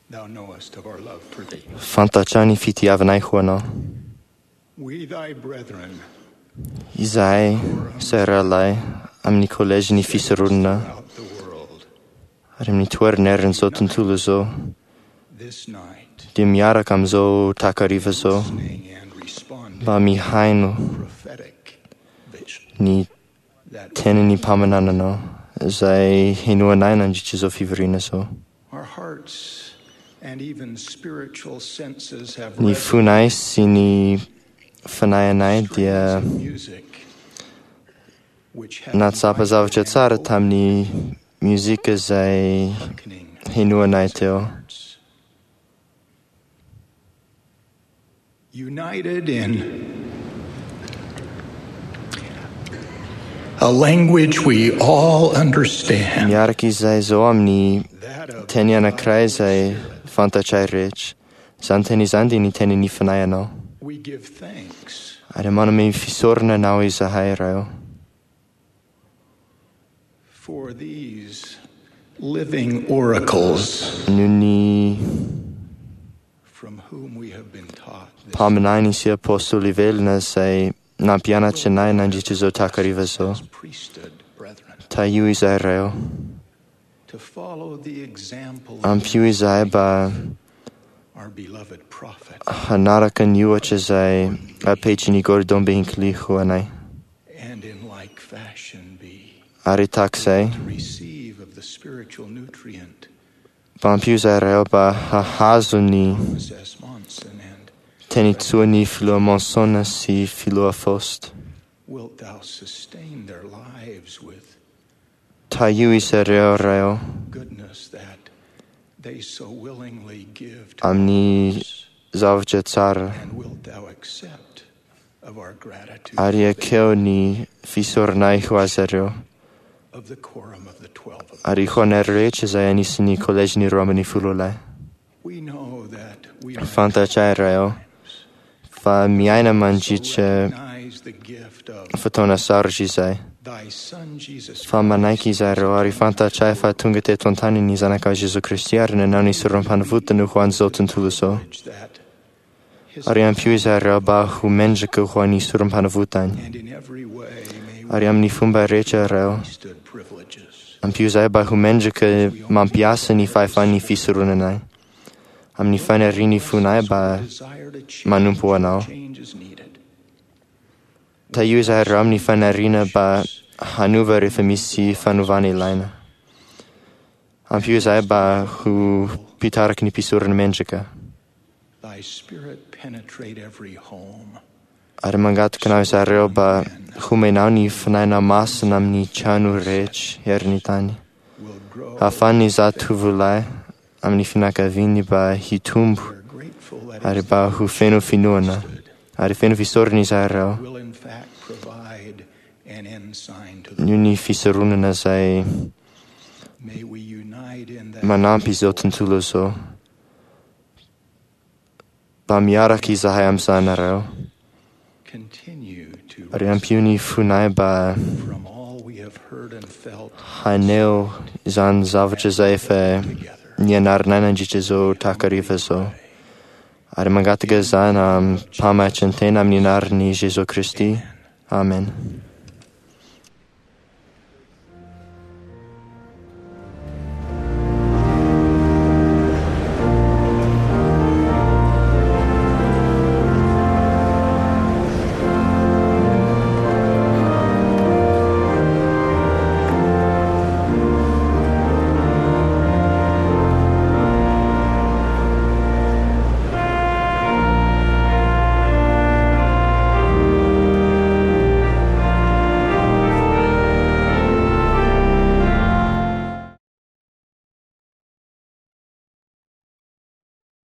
S4: Thou knowest of our love for Thee.
S12: fantatra ny fitiavanay ho anao.
S4: We, Thy brethren,
S12: Izahay izay rahalahy amin'ny kolejin'ny fisoronana ary amin'ny toerana tontolo izao
S4: this night,
S12: dia miaraka amin'izao takariva izao mba mihaino ny tenin'ny mpaminananao izay henoanay nandritra izao fivoriana izao.
S4: our hearts and even spiritual senses have
S12: Ny fonay sy ny fanahinay dia
S4: music which have
S12: nahatsapa zavatra tsara tamin'ny mozika izay henoanay teo.
S4: united in a language we all understand.
S12: Miaraka izay izao amin'ny teny anankiray izay fantatray rehetra. Izany teny izany dia ny tenin'ny fanahinao.
S4: We give thanks
S12: Ary manome fisaorana anao izahay Ray ô.
S4: for these living oracles
S12: Noho ny
S4: from whom we have been taught.
S12: mpaminany sy apôstôly velona izay nampianatra anay nandritra izao takariva izao.
S4: Priesthood, brethren,
S12: Tahio izahay Ray ô.
S4: to follow the example of
S12: Ampio izahay mba
S4: our beloved prophet
S12: hanaraka ny ohatra izay apetrin'i Gordon B. Hinckley ho anay.
S4: and in like fashion be
S12: Ary tahaka izay,
S4: to receive of the spiritual nutrient
S12: mba ampio izahay Ray ô mba hahazo ny
S4: Thomas S. Monson and
S12: teny tsoan'ny filoha Monson sy filoha Faust.
S4: wilt thou sustain their lives with
S12: Tahio izy ireo Ray ô
S4: goodness that they so willingly give to
S12: amin'ny zavatra tsara
S4: and wilt thou accept of our gratitude
S12: ary ekeo ny fisaoranay ho azy ireo
S4: of the quorum of the 12 of
S12: ary ho anay rehetra izay anisan'ny kolejin'ny 12.
S4: We know that we are
S12: Fantatray Ray ô fa miaina mandritra
S4: recognize the gift of
S12: fotoana sarotra izay.
S4: thy son Jesus
S12: Fa manaiky izahay ireo ary fantatray fa tonga teto an-tany ny zanakao Jesoa Kristy ary nanao ny sorom-panavotana ho an'izao tontolo izao.
S4: that
S12: Ary ampio izahay ireo mba ho mendrika ho an'ny sorom-panavotany.
S4: and in every way may
S12: Ary amin'ny fomba rehetra ireo,
S4: priesthood privileges
S12: ampio izahay mba ho mendrika mampiasa ny fahefan'ny fisoronanay. Amin'ny fanirian'ny fonay mba
S4: desire to change
S12: manompo anao.
S4: change is needed
S12: Tahio izahay ireo amin'ny faniriana mba hanova rehefa misy fanovana ilaina. Ampio izahay mba ho mpitariky ny mpisorona mendrika.
S4: thy spirit penetrate every home
S12: Ary mangataka anao izahay ireo mba homenao ny fanahinao masina amin'ny trano rehetra herin'ny tany. Ahafahan'ny zatovolahy amin'ny fianakaviany mba hitombo ary mba ho feno finoana. Ary feno fisaorana izahay ireo
S4: will in fact provide an ensign to the
S12: noho ny fisoronana izay
S4: may we unite in that
S12: manampy izao tontolo izao. Mba miaraka izahay amin'izany ireo.
S4: continue to
S12: Ary ampio ny fonay mba
S4: from all we have heard and felt
S12: haneho izany zavatra izay efa nianaranay nandritra izao takariva izao. Ary mangataka izany am-pamatran-tena amin'ny anaran'i Jesoa Kristy. Amen.